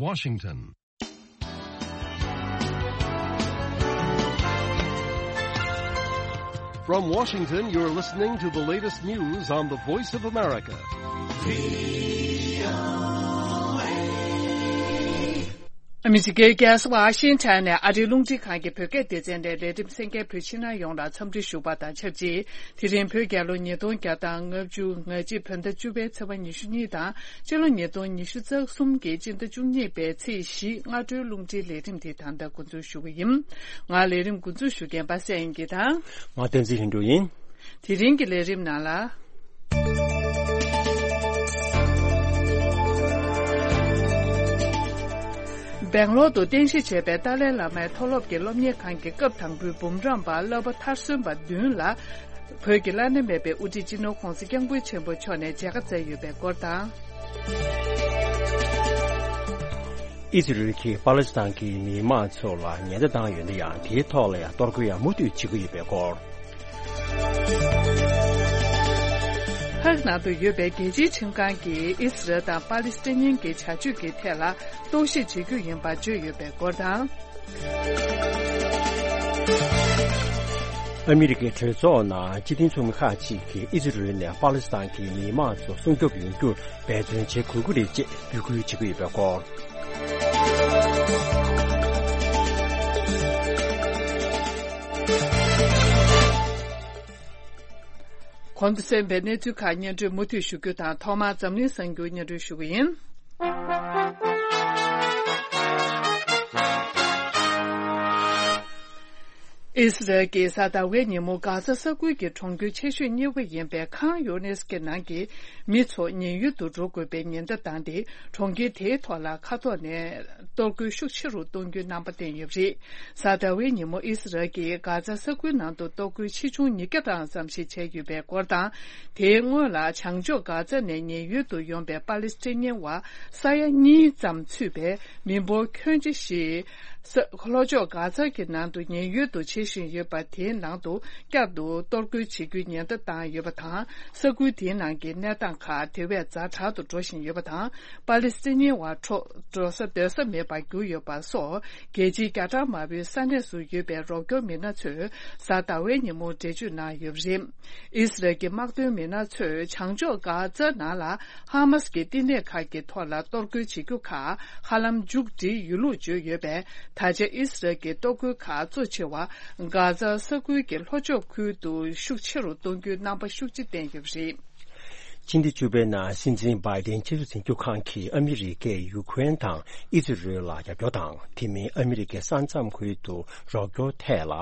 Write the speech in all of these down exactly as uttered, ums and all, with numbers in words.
Washington. From Washington, you're listening to the latest news on the Voice of America. ཨ་མི་རི་ཀའི་རྒྱལ་ས་ཝ་ཤིང་ཊོན་ནས་ཨ་རིའི་རླུང་འཕྲིན་ཁང་གི་བོད་སྐད་སྡེ་ཚན་ནས་ལས་རིམ་གསན་མཁན་བོད་ཕྱི་ནང་ཡོངས་ལ་འཚམས་འདྲི་ཞུ་བ་དང་ཆབས་ཅིག་དེ་རིང་བོད་རྒྱལ་ལོ་ཉིས་སྟོང་བརྒྱ་དང་ལྔ་བཅུ་ང་གཅིག་བོད་ཟླ་བཅུ་པའི་ཚེས་པ་ཉི་ཤུ་གཉིས་དང་། སྤྱི་ལོ་ཉིས་སྟོང་ཉི་ཤུ་རྩ་གསུམ་གྱི་སྤྱི་ཟླ་བཅུ་གཉིས་པའི་ཚེས་བཞི་སྔ་དྲོའི་རླུང་འཕྲིན་ལས་རིམ་དེ་ད་ལྟ་འགོ་འཛུགས་ཞུ་གི་ཡིན། ང་ལས་རིམ་འགོ་འཛུགས་ཞུ་མཁན་པ་སངས་དབྱངས་སྐྱིད་དང་། ང་བསྟན་འཛིན་ལྷུན་གྲུབ་ཡིན། དེ་རིང་གི་ལས་རིམ་ནང་ལ། སྦེང་ལོར་དུ་རྟེན་གཞི་བྱས་པའི་ཏཱ་ལའི་བླ་མའི་མཐོ་སློབ་ཀྱི་སློབ་གཉེར་ཁང་གི་སྐབས་དང་པོའི་འབུམ་རམས་པ་བསླབ་པ་མཐར་སོན་པ་བདུན་ལ། བོད་ཀྱི་བླ་ན་མེད་པའི་དབུ་ཁྲིད་སྤྱི་ནོར་༧གོང་ས་༧སྐྱབས་མགོན་ཆེན་པོ་མཆོག་ནས་མཇལ་ཁ་བསྩལ་ཡོད་པའི་སྐོར་དང་། ཨི་ཛི་རལ་གྱིས་པ་ལི་སི་ཐན་གྱི་མི་མང་ཚོ་ལ་ཉེན་བརྡ་བཏང་ཡོད་ན་ཡང་། དེའི་ཐོག་ལ་ཡང་གཏོར་རྒོལ་ཡང་མུ་མཐུད་བྱེད་ཀྱི་ཡོད་པའི་སྐོར། ཧཱག་ནང་དུ་ཡོད་པའི་རྒྱལ་སྤྱིའི་ཁྲིམས་ཁང་གིས་ཨི་ཟི་རལ་དང་པ་ལི་སི་ཐན་གྱི་བྱ་སྤྱོད་ཀྱི་ཐད་ལ་རྟོག་ཞིབ་བྱེད་རྒྱུ་ཡིན་པ་བརྗོད་ཡོད་པའི་སྐོར་དང་། ཨ་མི་རི་ཀའི་གྲོས་ཚོགས་ནང་སྤྱི་མཐུན་ཚོགས་མི་ཁག་ཅིག་གིས་ཨི་ཟི་རལ་ནས་པ་ལི་སི་ཐན་གྱི་མི་མང་ཚོ་སྲུང་སྐྱོབ་ཡོང་རྒྱུར་འབད་བརྩོན་བྱེད་དགོས་ཀྱི་རེད་ཅེས་འབོད་སྐུལ་བྱེད་ཀྱི་ཡོད་པའི་སྐོར། གོང་དུ་གསན་པའི་གནས་ཚུལ་ཁག་སྙན་སྒྲོན་མུ་མཐུད་ཞུ་རྒྱུ་དང་། ཐོག་མར་འཛམ་གླིང་གསར་འགྱུར་སྙན་སྒྲོན་ཞུ་གི་ཡིན། ཨི་སི་རལ་གྱིས་གཟའ་ཟླ་བའི་ཉིན་མོ་གྷ་ཛ་ས་ཁུལ་གྱི་གྲོང་ཁྱེར་ཆེ་ཤོས་གཉིས་པ་ཡིན་པའི་ཁཱན་ཡུ་ནིས་གྱི་ནང་གི་མི་ཚོ་ཉེན་གཡུལ་དུ་འགྲོ་དགོས་པའི་ཉེན་བརྡ་བཏང་སྟེ། གྲོང་ཁྱེར་དེའི་ཐོག་ལ་མཁའ་ཐོག་ནས་གཏོར་རྒོལ་ཤུགས་ཆེ་རུ་གཏོང་རྒྱུའི་རྣམ་པ་བསྟན་ཡོད་པ་རེད། གཟའ་ཟླ་བའི་ཉིན་མོ་ཨི་སི་རལ་གྱིས་གྷ་ཛ་ས་ཁུལ་ནང་དུ་གཏོར་རྒོལ་ཆེ་ཆུང་ཉིས་བརྒྱ་གྲངས་ཙམ་ཞིག་བྱས་ཡོད་པའི་སྐོར་དང་། དེའི་སྔོན་ལ་བྱང་ཕྱོགས་གྷ་ཛ་ནས་ཉེན་གཡུལ་དུ་ཡོང་པའི་པ་ལི་སི་ཐན་བ་ས་ཡ་གཉིས་ཙམ་ཚུད་པའི་མི་འབོར་ཁྱོན་ཆེ་ཞིག་ས་ལྷོ་ཕྱོགས་གྷ་ཛ་གི་ནང་དུ་ཉེན་གཡུལ་དུ་བྱེད་བཞིན་ཡོད་པ། དེའི་ནང་དུ་བསྐྱར་དུ་གཏོར་རྒོལ་བྱེད་རྒྱུའི་ཉེན་བརྡ་བཏང་ཡོད་པ་དང་། ས་ཁུལ་དེའི་ནང་གི་གནས་སྟངས་ཁག་དེ་བས་ཛ་དྲག་ཏུ་འགྲོ་བཞིན་ཡོད་པ་དང་། པ་ལི་སི་ཐན་བ་འཕྲོ་འགྲོ་ས་སྡོད་ས་མེད་པར་གྱུར་ཡོད་པ་སོགས། རྒྱལ་སྤྱིའི་བརྒྱ་ཕྲག་མང་པོའི་ས་གནས་སུ་ཡོད་པའི་རོགས་སྐྱོར་མི་སྣ་ཚོས་གཟའ་ཟླ་བའི་ཉིན་མོ་འགྲེལ་བརྗོད་གནང་ཡོད་པ་རེད། ཨི་སི་རལ་གྱི་དམག་དོན་མི་སྣ་ཚོས་བྱང་ཕྱོགས་གྷ་ཛ་ནང་ལ་ཧ་མཱ་སི་ཀྱི་བསྟི་གནས་ཁག་གི་ཐོག་ལ་གཏོར་རྒོལ་བྱེད་རྒྱུ་ཁག་ཧ་ལམ་མཇུག་སྒྲིལ་ཡོད་ལུགས་བརྗོད་ཡོད་པས། ད་ཆ་ཨི་སི་རལ་གྱི་གཏོར་རྒོལ་ཁག་གཙོ་ཆེ་བ་གྷ་ཛ་ས་ཁུལ་གྱི་ལྷོ་ཕྱོགས་ཁུལ་དུ་ཤུགས་ཆེ་རུ་གཏོང་རྒྱུའི་རྣམ་པ་ཤུགས་ཆེ་བསྟན་ཡོད་པ་རེད། ཕྱི་ཟླ་བཅུ་པའི་ནང་སྲིད་འཛིན་བྷའི་ཌེན་ཆབ་སྲིད་འཛིན་སྐྱོབ་ཁང་གིས་ཨ་མི་རི་ཀས་ཡུ་ཁུ་རེན་དང་ཨི་ཛི་རལ་ལ་རྒྱབ་སྐྱོར་དང་། དེ་མིན་ཨ་མི་རི་ཀའི་ས་མཚམས་ཁུལ་དུ་རོགས་སྐྱོར་ཐད་ལ་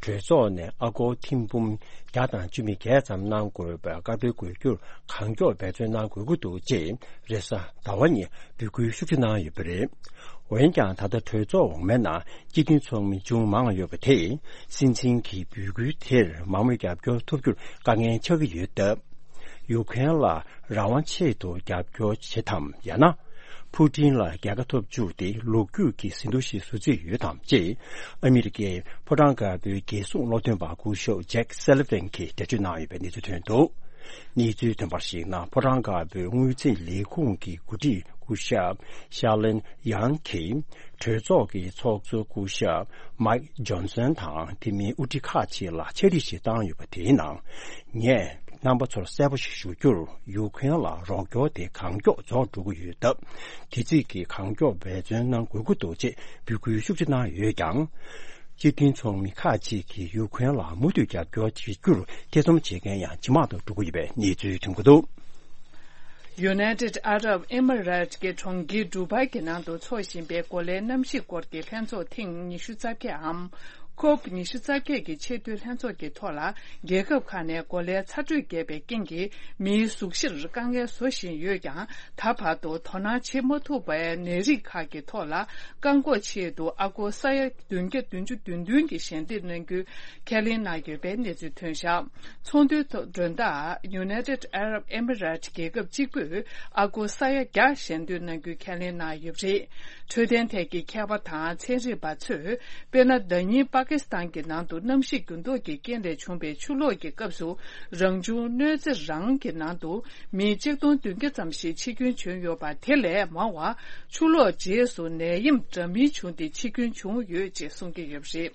གྲོས་ཚོགས་ནས་ཨ་སྒོར་ཐེར་འབུམ་བརྒྱ་དང་བཅུ་མེད་བརྒྱད་ཙམ་གནང་དགོས་པའི་བཀའ་འཁྲོལ་དགོས་རྒྱུར་གང་མགྱོགས་འབད་བརྩོན་གནང་དགོས་ཀྱི་འདུག་ཅེས་རེས་གཟའ་ཟླ་བ་ཉིན་འབོད་སྐུལ་ཤུགས་ཆེ་གནང་ཡོད་པ་རེད། འོན་ཀྱང་ད་ལྟ་གྲོས་ཚོགས་འོག་མའི་ནང་སྤྱི་མཐུན་ཚོགས་མི་ཅུང་མང་ཡོད་པ་དེས་སྲིད་འཛིན་གྱི་འབོད་སྐུལ་དེར་མང་མོས་རྒྱབ་སྐྱོར་ཐོབ་རྒྱུར་དཀའ་ངལ་ཆགས་ཀྱི་ཡོད་སྟབས། ཡུ་ཁུ་རེན་ལ་རང་དབང་ཆེད་དུ་རྒྱབ་སྐྱོར་བྱེད་དམ། ཡང་ན་ཕུ་ཀྲིན་ལ་རྒྱལ་ཁ་ཐོབ་བཅུག་སྟེ་ལོ་རྒྱུས་ཀྱི་ཟིན་ཐོ་ཞིག་བཟོ་རྩིས་ཡོད་དམ་ཅེས་ཨ་མི་རི་ཀའི་ཕོ་བྲང་དཀར་པོའི་རྒྱལ་སྲུང་སློབ་སྟོན་པ་སྐུ་ཞབས་ཇེག་སེ་ལི་ཝན་གྱིས་འགྲེལ་བརྗོད་གནང་ཡོད་པའི་གནས་ཚུལ་ཐོན་འདུག། གནས་ཚུལ་ཐོན་པར་གཞིགས་ན། ཕོ་བྲང་དཀར་པོའི་དངུལ་རྩིས་ལས་ཁུངས་ཀྱི་འགོ་ཁྲིད་སྐུ་ཞབས་ཤར་ལེན་ཡང་གིས་གྲོས་ཚོགས་ཀྱི་ཚོགས་གཙོ་སྐུ་ཞབས་མའིག་ཇོན་སན་དང་། དེ་མིན་དབུ་ཁྲིད་ཁག་ཅིག་ལ་ཕྱག་བྲིས་ཤིག་བཏང་ཡོད་པ། དེའི་ནང་ངས་རྣམ་པ་ཚོར་གསལ་པོ་ཞིག་ཞུ་རྒྱུར། ཡུ་ཁུ་རེན་ལ་རོགས་སྐྱོར་དེ་གང་མགྱོགས་རྫོགས་འགྲོ་གི་ཡོད་སྟབས། དེ་རྩིས་ཀྱིས་གང་མགྱོགས་འབད་བརྩོན་གནང་དགོས་ཀྱི་འདུག་ཅེས་འབོད་སྐུལ་ཤུགས་ཆེ་གནང་ཡོད་ཀྱང་། སྤྱི་མཐུན་ཚོགས་མི་ཁག་ཅིག་གིས་ཡུ་ཁུ་རེན་ལ་མུ་མཐུད་རྒྱབ་སྐྱོར་བྱེད་རྒྱུར་ཐེ་ཚོམ་བྱེད་མཁན་ཡང་ཇེ་མང་དུ་འགྲོ་གི་ཡོད་པའི་གནས་ཚུལ་ཐོན་གྱི་འདུག། United Arab Emirates གྱི་གྲོང་ཁྱེར་ཌུ་བྷའི་གྱི་ནང་དུ་འཚོགས་བཞིན་པའི་གོ་ལའི་གནམ་གཤིས་སྐོར་གྱི་ལྷན་ཚོགས་ཐེངས་ཉི་ཤུ་རྩ་བརྒྱད་འམ། ཁོབ་ཉི་ཤུ་རྩ་བརྒྱད་ཀྱི་ཆེས་མཐོའི་ལྷན་ཚོགས་ཀྱི་ཐོག་ལ། རྒྱལ་ཁབ་ཁག་ནས་གོ་ལའི་ཚ་དྲོད་རྒྱས་པའི་རྐྱེན་གྱིས་མིའི་གཟུགས་གཞིར་དཀའ་ངལ་བཟོ་བཞིན་ཡོད་ཀྱང་། ད་བར་དུ་དོ་སྣང་བྱེད་མ་ཐུབ་པའི་ནད་རིགས་ཁག་གི་ཐོག་ལ་བཀག་འགོག་ཆེད་དུ་ཨ་སྒོར་ས་ཡ་བདུན་བརྒྱ་བདུན་ཅུ་དོན་བདུན་གྱི་ཞལ་འདེབས་གནང་རྒྱུའི་ཁས་ལེན་གནང་ཡོད་པའི་གནས་ཚུལ་ཐོན་བཞག། ཚོགས་འདུའི་ཐོག་མགྲོན་བདག་United Arab Emirates རྒྱལ་ཁབ་གཅིག་པུས་ཨ་སྒོར་ས་ཡ་བརྒྱ་ཞལ་འདེབས་གནང་རྒྱུའི་ཁས་ལེན་གནང་ཡོད་པ་རེད། འཕྲོད་བསྟེན་ཐད་ཀྱི་མཁས་པ་དང་ཚན་རིག་པ་ཚོས། དཔེར་ན། ཟླ་ཉིན་པ་ ཀི་སི་ཐན་གྱི་ནང་དུ་གནམ་གཤིས་འགྱུར་ལྡོག་གི་རྐྱེན་ལས་བྱུང་བའི་ཆུ་ལོག་གི་སྐབས་སུ་རང་བྱུང་གནོད་འཚེ་རང་གི་ནང་དུ་མི་གཅིག་སྟོང་བདུན་བརྒྱ་ཙམ་ཞིག་འཆི་སྐྱོན་བྱུང་ཡོད་པ་དེ་ལས་མང་བ་ཆུ་ལོག་རྗེས་སུ་ནད་ཡམས་འདྲ་མིན་བྱུང་སྟེ་འཆི་སྐྱོན་བྱུང་ཡོད་ཅེས་གསུང་གི་ཡོད་པ་རེད།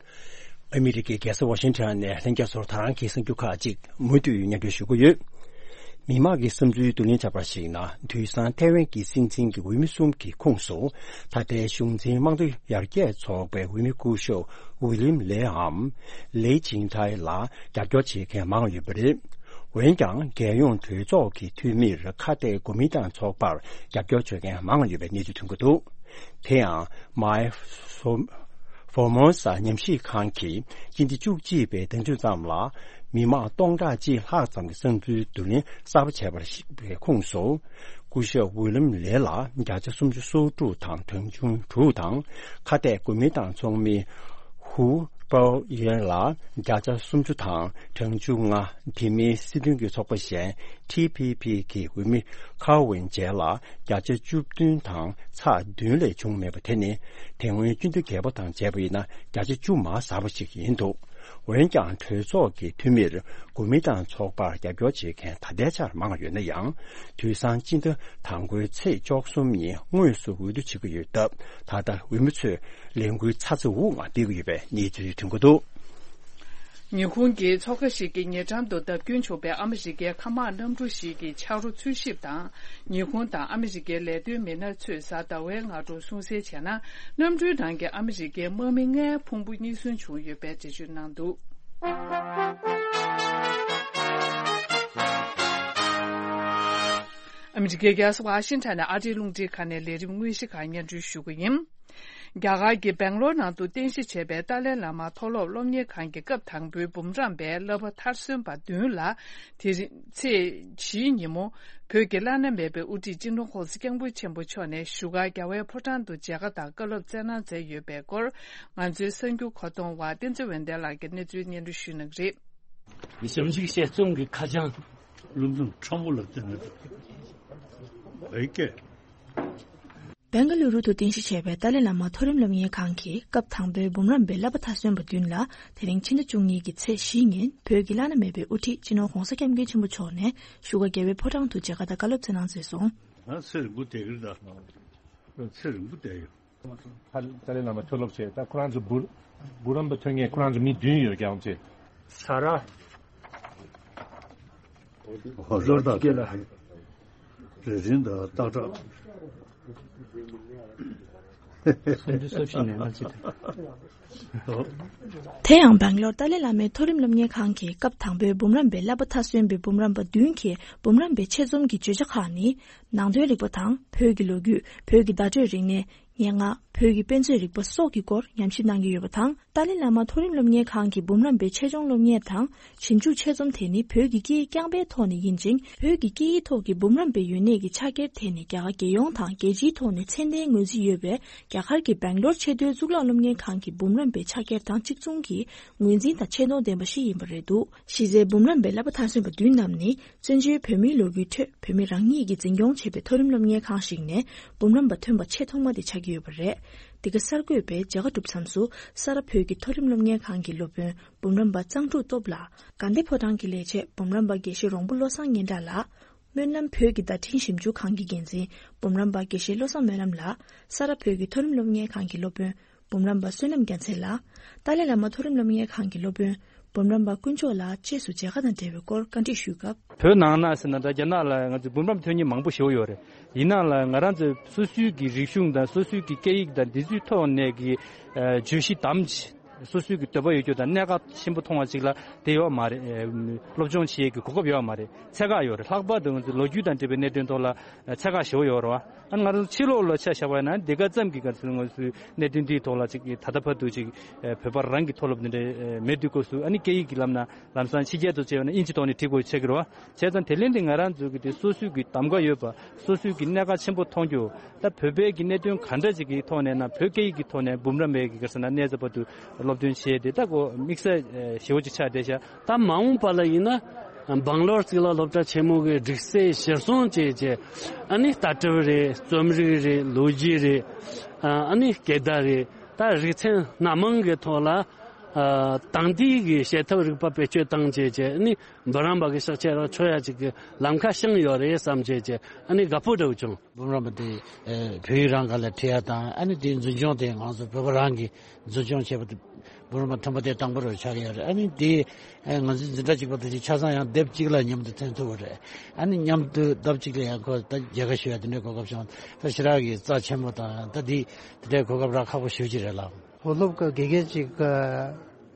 ཨ་མི་རི་ཀའི་རྒྱལ་ས་ཝ་ཤིང་ཊོན་ནས་ལྷན་རྒྱས་ཚོར་ད་རང་གི་གསར་འགྱུར་ཁག་ཅིག་མུ་མཐུད་སྙན་སྒྲོན་ཞུ་གི་ཡོད། མི་མང་གི་བསམ་ཚུལ་བསྡུ་ལེན་བྱས་པར་གཞིགས་ན། དུས་སང་ཐའེ་ཝན་གྱི་སྲིད་འཛིན་གྱི་འོས་མི་གསུམ་གྱི་ཁོངས་སུ། ད་ལྟའི་གཞུང་འཛིན་དམངས་གཙོ་ཡར་རྒྱས་ཚོགས་པའི་འོས་མི་སྐུ་ཞབས་ཝི་ལིམ་ལེའམ་ལེ་ཅིང་ཐའེ་ལ་རྒྱབ་སྐྱོར་བྱེད་མཁན་མང་ཡོད་པ་རེད། འོན་ཀྱང་། རྒྱལ་ཡོངས་གྲོས་ཚོགས་ཀྱི་འཐུས་མིར་ཁ་གཏད་གོ་མིན་ཏང་ཚོགས་པར་རྒྱབ་སྐྱོར་བྱེད་མཁན་མང་ཡོད་པའི་གནས་ཚུལ་ཐོན་གྱི་འདུག་དེ་ཡང་། མའི་ཧྥོ་ཧྥོར་མོ་ས་ཉམས་ཞིབ་ཁང་གིས་སྤྱི་ཟླ་བཅུ་གཅིག་པའི་ཟླ་མཇུག་ཙམ་ལ། མི་མང་སྟོང་ཕྲག་གཅིག་ལྷག་ཙམ་གྱི་བསམ་ཚུལ་བསྡུ་ལེན་གསར་པ་བྱས་པར་གཞིགས་པའི་ཁོངས་སུ། སྐུ་ཞབས་ཝི་ལམ་ལེ་ལ་བརྒྱ་ཆ་སུམ་ཅུ་སོ་དྲུག་དང་གྲངས་ཆུང་དྲུག་དང་། ཁ་གཏད་གོ་མིན་ཏང་ཚོགས་མི་ཧུའུ་པའོ་ཡེ་ལ་བརྒྱ་ཆ་སུམ་ཅུ་དང་གྲངས་ཆུང་ལྔ། དེ་མིན་སྲིད་དོན་གྱི་ཚོགས་པ་གཞན་ཊི་པི་པི་གི་འོས་མི་ཁའོ་ཝེན་ཇེ་ལ་བརྒྱ་ཆ་བཅུ་བདུན་དང་ཚེག་བདུན་ལས་བྱུང་མེད་པ་དེ་ནི། དེ་སྔོན་སྤྱི་འཐུས་བརྒྱད་པོ་དང་བྱས་པ་ཡིན་ན་བརྒྱ་ཆ་བཅུ་མར་ཟགས་པ་ཞིག་ཡིན་འདུག་འོན་ཀྱང་། གྲོས་ཚོགས་ཀྱི་འཐུས་མིར་གོ་མིན་ཏང་ཚོགས་པར་རྒྱབ་སྐྱོར་བྱེད་མཁན་ད་ལྟའི་ཆར་མང་ཡོད་ན་ཡང་། དུས་སང་སྤྱི་ཟླ་དང་པོའི་ཚེས་བཅུ་གསུམ་ཉིན་དངོས་སུ་འོས་བསྡུ་བྱེད་ཀྱི་ཡོད་སྟབས། ད་ལྟ་འོས་མི་ཚོས་ལས་འགུལ་ཚ་ཚ་འུར་འུར་ངང་སྤེལ་གྱི་ཡོད་པའི་གནས་ཚུལ་ཐོན་གྱི་འདུག་ཉི་ཧོང་གི་མཚོ་ཁ་ཞིག་གི་ཉེ་འགྲམ་དུ་བརྡབ་སྐྱོན་བྱུང་བའི་ཨ་མི་རི་ཀའི་མཁའ་དམག་གནམ་གྲུ་ཞིག་གི་ཆག་རོ་འཚོལ་ཞིབ་དང་། ཉི་ཧོང་དང་ཨ་མི་རི་ཀའི་ལས་དོན་མི་སྣ་ཚོས་གཟའ་ཟླ་བའི་སྔ་དྲོ་གསུང་གསལ་བྱས་ན། གནམ་གྲུའི་ནང་གི་ཨ་མི་རི་ཀའི་དམག་མི་ལྔའི་ཕུང་པོ་རྙེད་སོན་བྱུང་ཡོད་པའི་འགྲེལ་བརྗོད་གནང་འདུག་ཨ་མི་རི་ཀའི་རྒྱལ་ས་ཝ་ཤིང་ཊོན་ནས་ཨ་རིའི་རླུང་འཕྲིན་ཁང་ནས་ལས་རིམ་དངོས་གཞི་ཁག་སྙན་སྒྲོན་ཞུ་གི་ཡིན། རྒྱ་གར་གྱི་སྦེང་ལོར་ནང་དུ་རྟེན་གཞི་བྱས་པའི་ཏཱ་ལའི་བླ་མ་མཐོ་སློབ་སློབ་གཉེར་ཁང་གི་སྐབས་དང་པོའི་འབུམ་རམས་པའི་བསླབ་པ་མཐར་སོན་པ་བདུན་ལ། དེ་རིང་ཚེས་བཞིའི་ཉིན་མོ། བོད་ཀྱི་བླ་ན་མེད་པའི་དབུ་ཁྲིད་སྤྱི་ནོར་༸གོང་ས་༸སྐྱབས་མགོན་ཆེན་པོ་མཆོག་ནས་བཞུགས་སྒར་རྒྱལ་བའི་ཕོ་བྲང་དུ་མཇལ་ཁ་དང་བཀའ་སློབ་སྩལ་གནང་མཛད་ཡོད་པའི་སྐོར། ང་ཚོའི་གསར་འགྱུར་མཁོ་གཏོང་བ་བསྟན་འཛིན་འོད་ལྡན་ལགས་ཀྱིས་གནས་ཚུལ་སྙན་སྒྲོན་ཞུ་གནང་གི་རེད། ཞིབ་འཇུག་དཔྱད་རྩོམ་གྱི་ཁ་བྱང་བློ་འཛིན་ཁྲོམ་བུ་ལ་བསྟན་ནས་འདུག་གས། སྦེང་ག་ལུ་རུ་དུ་རྟེན་གཞི་བྱས་པའི་ཏཱ་ལའི་བླ་མ་མཐོ་རིམ་སློབ་གཉེར་ཁང་གི་སྐབས་དང་པོའི་འབུམ་རམས་པའི་བསླབ་པ་མཐར་སོན་པ་བདུན་ལ། དེ་རིང་ཕྱི་ཟླ་བཅུ་གཉིས་ཀྱི་ཚེས་བཞི་ཉིན་བོད་ཀྱི་བླ་ན་མེད་པའི་དབུ་ཁྲིད་སྤྱི་ནོར་༸གོང་ས་༸སྐྱབས་མགོན་ཆེན་པོ་མཆོག་ནས་བཞུགས་སྒར་རྒྱལ་བའི་ཕོ་བྲང་དུ་མཇལ་ཁ་དང་བཀའ་སློབ་སྩལ་གནང་མཛད་སོང་། ཨ་ཚེ་རིང་པོ་བསྡད་ཀྱི་རེད་ད། ཚེ་རིང་པོ་བསྡད་ཡོད། ཏཱ་ལའི་བླ་མ་མཐོ་སློབ་བྱས། ད་ཁོ་རང་ཚོ་འབུ་འབུམ་རམས་པ་ཐོན་མཁན་ཁོ་རང་ཚོ་མི་བདུན་ཡོད་ཀྱང་ཚེ། ས་ར། ཧོ་ཟོར་དང་སྐེ་ལ། རེ་རིང་དང་སྟག་བྲག་སུམ་ཅུ་སོ་བཞི་ནས་ལྔ་བཅུ་དང་། དེ་ཡང་སྦེང་ལོར་ཏཱ་ལའི་བླ་མའི་མཐོ་རིམ་སློབ་གཉེར་ཁང་གི་སྐབས་དང་པོའི་འབུམ་རམས་པའི་བསླབ་པ་མཐར་སོན་པའི་འབུམ་རམས་པ་བདུན་གྱིས་འབུམ་རམས་པའི་ཆེད་རྩོམ་གྱི་བརྗོད་བྱ་ཁག་ནི། ནང་དོན་རིག་པ་དང་བོད་ཀྱི་ལོ་རྒྱུས། བོད་ཀྱི་བརྡ་སྤྲོད་རིག་གནས། སྙན་ངག་བོད་ཀྱི་དཔེ་མཛོད་རིག་པ་སོགས་ཀྱི་སྐོར་ཉམས་ཞིབ་གནང་གི་ཡོད་པ་དང་། ཏཱ་ལའི་བླ་མ་མཐོ་རིམ་སློབ་གཉེར་ཁང་གི་འབུམ་རམས་པའི་ཆེད་སྦྱོང་སློབ་གཉེར་དང་ཞིབ་འཇུག་ཆེད་རྩོམ་དེ་ནི་བོད་ཀྱི་སྐད་ཡིག་རྐྱང་པའི་ཐོག་ནས་ཡིན་ཅིང་། བོད་ཀྱི་སྐད་ཡིག་ཐོག་གི་འབུམ་རམས་པའི་ཡོན་གནས་ཀྱི་ཕྱག་འཁྱེར་དེ་ནི་རྒྱ་གར་རྒྱལ་ཡོངས་དང་རྒྱལ་སྤྱིའི་ཐོག་ནས་མཚན་ལྡན་ངོས་འཛིན་ཡོད་པའི་རྒྱ་གར་གྱི་སྦེང་ལོར་ཆེས་མཐོའི་གཙུག་ལག་སློབ་གཉེར་ཁང་གི་འབུམ་རམས་པའི་ཕྱག་འཁྱེར་དང་གཅིག་མཚུངས་ཀྱི་ངོས་འཛིན་དང་ཆེ་མཐོང་ལྡན་པ་ཞིག་ཡིན་པ་རེད་འདུག་གཞི་རྩའི་འབུམ་རམས་པའི་བསླབ་པ་མཐར་སོན་པ་བདུན་རྣམས་ནི། བཙན་བྱོལ་བོད་མིའི་ལོ་རྒྱུས་ཁྲོད་བོད་མི་རང་ཉིད་ཀྱིས་འཛིན་སྐྱོང་བྱེད་པའི་མཐོ་རིམ་སློབ་གཉེར་ཁང་ཞིག་ནས་འབུམ་རམས་པ་ཐོན་པ་ཆེས་ཐོག་མ་དེ་ཆགས་ཀྱི་ཡོད་པ་རེད། འདི་ག་གསར་འགོད་པས་མཇལ་ཁ་བསྒྲུབས་མཚམས་སུ། ས་རཱ་བོད་ཀྱི་མཐོ་རིམ་སློབ་གཉེར་ཁང་གི་སློབ་དཔོན་འབུམ་རམས་པ་གཙང་ཕྲུག་སྟོབས་ལགས། དགའ་ལྡན་ཕོ་བྲང་གི་ལས་བྱེད་འབུམ་རམས་པ་དགེ་བཤེས་རོང་པོ་བློ་བཟང་སྙན་གྲགས་ལགས། སྨོན་ལམ་བོད་ཀྱི་བརྡ་འཕྲིན་ཞིབ་འཇུག་ཁང་གི་འགན་འཛིན་འབུམ་རམས་པ་དགེ་བཤེས་བློ་བཟང་སྨོན་ལམ་ལགས། ས་རཱ་བོད་ཀྱི་མཐོ་རིམ་སློབ་གཉེར་ཁང་གི་སློབ་དཔོན་འབུམ་རམས་པ་བསོད་ནམས་རྒྱལ་མཚན་ལགས། ཏཱ་ལའི་བླ་མ་མཐོ་རིམ་སློབ་གཉེར་ཁང་གི་སློབ་དཔོན་འབུམ་རམས་པ་དཀོན་མཆོག་ལགས་བཅས་སུ་མཇལ་ཁ་དང་འབྲེལ་བའི་སྐོར་བཀའ་འདྲི་ཞུས་སྐབས། བོད་ནང་ན་ཟེར་ན་ད་རྒྱ་ནག་ལ་ང་ཚོ་འབུམ་རམས་ཐོན་མཁན་མང་པོ་ཞེ་པོ་ཡོད་རེད། ཡིན་ནའང་ལ་ང་རང་ཚོའི་སོ་སོའི་གི་རིག་གཞུང་དང་སོ་སོའི་གི་སྐད་ཡིག་དང་འདི་ཚོའི་ཐོག་ནས་གི་ཨ་བརྗོད་གཞི་བདམས། སོ་སོའི་གི་འདོད་པ་ཡོད་རྒྱུ་དང་གནད་འགག་ཆེན་པོ་མཐོང་བ་ཅིག་ལ་དེ་ཡོད་མ་རེད། ཨ་སློབ་སྦྱོང་བྱེད་ཡས་ཀྱི་གོ་སྐབས་ཡོད་མ་རེད། ཚད་བཀག་ཡོད་རེད། ལྷག་པར་དུ་ང་ཚོའི་ལོ་རྒྱུས་དང་འབྲེལ་བའི་གནད་དོན་ཐོག་ལ་ཚད་བཀག་ཞེ་པོ་ཡོད་རེད་བ། ཨ་ང་ཚོ་ཕྱི་ལོགས་ལ་ཆ་བཞག་པ་ཡིན་ན་འདི་ག་ཙམ་གྱི་ག་ཚོད་ང་ཚོའི་གནད་དོན་འདིའི་ཐོག་ལ་ཅིག་ད་ལྟ་བར་དུ་ཅིག་བོད་པ་རང་གི་མཐོ་སློབ་འདི་འདྲ་མེད་དུས་སྐབས་སུ། ཨ་ནི་སྐད་ཡིག་གི་ལམ་ན་ལམ་སང་ཕྱི་རྒྱལ་དུ་བྱས་པ་ན་དབྱིན་ཇི་ཐོག་ནས་ཁྲིད་དགོས་ཆགས་ཀྱི་རེད་བ། བྱས་ཙང་དེ་ལས་འདི་ང་རང་ཚོ་གི་དེ་སོ་སོའི་གི་གདམ་ག་ཡོད་པ། སོ་སོའི་གི་གནད་འགག་ཆེན་པོ་མཐོང་རྒྱུ། ད་བོད་པའི་གི་གནད་དོན་ག་འདྲ་ཅིག་གི་ཐོག་ནས་ན་བོད་སྐད་ཡིག་གི་ཐོག་ནས་འབུམ་རམས་པའི་གི་ག་ཟེར་ན་གནས་ཚད་བར་དུ་སློབ་སྟོན་བྱས་ཏེ་ད་གོ་དམིགས་བསལ་ཞེ་པོ་ཅིག་ཆགས་བསྡད་ཤག་ད་མ་འོངས་པ་ལ་ཡིན་ན་སྦང་ལོར་གཙུག་ལག་སློབ་གྲྭ་ཆེན་མོ་གི་སྒྲིག་སྲོལ་གཞིར་བཟུང་བྱས་བྱས། ཨ་ནི་ལྟ་གྲུབ་རེད། རྩོམ་རིག་རེད། ལོ་རྒྱུས་རེད། ཨ་ནི་སྐད་བརྡ་རེད། ད་རིག་ཚན་སྣ་མང་གི་ཐོག་ལ། ཨ། དེང་དུས་ཀྱི་བྱེད་ཐབས་རིག་པ་བེད་སྤྱོད་བཏང་བྱས་བྱས་ནི་འབུམ་རམས་པ་གི་ཤག་ཆེ་རང་ཆོ་ཡ་ཅིག་གི་ལམ་ཁ་བྱུང་ཡོད་རེད་བསམ་བྱས་བྱས་ཨ་ནི་དགའ་པོ་འདྲ་བོ་བྱུང་། འབུམ་རམས་པ་དེ་བོད་ཡིག་རང་ག་ལ་ཁྲིད་ཡ་དང་ཨ་ནི་དེའི་འཛིན་སྐྱོང་དེ་ང་ཚོ་བོད་པ་རང་གིས་འཛིན་སྐྱོང་བྱས་པ་དེ་འབུམ་རམས་པ་ཐོན་པ་དེ་དང་པོ་རུ་ཆགས་ཡོད་རེད། ཨ་ནི་དེ་ང་ཚོའི་འཛིན་གྲྭ་གཅིག་པ་དེ་ཆ་ཚང་ཡང་དེབ་གཅིག་ལ་མཉམ་དུ་ཐོན་ཐུབ་པ་རེད། ཨ་ནི་མཉམ་དུ་དེབ་གཅིག་ལ་ཡང་ཁོ་ད་རྒྱལ་ཁ་ཞུ་ཡ་དེ་འདྲའི་གོ་སྐབས་བྱུང་ད་ཞེ་དྲག་གི་རྩ་ཆེན་པོ་དང་ད་དེ་དེ་འདྲའི་གོ་སྐབས་རག་ཁག་པོ་ཞེ་པོ་ཅིག་རེད་ལགས། མཐོ་སློབ་ཀྱི་དགེ་རྒན་ཅིག་གི་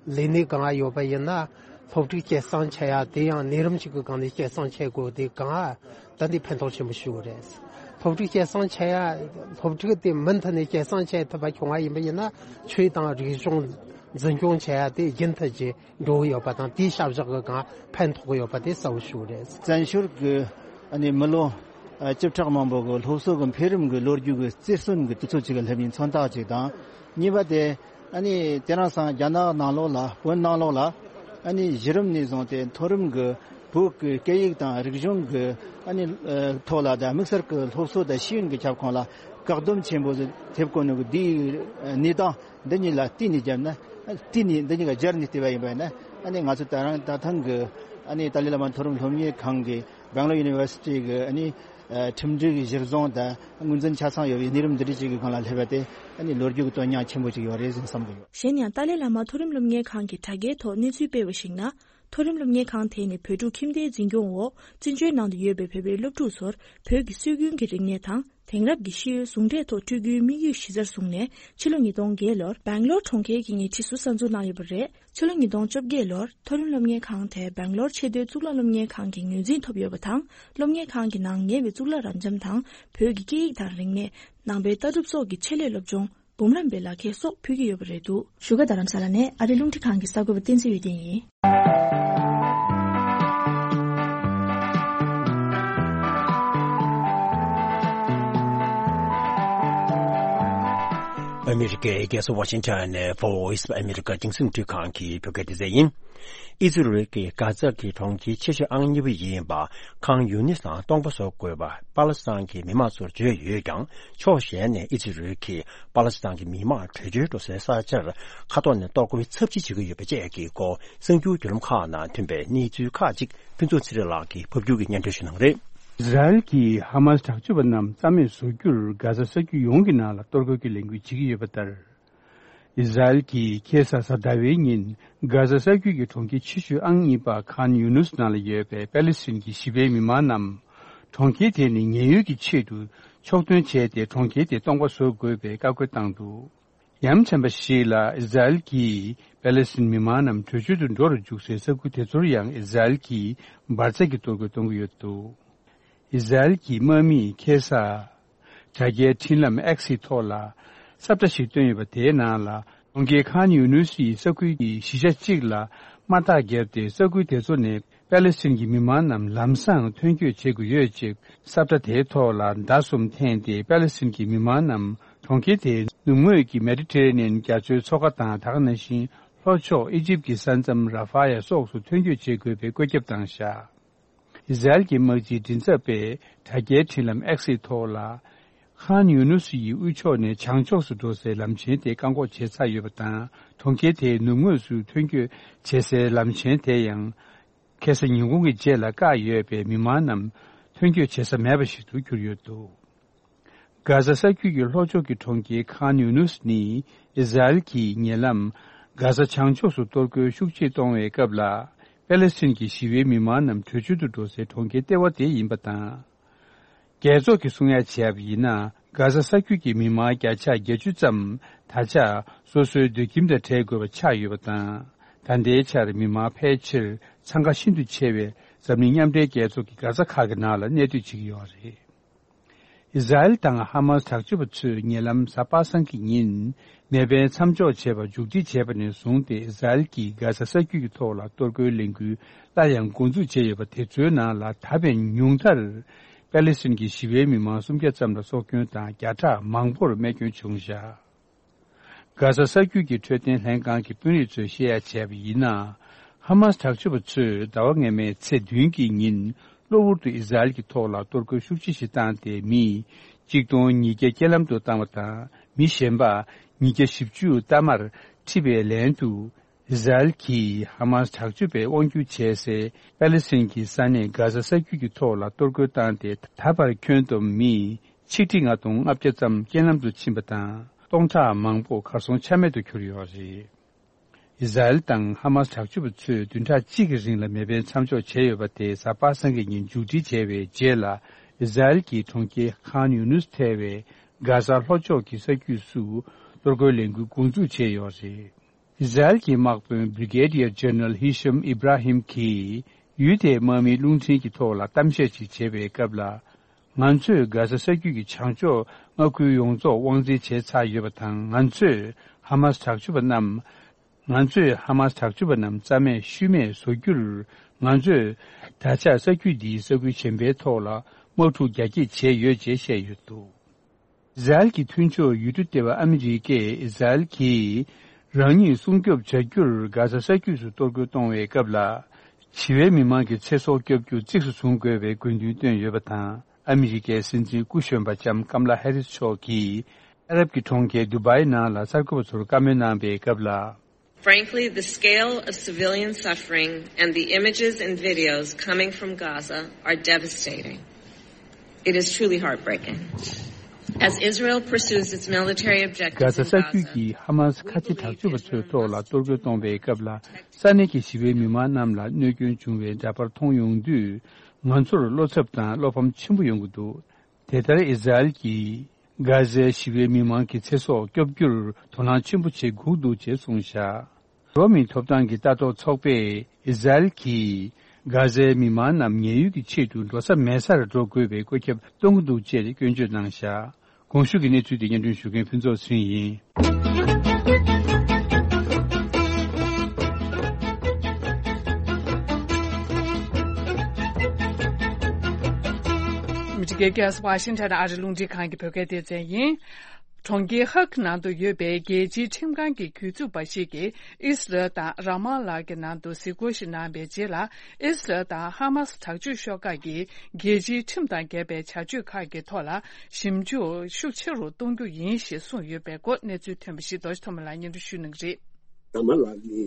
ལས་གནས་སྒང་ཡོད་པ་ཡིན་ན་སློབ་ཕྲུག་སྐྱེད་སྲིང་བྱེད་ཡ་དེ་ཡང་ནད་རིམས་ཅིག་གི་སྒང་ནས་སྐྱེད་སྲིང་བྱེད་དགོས་དེ་སྒང་ད་འདི་ཕན་ཐོགས་ཆེན་པོ་ཞིག་རེད། སློབ་ཕྲུག་སྐྱེད་སྲིང་བྱེད་ཡ་སློབ་ཕྲུག་དེ་མུ་མཐུད་ནས་སྐྱེད་སྲིང་བྱེད་ཐུབ་པ་བྱུང་བ་ཡིན་པ་ཡིན་ན་ཆོས་དང་རིག་གཞུང་འཛིན་སྐྱོང་བྱེད་ཡ་དེ་རྒྱུན་མཐུད་ཀྱི་འགྲོ་གི་ཡོད་པ་དང་དེའི་བྱ་གཞག་གི་སྒང་ཕན་ཐོགས་ཀྱི་ཡོད་པ་དེ་གསལ་པོ་ཞིག་རེད། བཙན་བྱོལ་གྱི་ཨ་ནི་མི་ལོ་ཨ་བཅུ་ཕྲག་མང་པོ་གི་སློབ་གསོ་གི་འཕེལ་རིམ་གྱི་ལོ་རྒྱུས་ཀྱི་རྩེར་སོན་གྱི་དུས་ཚོད་ཅིག་གི་སླེབས་ཡིན་མཚོན་རྟགས་ཅིག་དང་། གཉིས་པ་དེ་ཨ་ནི་དེ་རིང་སང་རྒྱ་ནག་ནང་ལོགས་ལ་བོད་ནང་ལོགས་ལ་ཨ་ནི་གཞི་རིམ་ནས་བཟུང་སྟེ་མཐོ་རིམ་གྱི་བོད་ཀྱི་སྐད་ཡིག་དང་རིག་གཞུང་གི་ཨ་ནི་ཨ་ཐོག་ལ་དང་དམིགས་བསལ་གྱི་སློབ་གསོ་དང་ཤེས་ཡོན་གྱི་ཁྱབ་ཁོངས་ལ་བཀག་སྡོམ་ཆེན་པོ་ཐེབས་གོ་ནོ་གི་འདིའི་གནས་སྟངས། འདི་གཉིས་ལ་བལྟས་ནས་བརྒྱབ་ན། བལྟས་ནས་འདི་གཉིས་ཀ་སྦྱར་ནས་བལྟས་པ་ཡིན་པ་ཡིན་ན། ཨ་ནི་ང་ཚོ་ད་རང་ད་ཐེངས་ཀྱི་ཨ་ནི་ཏཱ་ལའི་བླ་མ་མཐོ་རིམ་སློབ་གཉེར་ཁང་གི་སྦེང་ལོར་ཡུ་ནི་ཝར་སི་ཊི་གི་ཨ་ནི་ཁྲིམས་སྒྲིག་གི་གཞིར་བཟུང་དང་ངོས་འཛིན་ཆ་ཚང་ཡོད་པའི་གནས་རིམ་འདི་འདྲ་ཅིག་གི་སྒང་ལ་སླེབས་པ་དེ་ཨ་ནི་ལོ་རྒྱུས་ཀྱི་དོན་སྙིང་ཆེན་པོ་ཅིག་ཡོད་རེད་ཟེར་བསམ་གྱི་ཡོད། གཞན་ཡང་ཏཱ་ལའི་བླ་མ་མཐོ་རིམ་སློབ་གཉེར་ཁང་གིས་དྲ་རྒྱའི་ཐོག་གནས་ཚུལ་སྤེལ་བར་གཞིགས་ན། མཐོ་རིམ་སློབ་གཉེར་ཁང་དེ་ནི་བོད་ཕྲུག་ཁྱིམ་སྡེའི་འཛིན་སྐྱོང་འོག་བཙན་བྱོལ་ནང་དུ་ཡོད་པའི་བོད་པའི་སློབ་ཕྲུག་ཚོར་བོད་ཀྱི་སྲོལ་རྒྱུན་གྱི་རིག་གནས་དང་། དེང་རབས་ཀྱི་ཤེས་ཡོན་ཟུང་འབྲེལ་ཐོག་སྤྲོད་རྒྱུའི་དམིགས་ཡུལ་གཞི་རྩར་བཟུང་ནས་ཕྱི་ལོ་ཉིས་སྟོང་བརྒྱད་ལོར་སྦེང་ལོར་གྲོང་ཁྱེར་གྱི་ཉེ་འཁྲིས་སུ་གསར་འཛུགས་གནང་ཡོད་པ་རེད། ཕྱི་ལོ་ཉིས་སྟོང་བཅོ་བརྒྱད་ལོར་མཐོ་རིམ་སློབ་གཉེར་ཁང་དེ་སྦེང་ལོར་ཆེས་མཐོའི་གཙུག་ལག་སློབ་གཉེར་ཁང་གི་ངོས་འཛིན་ཐོབ་ཡོད་པ་དང་། སློབ་གཉེར་ཁང་གི་ནང་ཉེ་བའི་གཙུག་ལག་རབ་འབྱམས་དང་བོད་ཀྱི་སྐད་ཡིག་དང་རིག་གནས། ནང་པའི་ལྟ་གྲུབ་སོགས་ཀྱི་ཆེད་ལས་སློབ་སྦྱོང་། འབུམ་རམས་པའི་ལག་ཁྱེར་སོགས་ཕུལ་གྱི་ཡོད་པ་རེད་འདུག་བཞུགས་སྒར་རྡ་རམ་ས་ལ་ནས་ཨ་རིའི་རླུང་འཕྲིན་ཁང་གི་གསར་འགོད་པ་བསྟན་འཛིན་འོད་ལྡན་ཡིན། ཨ་མི་རི་ཀའི་རྒྱལ་ས་ཝ་ཤིང་ཊོན་ནས་Voice of America་རྒྱང་སྲིང་རླུང་འཕྲིན་ཁང་གི་བོད་སྐད་སྡེ་ཚན་ཡིན། ཨི་ཛི་རལ་གྱིས་གྷ་ཛ་གི་གྲོང་ཁྱེར་ཆེ་ཤོས་ཨང་གཉིས་པ་ཡིན་པ་ཁཱན་ཡུ་ནིས་ནང་སྟོང་པ་བཟོ་དགོས་པ་པ་ལི་སི་ཐན་གྱི་མི་མང་ཚོར་བརྗོད་ཡོད་ཀྱང་། ཕྱོགས་གཞན་ནས་ཨི་ཛི་རལ་གྱིས་པ་ལི་སི་ཐན་གྱི་མི་མང་བྲོས་བྱོལ་འགྲོ་སའི་ས་ཆར་མཁའ་ཐོག་ནས་གཏོར་རྒོལ་ཚབས་ཆེ་བྱེད་ཀྱི་ཡོད་པ་བཅས་ཀྱི་སྐོར་གསར་འགྱུར་བརྒྱུད་ལམ་ཁག་ནང་ཐོན་པའི་གནས་ཚུལ་ཁག་ཅིག་ཕུན་ཚོགས་ཚེ་རིང་ལགས་ཀྱིས་ཕབ་སྒྱུར་གྱིས་སྙན་སྒྲོན་ཞུ་གནང་གི་རེད། ཨི་ཟ་རེལ་གྱིས་ཧ་མ་སི་དྲག་སྤྱོད་པ་རྣམས་རྩ་མེད་བཟོ་རྒྱུར་གྷ་ཛ་ས་ཁུལ་ཡོངས་ཀྱི་ནང་ལ་གཏོར་རྒོལ་གྱི་ལས་འགུལ་བྱེད་ཀྱི་ཡོད་པ་ལྟར། ཨི་ཟ་རེལ་གྱིས་ཁ་སང་གཟའ་ཟླ་བའི་ཉིན་གྷ་ཛ་ས་ཁུལ་གྱི་གྲོང་ཁྱེར་ཆེ་ཤོས་ཨང་གཉིས་པ་ཁཱན་ཡུ་ནུས་ནང་ལ་ཡོད་པའི་པེ་ལི་སི་ཐན་གྱི་ཞི་བའི་མི་མང་རྣམས་གྲོང་ཁྱེར་དེ་ནས་ཉེན་གཡོལ་གྱི་ཆེད་དུ་ཕྱོགས་ཐོན་བྱས་ཏེ་གྲོང་ཁྱེར་དེ་སྟོང་པ་བཟོ་དགོས་པའི་བཀའ་བཀོད་བཏང་འདུག་ཡ་མཚན་པ་ཞིག་ལ་ཨི་ཟ་རེལ་གྱིས་པེ་ལི་སི་ཐན་མི་མང་རྣམས་བྲོས་བྱོལ་དུ་འགྲོ་རུ་འཇུག་སའི་ས་ཁུལ་དེ་ཚོར་ཡང་ཨི་ཟ་རེལ་གྱིས་འབར་རྫས་ཀྱི་གཏོར་རྒོལ་གཏོང་གི་ཡོད་འདུག་ཨི་ཟ་རེལ་གྱི་དམག་མིས་ཁ་སང་དྲ་རྒྱའི་འཕྲིན་ལམ་X་ཡི་ཐོག་ལ་ས་བཀྲ་ཞིག་བཏོན་ཡོད་པ། དེའི་ནང་ལ་གྲོང་ཁྱེར་ཁཱན་ཡུ་ནུས་ཡི་ས་ཁུལ་གྱི་གཞིས་ཆགས་གཅིག་ལ་དམག་རྟགས་བརྒྱབ་སྟེ་ས་ཁུལ་དེ་ཚོ་ནས་པེ་ལི་སི་ཐན་གྱི་མི་མང་རྣམས་ལམ་སང་ཐོན་སྐྱོད་བྱེད་དགོས་ཡོད་ཅེས་ས་བཀྲ་དེའི་ཐོག་ལ་ཟླ་གསུམ་འཐེན་ཏེ་པེ་ལི་སི་ཐན་གྱི་མི་མང་རྣམས་གྲོང་ཁྱེར་དེའི་ནུབ་ངོས་ཀྱི་མེ་ཌི་ཊེ་རེ་ནི་ཡན་རྒྱ་མཚོའི་མཚོ་ཁ་དང་ད་ག་ནང་བཞིན་ལྷོ་ཕྱོགས་ཨི་ཇིབ་ཀྱི་ས་མཚམས་ར་ཧྥ་ཡ་སོགས་སུ་ཐོན་སྐྱོད་བྱེད་དགོས་པའི་བཀོད་ཁྱབ་བཏང་བཞག་ཨི་ཟ་རེལ་གྱི་དམག་སྤྱིའི་མགྲིན་ཚབ་པས་དྲ་རྒྱའི་འཕྲིན་ལམ་X་ཡི་ཐོག་ལ། ཁཱན་ཡུ་ནུས་ཡི་དབུས་ཕྱོགས་ནས་བྱང་ཕྱོགས་སུ་འགྲོ་སའི་ལམ་ཆེན་དེ་བཀག་འགོག་བྱས་ཚར་ཡོད་པ་དང་། གྲོང་ཁྱེར་དེའི་ནུབ་ངོས་སུ་ཐོན་སྐྱོད་བྱེད་སའི་ལམ་ཆེན་དེ་ཡང་ཁ་སང་ཉིན་གུང་གི་རྗེས་ལ་བཀག་ཡོད་པས་མི་མང་རྣམས་ཐོན་སྐྱོད་བྱེད་ས་མེད་པ་ཞིག་ཏུ་གྱུར་ཡོད་འདུག་གྷ་ཟ་ས་རྒྱུད་ཀྱི་ལྷོ་ཕྱོགས་ཀྱི་གྲོང་ཁྱེར་ཁཱན་ཡུ་ནུས་ནི་ཨི་ཟ་རེལ་གྱིས་ཉེ་ལམ་གྷ་ཟ་བྱང་ཕྱོགས་སུ་གཏོར་རྒོལ་ཤུགས་ཆེ་གཏོང་བའི་སྐབས་ལ་པེ་ལི་སི་ཐན་གྱི་ཞི་བའི་མི་མང་རྣམས་བྲོས་བྱོལ་དུ་འགྲོ་སའི་གྲོང་ཁྱེར་ལྟེ་བ་དེ་ཡིན་པ་དང་། རྒྱལ་ཚོགས་ཀྱིས་གསུང་ཡ་བྱས་པ་ཡིན་ན་གྷ་ཟ་ས་རྒྱུད་ཀྱི་མི་མང་བརྒྱ་ཆ་བརྒྱད་ཅུ་ཙམ་ད་ཆ་སོ་སོའི་སྡོད་ཁྱིམ་དང་བྲལ་དགོས་པ་ཆགས་ཡོད་པ་དང་། ད་ལྟའི་ཆར་མི་མང་ཕལ་ཆེར་འཚང་ཁ་ཤིན་ཏུ་ཆེ་བའི་འཛམ་གླིང་མཉམ་འབྲེལ་རྒྱལ་ཚོགས་ཀྱི་གྷ་ཟ་མཁར་གྱི་ནང་ལ་གནས་སྡོད་བྱེད་ཀྱི་ཡོད་རེད། ཨི་ཟ་རེལ་དང་ཧ་མ་སི་དྲག་སྤྱོད་པ་ཚོས་ཉེ་ལམ་གཟའ་པ་སངས་ཀྱི་ཉིན་མེ་འཕེན་མཚམས་འཇོག་བྱས་པ་མཇུག་སྒྲིལ་བྱས་པ་ནས་བཟུང་སྟེ་ཨི་ཟ་རེལ་གྱིས་གྷ་ཟ་ས་རྒྱུད་ཀྱི་ཐོག་ལ་གཏོར་རྒོལ་ལས་འགུལ་སླར་ཡང་འགོ་འཛུགས་བྱས་ཡོད་པ་དེ་ཚོའི་ནང་ལ་ད་ཕན་ཉུང་མཐར་པེ་ལི་སི་ཐན་གྱི་ཞི་བའི་མི་མང་སུམ་བརྒྱ་ཙམ་ལ་སྲོག་སྐྱོན་དང་བརྒྱ་ཕྲག་མང་པོར་རྨས་སྐྱོན་བྱུང་བཞག་གྷ་ཟ་ས་རྒྱུད་ཀྱི་འཕྲོད་བསྟེན་ལྷན་ཁང་གི་དཔོན་རིགས་ཚོས་བཤད་ཡ་བྱས་པ་ཡིན་ན། ཧ་མ་སི་དྲག་སྤྱོད་པ་ཚོས་ཟླ་བ་སྔ་མའི་ཚེས་བདུན་གྱི་ཉིན་གློ་བུར་དུ་ཨི་ཟ་རེལ་གྱི་ཐོག་ལ་གཏོར་རྒོལ་ཤུགས་ཆེ་ཞིག་བཏང་སྟེ་མི་གཅིག་སྟོང་ཉིས་བརྒྱ་རྐྱེན་ལམ་དུ་བཏང་བ་དང་མི་གཞན་པ་ཉིས་བརྒྱ་བཞི་བཅུ་གཏའ་མར་ཁྲིད་པའི་ལན་དུ། ཨི་ཟ་རེལ་གྱིས་ཧ་མཱས་དྲག་སྤྱོད་པས་དབང་སྒྱུར་བྱས་སའི་པ་ལི་སི་ཐན་གྱི་ས་གནས་གྷ་ཟ་ས་རྒྱུད་ཀྱི་ཐོག་ལ་གཏོར་རྒོལ་བཏང་སྟེ། ད་བར་ཁྱོན་བསྡོམས་མི་ཆིག་ཁྲི་ལྔ་སྟོང་ལྔ་བརྒྱ་ཙམ་རྐྱེན་ལམ་དུ་ཕྱིན་པ་དང་། སྟོང་ཕྲག་མང་པོ་གར་སོང་ཆ་མེད་དུ་གྱུར་ཡོད་རེད། ཨི་ཟ་རེལ་དང་ཧ་མཱས་དྲག་སྤྱོད་པ་ཚོས་བདུན་ཕྲག་གཅིག་གི་རིང་ལ་མེ་འཕེན་མཚམས་འཇོག་བྱས་ཡོད་པ་དེ་གཟའ་པ་སངས་ཀྱི་ཉིན་མཇུག་སྒྲིལ་བྱས་པའི་རྗེས་ལ། ཨི་ཟ་རེལ་གྱིས་གྲོང་ཁྱེར་ཁཱན་ཡུ་ནུས་ཐེ་བའི་གྷ་ཟ་ལྷོ་ཕྱོགས་ཀྱི་ས་རྒྱུད་སུ་གཏོར་རྒོལ་ལས་འགུལ་འགོ་འཛུགས་བྱས་ཡོད་རེད། ཨི་ཟ་རེལ་གྱི་དམག་དཔོན་Brigadier General Hisham Ibrahim གྱིས་ཡུལ་དེའི་དམག་མིའི་རླུང་འཕྲིན་གྱི་ཐོག་ལ་གཏམ་བཤད་ཅིག་བྱེད་པའི་སྐབས་ལ། ང་ཚོས་གྷ་ཟ་ས་རྒྱུད་ཀྱི་བྱང་ཕྱོགས་མངའ་ཁུལ་ཡོངས་རྫོགས་དབང་འཛིན་བྱས་ཚར་ཡོད་པ་དང་། ང་ཚོས་ཧ་མཱས་དྲག་སྤྱོད་པ་རྣམས། ང་ཚོས་ཧ་མཱས་དྲག་སྤྱོད་པ་རྣམས་རྩ་མེད་ཤུལ་མེད་བཟོ་རྒྱུར། ང་ཚོས་ད་ཆ་ས་རྒྱུད་འདིའི་ས་ཁུལ་གཞན་པའི་ཐོག་ལ་དམག་འཁྲུག་རྒྱ་སྐྱེད་བྱས་ཡོད་ཅེས་བཤད་ཡོད་འདུག་ཨི་ཟ་རེལ་གྱི་མཐུན་ཕྱོགས་ཡུལ་གྲུ་སྡེ་བ་ཨ་མི་རི་ཀས་ཨི་ཟ་རེལ་གྱིས་རང་ཉིད་སྲུང་སྐྱོབ་བྱ་རྒྱུར་གྷ་ཟ་ས་རྒྱུད་སུ་གཏོར་རྒོལ་གཏོང་བའི་སྐབས་ལ། ཞི་བའི་མི་མང་གི་ཚེ་སྲོག་སྐྱོབ་རྒྱུ་གཙིགས་སུ་བཟུང་དགོས་པའི་དགོས་འདུན་བཏོན་ཡོད་པ་དང་། ཨ་མི་རི་ཀའི་སྲིད་འཛིན་སྐུ་གཞོན་པ་ལྕམ་ཀམ་ལ་ཧེ་རིས་མཆོག་གིས་ཨ་རབ་ཀྱི་གྲོང་ཁྱེར་དུ་བའི་ནང་ལ་གསར་འགོད་པ་ཚོར་བཀའ་མོལ་གནང་བའི་སྐབས་ལ། Frankly, the scale of civilian suffering and the images and videos coming from Gaza are devastating. It is truly heartbreaking. As Israel pursues its military objectives in Gaza, གྷ་ཟ་ས་རྒྱུད་ཀྱི་ཧ་མཱས་ཁ་ཆེ་དྲག་སྤྱོད་པ་ཚོའི་ཐོག་ལ་གཏོར་རྒོལ་གཏོང་བའི་སྐབས་ལ། ས་གནས་ཀྱི་ཞི་བའི་མི་མང་རྣམས་ལ་གནོད་སྐྱོན་བྱུང་བའི་འདྲ་པར་མཐོང་ཡོང་དུས། ང་ཚོར་བློ་འཚབ་དང་བློ་ཕམ་ཆེན་པོ་ཡོང་གི་འདུག་དེ་ལྟར་ཨི་ཟ་རེལ་གྱིས་གྷ་ཟའི་ཞི་བའི་མི་མང་གི་ཚེ་སྲོག་སྐྱོབ་རྒྱུར་དོ་སྣང་ཆེན་པོ་བྱེད་དགོས་འདུག་ཅེས་གསུངས་བཞག་འགྲོ་བ་མིའི་ཐོབ་ཐང་གི་ལྟ་རྟོག་ཚོགས་པས་ཨི་ཟ་རེལ་གྱིས་གྷ་ཟའི་མི་མང་རྣམས་ཉེན་གཡོལ་གྱི་ཆེད་དུ་འགྲོ་ས་མེད་སར་འགྲོ་དགོས་པའི་བཀོད་ཁྱབ་གཏོང་གི་འདུག་ཅེས་སྐྱོན་བརྗོད་གནང་བཞག་གོང་ཞུས་ཀྱི་གནས་ཚུལ་དེ་སྙན་སྒྲོན་ཞུ་མཁན་ཕུན་ཚོགས་ཚེ་རིང་ཡིན། མི་ཁ་ཤས་ཀྱིས་ཝ་ཤིང་ཊོན་ཨ་རི་རླུང་འཕྲིན་ཁང་གི་བོད་སྐད་སྡེ་ཚན་ཡིན། གྲོང་ཁྱེར་ཧཱག་ནང་དུ་ཡོད་པའི་རྒྱལ་སྤྱིའི་ཁྲིམས་ཁང་གི་གྱོད་འཛུགས་པ་ཞིག་གིས་ཨི་སི་རལ་དང་ར་མ་ལ་གྱི་ནང་དུ་གཟིགས་སྐོར་ཞིག་གནང་བའི་རྗེས་ལ། ཨི་སི་རལ་དང་ཧ་མཱ་སི་དྲག་སྤྱོད་ཤོག་ཁག་གིས་རྒྱལ་སྤྱིའི་ཁྲིམས་དང་འགལ་བའི་བྱ་སྤྱོད་ཁག་གི་ཐོག་ལ་ཞིབ་འཇུག་ཤུགས་ཆེ་རུ་གཏོང་རྒྱུ་ཡིན་ཞེས་གསུངས་ཡོད་པའི་སྐོར་གནས་ཚུལ་ཐོན་པ་ཞིག་རྡོ་རྗེ་ཐོགས་མེད་ལགས་སྙན་སྒྲོན་ཞུ་གནང་གི་རེད། ར་མ་ལ་ནི་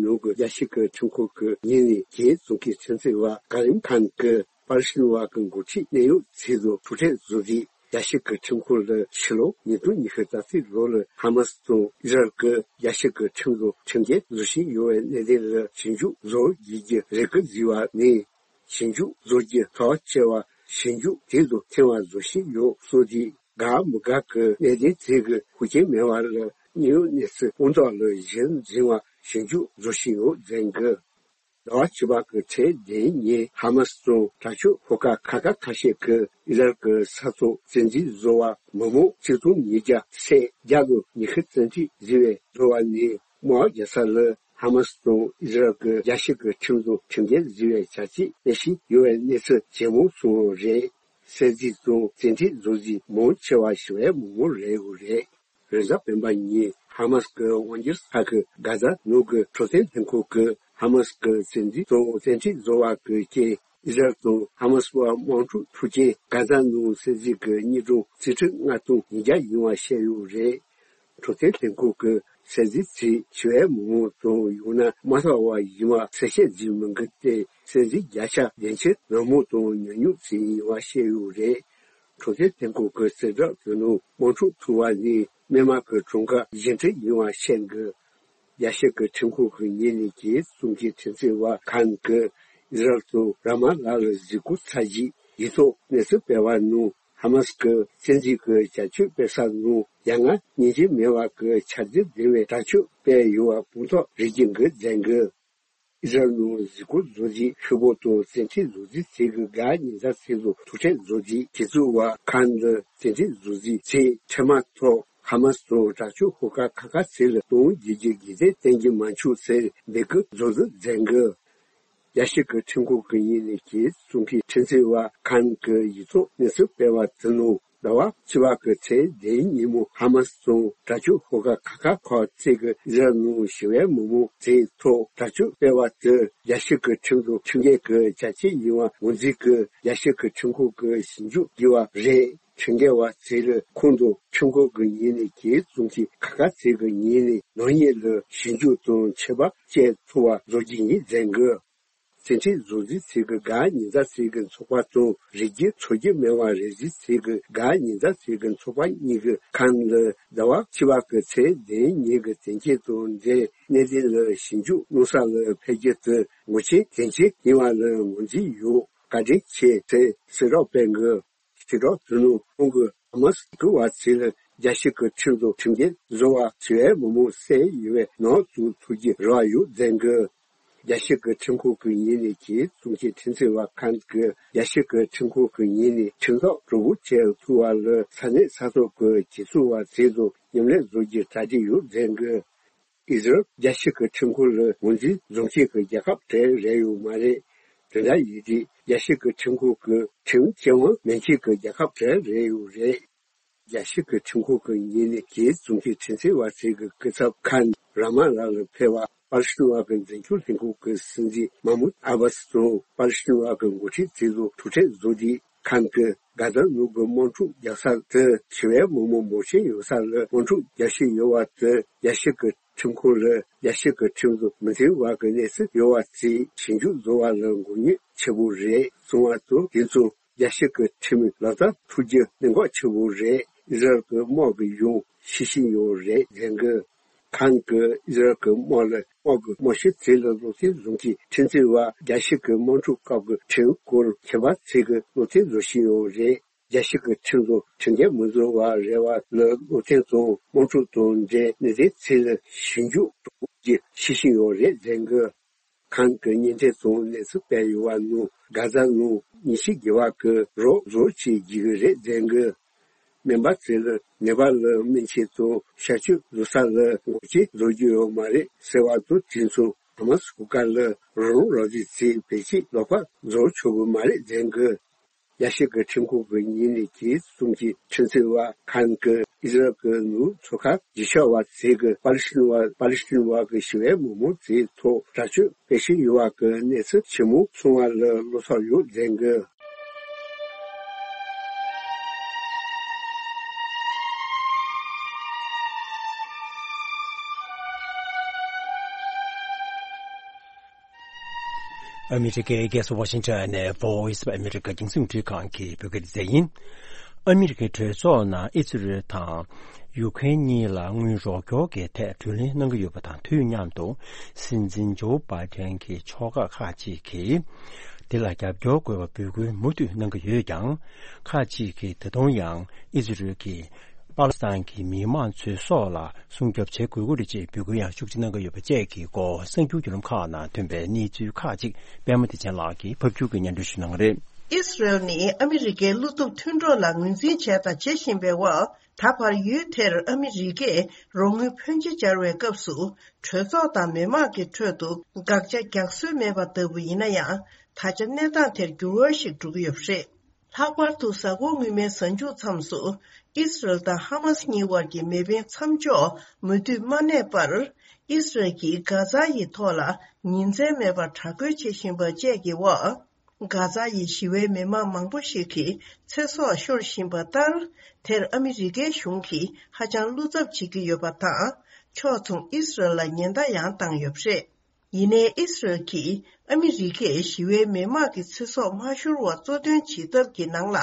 ནང་གི་རྒྱལ་སྤྱི་གི་ཁྲིམས་ཁང་གི་ངོས་ནས་རྒྱལ་སྲུང་གི་ཁྲིམས་རྩོད་པ་ཀ་རིམ་ཁཱན་གྱིས་པ་ལི་སི་ཐན་བ་གི་འགོ་ཁྲིད་གནད་ཡོད་ཚོགས་གཙོ་ཐུག་འཕྲད་བཟོ་རྒྱུའི་རྒྱལ་སྤྱི་གི་ཁྲིམས་ཁང་ལ་ཕྱི་ལོ་ཉིས་སྟོང་ཉི་ཤུ་རྩ་གཅིག་ལོ་ལ་ཧ་མཱ་སི་དང་ཨི་སི་རལ་གྱི་རྒྱལ་སྤྱི་གི་ཁྲིམས་བཟོ་ཁྲིམས་འགལ་བཟོ་བཞིན་ཡོད་པའི་གནད་དོན་ལ་ཞིབ་འཇུག་བཟོ་དགོས་ཀྱི་རེ་སྐུལ་བཟོས་པ་ནས། ཞིབ་འཇུག་བཟོ་རྒྱུ་ཐག་བཅད་པ་ཞིབ་འཇུག་དེ་ཚོ་ཐེངས་མ་བཟོ་བཞིན་ཡོད་སོགས་ཀྱི་དགའ་མི་དགའ་གི་གནད་དོན་དེ་གི་ཤུགས་རྐྱེན་མེད་པ་ལ་གནད་ཡོད་གནས་ཚུལ་དཔང་རྟགས་ལ་གཞི་འཛིན་པ་ཞིབ་འཇུག་བཟོ་བཞིན་ཡོད་ཟེར་གི། ཟླ་བ་བཅུ་པ་གི་ཚེས་བདུན་ཉིན་ཧ་མ་སི་དང་དྲག་སྤྱོད་ཤོག་ཁག་ཁག་ཁག་ཁ་ཤས་ཀྱིས་ཨི་རལ་གྱི་ས་ཐོག་བཙན་འཛུལ་བཟོ་བ་མི་མང་ཆིག་སྟོང་ཉིས་བརྒྱ་ཚེས་བརྒྱད་ལོ་ཉི་ཤུ་རྩ་གཅིག་བཟི་བའི་བཟོ་བ་ནས། དམག་རྒྱག་ས་ལ་ཧ་མ་སི་དང་ཨི་ཟི་རལ་གྱི་རྒྱལ་སྤྱི་གི་ཁྲིམས་བཟོ་ཁྲིམས་འགལ་བཟོས་པའི་བྱ་སྤྱོད་སྤེལ་བཞིན་ཡོད་པའི་གནས་ཚུལ་ཇེ་མང་སོང་བ་རེད། བསད་རྩིས་དང་བཙན་ཁྲིད་བཟོ་རྩིས་མང་ཆེ་བ་ཞི་བའི་མི་མང་རེད་ཡོད་རེད། རེས་གཟའ་སྤེན་པ་ཉིན་ཧ་མ་སི་གི་དབང་སྒྱུར་ས་ཁུལ་གྷ་ཛ་ནང་གི་འཕྲོད་བསྟེན་ལྷན་ཁང་གིས་ཧ་མ་སི་གི་བཙན་འཛུལ་དང་བཙན་ཁྲིད་བཟོ་བ་གི་རྐྱེན། ཨི་ཟི་རལ་དང་ཧ་མ་སི་བར་དམག་འཁྲུག་འཁྲུག་རྐྱེན་གྷ་ཛ་ནང་བསད་རྩིས་ཀྱི་དངོས་གྲངས་རྩིས་ཁྲི་ལྔ་སྟོང་ཉིས་བརྒྱ་ཡིན་པ་བཤད་ཡོད་རེད། འཕྲོད་བསྟེན་ལྷན་ཁང་གིས་བསད་རྩིས་དེ་ཞི་བའི་མི་མང་དང་ཡང་ན་དམག་འཐབ་པ་ཡིན་པ་གསལ་བཤད་བྱས་མི་འདུག་སྟེ། བསད་རྩིས་བརྒྱ་ཆ་བདུན་ཅུ་ནང་མོ་དང་ཉུང་ཉུང་ཙམ་ཡིན་པ་བཤད་ཡོད་རེད། འཕྲོད་བསྟེན་ལྷན་ཁང་གི་གསལ་བསྒྲགས་དེ་ནང་དམག་འཁྲུག་འཁྲུག་པ་ནི་སྨན་མ་གི་གྲངས་ཀ་བཞི་ཁྲི་ཡིན་པ་བཤད་འདུག་རྒྱལ་སྤྱི་གི་ཁྲིམས་ཁང་གི་ངོས་ནས་རྒྱལ་སྲུང་གི་ཁྲིམས་རྩོད་པ་ཁཱན་གྱིས་ཨི་ཟི་རལ་དང་ར་མ་ལ་ལ་གཟིགས་སྐོར་ཚར་རྗེས་ཡིག་ཐོག་གནས་ཚུལ་སྤེལ་བ་ནང་ཧ་མ་སི་གི་བཙན་འཛུལ་གྱི་བྱ་སྤྱོད་སྤེལ་ས་ནང་ཡ་ང་སྙིང་རྗེ་མེད་པ་གི་ཆགས་སྡང་ལྡན་པའི་དྲག་སྤྱོད་སྤེལ་ཡོད་པ་དཔང་རྟགས་རེ་སྐྱེལ་འདུག་ཟེར་གི། ཨི་ཟི་རལ་ནང་གཟིགས་སྐོར་བཟོ་རྩིས་ཤོར་བ་དང་བཙན་ཁྲིད་བཟོ་རྩིས་ཚིག་གི་དགའ་ཉེ་ས་ཚིག་ལ་ཐུག་འཕྲད་བཟོ་རྩིས་དེ་ཚོ་བ་ཁཱན་ལ་བཙན་ཁྲིད་བཟོ་རྩིས་ཚིག་ཁྲིམས་ཐོག་ཧ་མ་སི་དང་དྲག་སྤྱོད་ཤོག་ཁག་ཁག་ཁག་ཚིག་ལ་གཏོང་རྒྱུ་གི་དགོས་གཏན་གཏན་གྱི་མ་འཆུག་ཟེར་འབོད་སྐུལ་བཟོ་འདུག་ཟེར་གི། རྒྱལ་སྤྱི་གི་ཁྲིམས་ཁང་གི་ངོས་ནས་རྒྱལ་སྲུང་གི་ཁྲིམས་རྩོད་པ་ཁཱན་གྱི་ཡིག་ཐོག་གནས་ཚུལ་སྤེལ་བ་དེ་ནང་ཟླ་བ་བཅུ་པ་གི་ཚེས་བདུན་ཉིན་མོ་ཧ་མ་སི་དང་དྲག་སྤྱོད་ཤོག་ཁག་ཁག་ཁག་ཁག་ཚིག་གི་ཨི་ཟི་རལ་ནང་ཞི་བའི་མི་མང་དེའི་ཐོག་དྲག་སྤྱོད་སྤེལ་བ་དེ་རྒྱལ་སྤྱི་གི་ཁྲིམས་དང་ཁྲིམས་འགལ་གྱི་བྱ་སྤྱོད་ཡིན་པ་ངོས་འཛིན་གྱིས་རྒྱལ་སྤྱི་གི་ཁྲིམས་ཁང་གིས་ཞིབ་འཇུག་དགོས་པ་རེད། ཁྲིམས་འགལ་བ་ཚོ་ལ་ཁོང་ཚོ་ཁྲིམས་ཁང་གི་ངོས་ནས་གྱོད་བཙུགས་ཀྱིས་ཁ་ཁ་ཚོ་གི་ངོས་ནས་ནག་ཉེས་ལ་ཞིབ་འཇུག་དང་ཆད་པ་གཅོད་ཐུབ་པ་བཟོ་རྒྱུ་ཡིན་ཟེར་གི། བཙན་ཁྲིམས་བཟུང་རྩིས་ཚོ་གི་གད་སྙིགས་ཚོ་གི་ཚོགས་པ་དང་རི་རྒྱུད་འཚོ་རྒྱུ་མེད་པ་རེ་ཟུང་ཚོ་གི་གད་སྙིགས་ཚོ་གི་ཚོགས་པ་གཉིས་ཀྱི་ཁམས་ལ་ཟླ་བ་བཅུ་པ་གི་ཚེས་བདུན་ཉིན་གྱི་དོན་རྐྱེན་དང་འབྲེལ་གནད་དོན་ལ་ཞིབ་འཇུག་གནང་ས་ལ་ཕེབས་རྒྱུ་དེ་ངོ་ཤེས་དོན་ཆེན་ཡིན་པ་ལ་ངོས་འཛིན་ཡོད། བཀའ་དྲིན་ཆེ་ཟེར་གསལ་བསྒྲགས་སྤེལ་གི། ཞི་དྲག་དོ་ནང་ཁོང་གིས་ཧ་མ་སི་འགོ་བ་ཚོ་ལ་རྒྱལ་སྤྱི་གི་ཁྲིམས་དང་ཁྲིམས་འགལ་བཟོ་བ་ཞི་བའི་མི་མང་བསད་ཡོད་པའི་ནང་བཙུགས་ཐུབ་རྒྱུ་རེ་བ་ཡོད་ཟེར་གི། རྒྱལ་སྤྱི་གི་ཁྲིམས་ཁང་གི་ངོས་ནས་གྱོད་བཙུགས་མཁན་ཁྲིམས་རྩོད་པ་ཁག་གིས་རྒྱལ་སྤྱི་གི་ཁྲིམས་ཁང་གི་ངོས་ནས་ཁྲིམས་ཐག་གྲོལ་པོ་བྱེད་ཐུབ་པ་ལ་ས་གནས་ས་ཐོག་གི་གྱོད་བཙུགས་པ་ཚོ་དང་མཉམ་ལས་བཟོ་རྒྱུ་གྲ་སྒྲིག་ཡོད་ཟེར་གི། ཨི་ཟི་རལ་རྒྱལ་སྤྱི་གི་ཁྲིམས་ཁང་ལ་ངོས་འཛིན་བཟུང་མཁན་གྱི་རྒྱལ་ཁབ་གྲས་རེད་ཡོད་མ་རེད། དེ་འདྲ་ཡིན་དུས་རྒྱལ་སྤྱི་གི་ཁྲིམས་ཁང་གི་ཁྲིམས་སྤྱི་དབང་མེད་མཁན་གྱི་རྒྱལ་ཁབ་གྲས་རེད་ཡོད་རེད། རྒྱལ་སྤྱི་གི་ཁྲིམས་ཁང་གི་ངོས་ནས་གྱོད་བཙུགས་མཁན་ཁྲིམས་རྩོད་པ་ཚོ་གི་སྐུ་ཚབ་ཁག་ར་མ་ལ་ལ་ཕེབས་པ་པ་ལི་སི་ཐན་བ་གི་འཛིན་སྐྱོང་ལྷན་ཁང་གི་སྲིད་འཛིན་མ་མུད་ཨ་བྷ་སི་དང་པ་ལི་སི་ཐན་བ་གི་འགོ་ཁྲིད་ཚོ་ལ་ཐུག་འཕྲད་བཟོ་དུས། ཁམས་ཀྱི་གྷ་ཛ་ནང་གི་དམག་འཁྲུག་རྒྱག་ས་དེ་ཞི་བའི་མི་མང་མང་ཤོས་ཡོད་ས་ལ་དམག་འཁྲུག་རྒྱག་བཞིན་ཡོད་པ་དེ་རྒྱལ་སྤྱི་གི་ཁྲིམས་ཁང་ལ་རྒྱལ་སྤྱི་གི་ཁྲིམས་དང་མི་མཐུན་པ་གི་གནས་ཚུལ་ཡོད་པ་ཚོའི་ཞིབ་འཇུག་བཟོ་བ་ལ་མགོ་རྙོག་ཆེ་པོ་རེད་གསུངས་པ་དང་། དེ་ཚོ་རྒྱལ་སྤྱི་གི་ཁྲིམས་ལག་བསྟར་ཐུབ་རྒྱུ་གནད་འགག་ཆེ་པོ་རེད། ཨི་ཟི་རལ་གི་དམག་གི་ཡང་ཤེས་བཞིན་ཡོད་རེད་ཟེར་གི། ཁམས་ཀྱི་ཨི་ཟི་རལ་གྱི་དམག་ལ་དམག་གི་དམག་སྤྱི་ཚོ་ལ་བློ་བརྟན་བཟུང་གིས་ཁྲིམས་རྩོད་པ་རྒྱལ་སྤྱི་གི་དམག་འཁྲུག་སྐབས་ཀྱི་ཁྲིམས་སྐོར་མཁས་པ་ཚོས་ཀྱི་བློ་བརྟན་བཟོ་བཞིན་ཡོད་རེད། རྒྱལ་སྤྱི་གི་ཁྲིམས་དང་ཁྲིམས་འགལ་མི་བཟོ་བ་རེ་བ་ལ་བློ་བརྟན་དང་དམག་འཁྲུག་དང་འབྲེལ་གནད་དོན་ཚོ་ལ་ཞིབ་འཇུག་གྲོགས་པོ་གྱིས་ཤེས་བཞིན་ཡོད་རེད་ཟེར་གི། ཁམས་ཀྱི་བརྙན་འཕྲིན་ཚོ་གནས་ཚུལ་སྤེལ་ཡོད་པ་ནང་གྷ་ཛ་ནང་ཉིན་ཤས་རྒྱུན་པ་གི་རོགས་བཟོ་བྱེད་རྒྱུ་རེད་ཟེར་གི། སྨན་པ་ཚོས་ནད་པ་ལ་སྨན་བཅོས་དང་གཤག་བཅོས་བཟོ་ས་ལ་འགོག་རྐྱེན་བཟོ་རྒྱུ་ཡོད་མ་རེད་ཟེར་བ་དང་། དེ་མཚུངས་ཧ་མ་སི་གོ་སྐབས་ལ་རང་རང་རང་བཞིན་ཚོས་བེད་སྤྱོད་ལོག་པ་བཟོ་ཆོག་གི་མ་རེད་ཟེར་གི། རྒྱལ་སྤྱི་གི་ཁྲིམས་ཁང་གི་ངོས་ནས་གྱོད་གསུམ་གྱི་ཁྲིམས་རྩོད་པ་ཁག་གིས་ཨི་ཟི་རལ་གྱི་ནང་ཚོགས་ཁག་བརྗིད་ཆགས་པ་ཚོས་ཀྱི་པ་ལི་སི་ཐན་བ་པ་ལི་སི་ཐན་བ་གི་ཞི་བའི་མི་མང་ཚོའི་ཐོག་དྲག་སྤྱོད་སྤེལ་བཞིན་ཡོད་པ་གི་གནས་ཚུལ་ཇི་མོ་སོང་བ་ལ་བློ་འཚབ་ཡོད་ཟེར་གི། ཨ་མི་རི་ཀའི་རྒྱལ་ས་ཝ་ཤིང་ཊོན་ནས་Voice of America་རྒྱང་སྲིང་རླུང་འཕྲིན་ཁང་གི་བོད་སྐད་སྡེ་ཚན་ཡིན། ཨ་མི་རི་ཀའི་གྲོས་ཚོགས་ནང་ཨི་ཛི་རལ་དང་ཡུ་ཁེན་གཉིས་ལ་དངུལ་རོགས་སྐྱོར་གྱི་ཐད་གྲོས་གླེང་གནང་གི་ཡོད་པ་དང་དུས་མཉམ་དུ། སྲིད་འཛིན་ཇོ་བྷའི་ཏན་གྱི་ཕྱོགས་ཁག་ཁག་ཅིག་གིས་འདི་ལ་རྒྱབ་སྐྱོར་དགོས་པ་འབོད་སྐུལ་མུ་མཐུད་གནང་གི་ཡོད་ཀྱང་། ཁག་ཅིག་གིས་ད་དུང་ཡང་ཨི་ཛི་རལ་གྱིས་པ་ལི་སི་ཐན་གྱི་མི་མང་ཚོའི་སྲོག་ལ་སྲུང་སྐྱོབ་བྱེད་དགོས་ཀྱི་རེད་ཅེས་འབོད་སྐུལ་ཡང་ཤུགས་ཆེ་གནང་གི་ཡོད་པ་བཅས་ཀྱི་སྐོར་གསར་འགྱུར་བརྒྱུད་ལམ་ཁག་ནང་ཐོན་པའི་གནས་ཚུལ་ཁག་ཅིག་པད་མ་བདེ་ཆེན་ལགས་ཀྱིས་ཕབ་སྒྱུར་གྱིས་སྙན་སྒྲོན་ཞུ་གནང་གི་རེད། ཨི་སི་རལ་ནི་ཨ་མི་རི་ཀའི་བློ་སྟོབས་མཐུན་གྲོགས་ལ་ངོས་འཛིན་བྱས་དང་བྱེད་བཞིན་པའི་འོག་ད་བར་ཡུལ་དེར་ཨ་མི་རི་ཀས་རོགས་དངུལ་ཕོན་ཆེ་སྦྱར་བའི་སྐབས་སུ། གྲོས་ཚོགས་དང་མི་མང་གི་ཁྲོད་དུ་དགག་བྱ་རྒྱག་སྲོལ་མེད་པ་ལྟ་བུ་ཡིན་ན་ཡང་། ད་ཆ་གནས་སྟངས་དེར་འགྱུར་བ་ཞིག་འགྲོ་གི་ཡོད་པ་རེད། ལྷག་པར་དུ་གཟའ་འཁོར་སྔོན་མའི་གཟའ་མཇུག་མཚམས་སུ། ཨི་སི་རལ་དང་ཧ་མ་སི་གཉིས་དབར་གྱི་མེ་འཕེན་མཚམས་འཇོག་མུ་མཐུད་མ་གནས་པར། ཨི་སི་རལ་གྱིས་གྷ་ཛ་ཡི་ཐོག་ལ་ཉིན་མཚན་མེད་པར་དྲག་རྒོལ་བྱེད་བཞིན་པ་བཅས་ཀྱི་འོག་གྷ་ཛ་ཡི་ཞི་བའི་མི་མང་མང་པོ་ཞིག་གི་ཚེ་སྲོག་ཤོར་བཞིན་པ་ལྟར། དེར་ཨ་མི་རི་ཀའི་གཞུང་གིས་ཧ་ཅང་བློ་འཚབ་བྱེད་ཀྱི་ཡོད་པ་དང་། ཕྱོགས་མཚུངས་ཨི་སི་རལ་ལ་ཉེན་བརྡ་ཡང་བཏང་ཡོད་པ་རེད། ཡིན་ནའི་ཨི་སི་རལ་གྱིས་ཨ་མི་རི་ཀས་ཞི་བའི་མི་མང་གི་ཚེ་སྲོག་མ་ཤོར་བ་གཙོ་འདོན་བྱེད་ཐབས་ཀྱི་ནང་ལ།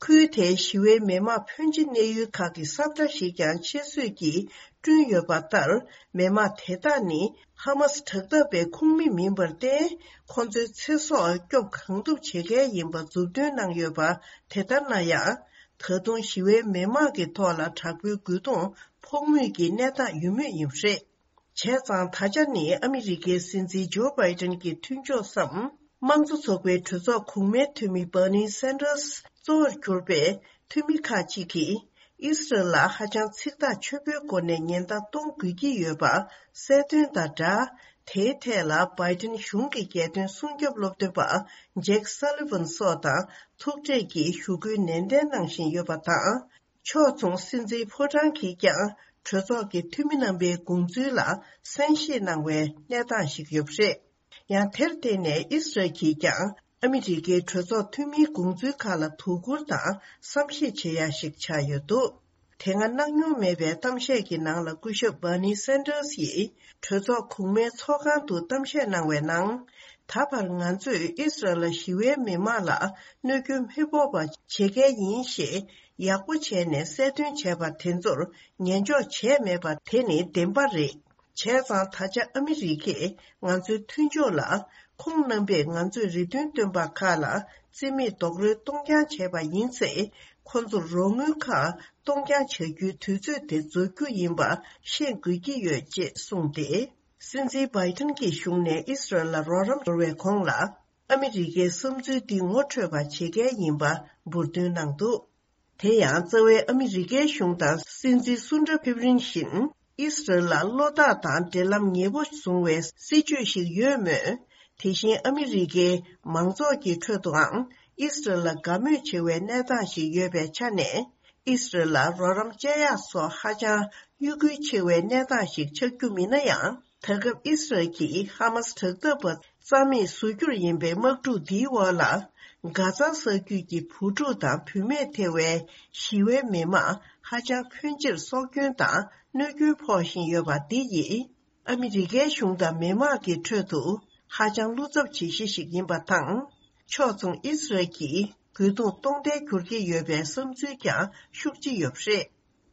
ཁུལ་དེའི་ཞི་བའི་མི་མང་ཕོན་ཆེ་གནས་ཡུལ་ཁག་གི་ས་ཁྲ་ཞིག་ཀྱང་ཆེད་བཟོས་ཀྱིས་བསྐྲུན་ཡོད་པ་ལྟར། མི་མང་དེ་དག་ནི་ཧ་མ་སི་དྲག་འཐབ་པའི་ཁོངས་མི་མིན་པར་བརྟེན། ཁོ་ཚོའི་ཚེ་སྲོག་སྐྱོབ་གང་ཐུབ་བྱེད་མཁན་ཡིན་པ་མཛུབ་སྟོན་གནང་ཡོད་པ། དེ་ལྟར་ན་ཡང་། ད་དུང་ཞི་བའི་མི་མང་གི་ཐོག་ལ་དྲག་པོའི་རྒོལ་རྡུང་ཕོག་མུས་ཀྱི་གནས་སྟངས་ཡོད་མུས་ཡིན་པ་རེད། བྱས་ཙང་ད་ཆ་ནི་ཨ་མི་རི་ཀའི་སྲིད་འཛིན་ཇོ་བྷའི་ཏན་གྱི་མཐུན་ཕྱོགས་སམ། དམངས་གཙོ་ཚོགས་པའི་གྲོས་ཚོགས་གོང་མའི་འཐུས་མི་བྷར་ནི་སན་ཏྲར་སི་གཙོ་བོར་གྱུར་པའི་འཐུས་མི་ཁག་ཅིག་གིས། ཨི་སི་རལ་ལ་ཧ་ཅང་ཚིག་ཐག་ཆོད་པོའི་སྒོ་ནས་ཉེན་བརྡ་གཏོང་དགོས་ཀྱི་ཡོད་པ་གསལ་སྟོན་དང་སྦྲགས། དེའི་ཐད་ལ་བྷའི་ཏན་གཞུང་གི་རྒྱལ་དོན་སྲུང་སྐྱོབ་སློབ་སྟོན་པ་ཇེག་སཱ་ལི་ཝན་སོགས་དང་ཐུག་འཕྲད་ཀྱིས་ཞུ་སྐུལ་ནན་ཏན་གནང་བཞིན་ཡོད་པ་དང་། ཕྱོགས་མཚུངས་སྲིད་འཛིན་ཕོ་བྲང་གིས་ཀྱང་གྲོས་ཚོགས་ཀྱི་འཐུས་མི་རྣམ་པའི་དགོངས་ཚུལ་ལ་གསན་བཞེས་གནང་བའི་གནས་སྟངས་ཤིག་ཡོད་པ་རེད། ཡང་དེར་བརྟེན་ནས་ཨི་སི་རལ་གྱིས་ཀྱང་ ཨ་མི་རི་ཀའི་གྲོས་ཚོགས་འཐུས་མིའི་དགོངས་ཚུལ་ཁག་ལ་དོ་ཁུར་དང་བསམ་ཤེས་བྱེད་ཡ་ཞིག་ཆགས་ཡོད་འདུག་དེ་སྔ་གནང་མྱོང་མེད་པའི་གཏམ་བཤད་ཀྱི་ནང་ལ་སྐུ་ཞབས་Bernie Sanders་ཡིས་གྲོས་ཚོགས་གོང་མའི་ཚོགས་ཁང་དུ་གཏམ་བཤད་གནང་བའི་ནང་། ད་བར་ང་ཚོས་ཨི་སི་རལ་ཞི་བའི་མི་མང་ལ་གནོད་སྐྱོན་མི་ཕོག་པ་བྱེད་མཁན་ཡིན་ཞེས་ཡག་པོ་བྱས་ནས་གསལ་སྟོན་བྱས་པ་དེ་ཚོར་ཉན་འཇོག་བྱས་མེད་པ་དེ་ནི་བདེན་པ་རེད། བྱས་ཙང་ད་ཆ་ཨ་མི་རི་ཀས་ང་ཚོའི་མཐུན་ཕྱོགས་ལ་ཁོང་རྣམ་པས་ང་ཚོས་རེ་འདུན་བཏོན་པ་ཁག་ལ་རྩིས་མེད་རྡོག་རོལ་གཏོང་རྐྱང་བྱས་པ་ཡིན་ཚེ། ཁོ་ཚོར་རོགས་དངུལ་ཁག་གཏོང་རྐྱང་བྱ་རྒྱུའི་དུས་ཚོད་དེ་རྫོགས་རྒྱུ་ཡིན་པ་ཤེས་དགོས་ཀྱི་ཡོད་ཅེས་གསུངས་ཏེ། སྲིད་འཛིན་བྷའི་ཏིན་གྱི་གཞུང་ནས་ཨི་སི་རལ་ལ་རོགས་རམ་འབྱོར་བའི་གོང་ལ། ཨ་མི་རི་ཀའི་བསམ་ཚུལ་འདི་ངོ་འཕྲོད་པ་བྱེད་མཁན་ཡིན་པ་འབུར་འདོན་གནང་འདུག་དེ་ཡང་རྩ་བའི་ཨ་མི་རི་ཀའི་གཞུང་དང་སྲིད་འཛིན་སུན་ཏྲ་ཕེབས་རིང་བཞིན་ཨི་སི་རལ་ལ་བློ་ཐག་དང་འབྲེལ་ལམ་ཉེ་པོ་བཟུང་བའི་སྲིད་ཇུས་ཤིག་ཡོད་མོད། དེ་བཞིན་ཨ་མི་རི་ཀའི་མང་ཚོགས་ཀྱི་ཁྲོད་དུའང་ཨི་སི་རལ་ལ་དགའ་མོས་ཆེ་བའི་གནས་སྟངས་ཤིག་ཡོད་པའི་ཆ་ནས། ཨི་སི་རལ་ལ་རོགས་རམ་བཅད་ཡག་སོགས་ཧ་ཅང་གཡོ་འགུལ་ཆེ་བའི་གནས་སྟངས་ཤིག་ཆགས་རྒྱུ་མིན་ན་ཡང་། ད་སྐབས་ཨི་སི་རལ་གྱིས་ཧ་མ་སི་དྲག་འཐབ་པ་རྩ་མེད་བཟོ་རྒྱུར་ཡིན་པའི་དམག་འཁྲུག་འདིའི་འོག་ལ། གྷ་ཛ་ས་རྒྱུད་ཀྱི་བུ་ཕྲུག་དང་བུད་མེད་ཐེ་བའི་ཞི་བའི་མི་མང་ཧ་ཅང་ཕོན་ཆེར་སྲོག་སྐྱོན་དང་གནོད་སྐྱོན་ཕོག་བཞིན་ཡོད་པ་འདི་ཡིས། ཨ་མི་རི་ཀའི་གཞུང་དང་མི་མང་གི་ཁྲོད་དུ་ཧ་ཅང་བློ་འཚབ་བྱེད་གཞི་ཞིག་ཡིན་པ་དང་། ཕྱོགས་མཚུངས་ཨི་སི་རལ་གྱིས་རྒོལ་རྡུང་གཏོང་གཏན་འཁྱོལ་གྱི་ཡོད་པའི་བསམ་ཚུལ་ཀྱང་ཤུགས་ཆེ་ཡོད་པ་རེད།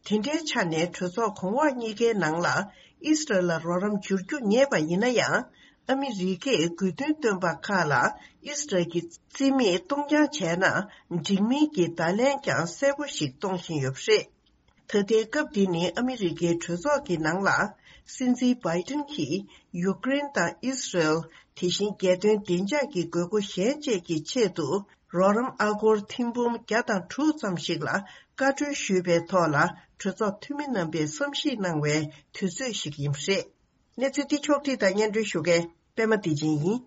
དེ་འདྲའི་ཆ་ནས་གྲོས་ཚོགས་གོང་འོག་གཉིས་ཀའི་ནང་ལ་ཨི་སི་རལ་ལ་རོགས་རམ་འབྱོར་རྒྱུ་ངེས་པ་ཡིན་ན་ཡང་། ཨ་མི་རི་ཀས་དགོས་འདུན་བཏོན་པ་ཁག་ལ་ཨི་སི་རལ་གྱིས་རྩིས་མེད་གཏོང་རྐྱང་བྱས་ན། འགྲིག་མིན་གྱི་བརྡ་ལན་ཀྱང་གསལ་པོ་ཞིག་གཏོང་བཞིན་ཡོད་པ་རེད། ད་ལྟའི་སྐབས་འདི་ནི་ཨ་མི་རི་ཀའི་གྲོས་ཚོགས་ཀྱི་ནང་ལ། སྲིད་འཛིན་བྷའི་ཏིན་གྱིས་ཡུཀ་རེན་དང་ཨི་སི་རལ། དེ་བཞིན་རྒྱལ་དོན་བདེ་འཇགས་ཀྱི་དགོས་མཁོ་གཞན་བཅས་ཀྱི་ཆེད་དུ། རོགས་རམ་ཨ་སྒོར་ཐེར་འབུམ་བརྒྱ་དང་དྲུག་ཙམ་ཞིག་ལ་བཀའ་འཁྲོལ་ཞུས་པའི་ཐོག་ལ། གྲོས་ཚོགས་འཐུས་མི་རྣམ་པས་བསམ་གཞིག་གནང་བའི་དུས་ཚོད་ཞིག་ཡིན་པ་རེད། གནས་ཚུལ་འདི་ཕྱོགས་བསྒྲིགས་དང་སྙན་སྒྲོན་ཞུ་མཁན་པད་མ་བདེ་ཆེན་ཡིན།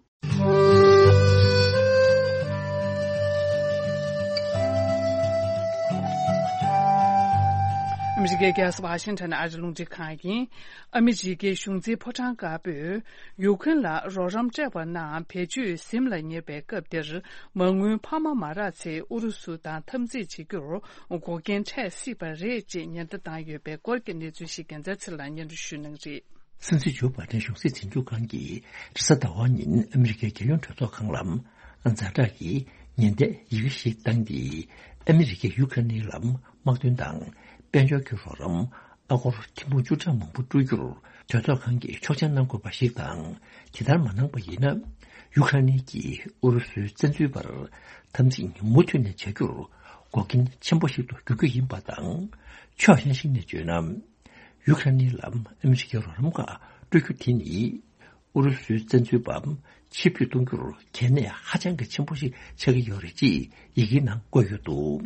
ཨ་མི་རི་ཀའི་རྒྱལ་ས་ཝ་ཤིང་ཊོན་ཨ་རི་རླུང་འཕྲིན་ཁང་ཡིན། ཨ་མི་རི་ཀའི་གཞུང་འཛིན་ཕོ་བྲང་དཀར་པོས་ཡུཀ་རེན་ལ་རོགས་རམ་སྤྲད་པ་རྣམས་བེད་སྤྱོད་ཟིན་ལ་ཉེ་བའི་སྐབས་འདིར། མ་དངུལ་འཕར་མ་མ་རག་ཚེ་ཨུ་རུ་སུ་དང་འཐབ་འཛིང་བྱེད་རྒྱུར་འགོག་རྐྱེན་འཕྲད་སྲིད་པ་རེད་ཅེས་ཉེན་བརྡ་བཏང་ཡོད་པའི་སྐོར་གྱི་གནས་ཚུལ་ཞིག་རྒྱལ་མཚན་ཚེ་རིང་ལགས་སྙན་སྒྲོན་ཞུ་གནང་གི་རེད། སྲིད་འཛིན་ཇོ་བྷའི་ཏན་གཞུང་སྲིད་འཛིན་སྐྱོང་ཁང་གིས་རེས་གཟའ་ཟླ་བ་ཉིན་ཨ་མི་རི་ཀའི་རྒྱལ་ཡོངས་གྲོས་ཚོགས་ཁང་ལ་ཛ་དྲག་གི་ཉེན་བརྡའི་ཡི་གེ་ཞིག་བཏང་སྟེ། ཨ་མི་རི་ཀས་ཡུ་ཁ་རེན་ལ་དམག་དོན་དང་དཔལ་འབྱོར་གྱི་རོགས་རམ་ཨ་སྒོར་ཐེར་འབུམ་བཅུ་ཕྲག་མང་པོ་སྤྲོད་རྒྱུར་གྲོས་ཚོགས་ཁང་གིས་ཆོག་མཆན་གནང་དགོས་པ་ཞིག་དང་། དེ་ལྟར་མ་གནང་པ་ཡིན་ན། ཡུ་ཁ་རེན་གྱིས་ཨུ་རུ་སུའི་བཙན་འཛུལ་བར་འཐབ་འཛིང་མུ་མཐུད་ནས་བྱ་རྒྱུར་འགོག་རྐྱེན་ཆེན་པོ་ཞིག་ཏུ་འགྱུར་རྒྱུ་ཡིན་པ་དང་། ཕྱོགས་གཞན་ཞིག་ནས་བརྗོད་ན། ཡུ་ཁ་རེན་ལ་ཨ་མི་རི་ཀའི་རོགས་རམ་ཁག་སྤྲོད་རྒྱུ་དེ་ནི། ཨུ་རུ་སུའི་བཙན་འཛུལ་པ་ཕྱིར་འབུད་གཏོང་རྒྱུར་གལ་གནད་ཧ་ཅང་གི་ཆེན་པོ་ཞིག་ཆགས་ཀྱི་ཡོད་རེད་ཅེས་ཡི་གེའི་ནང་བཀོད་ཡོད་འདུག་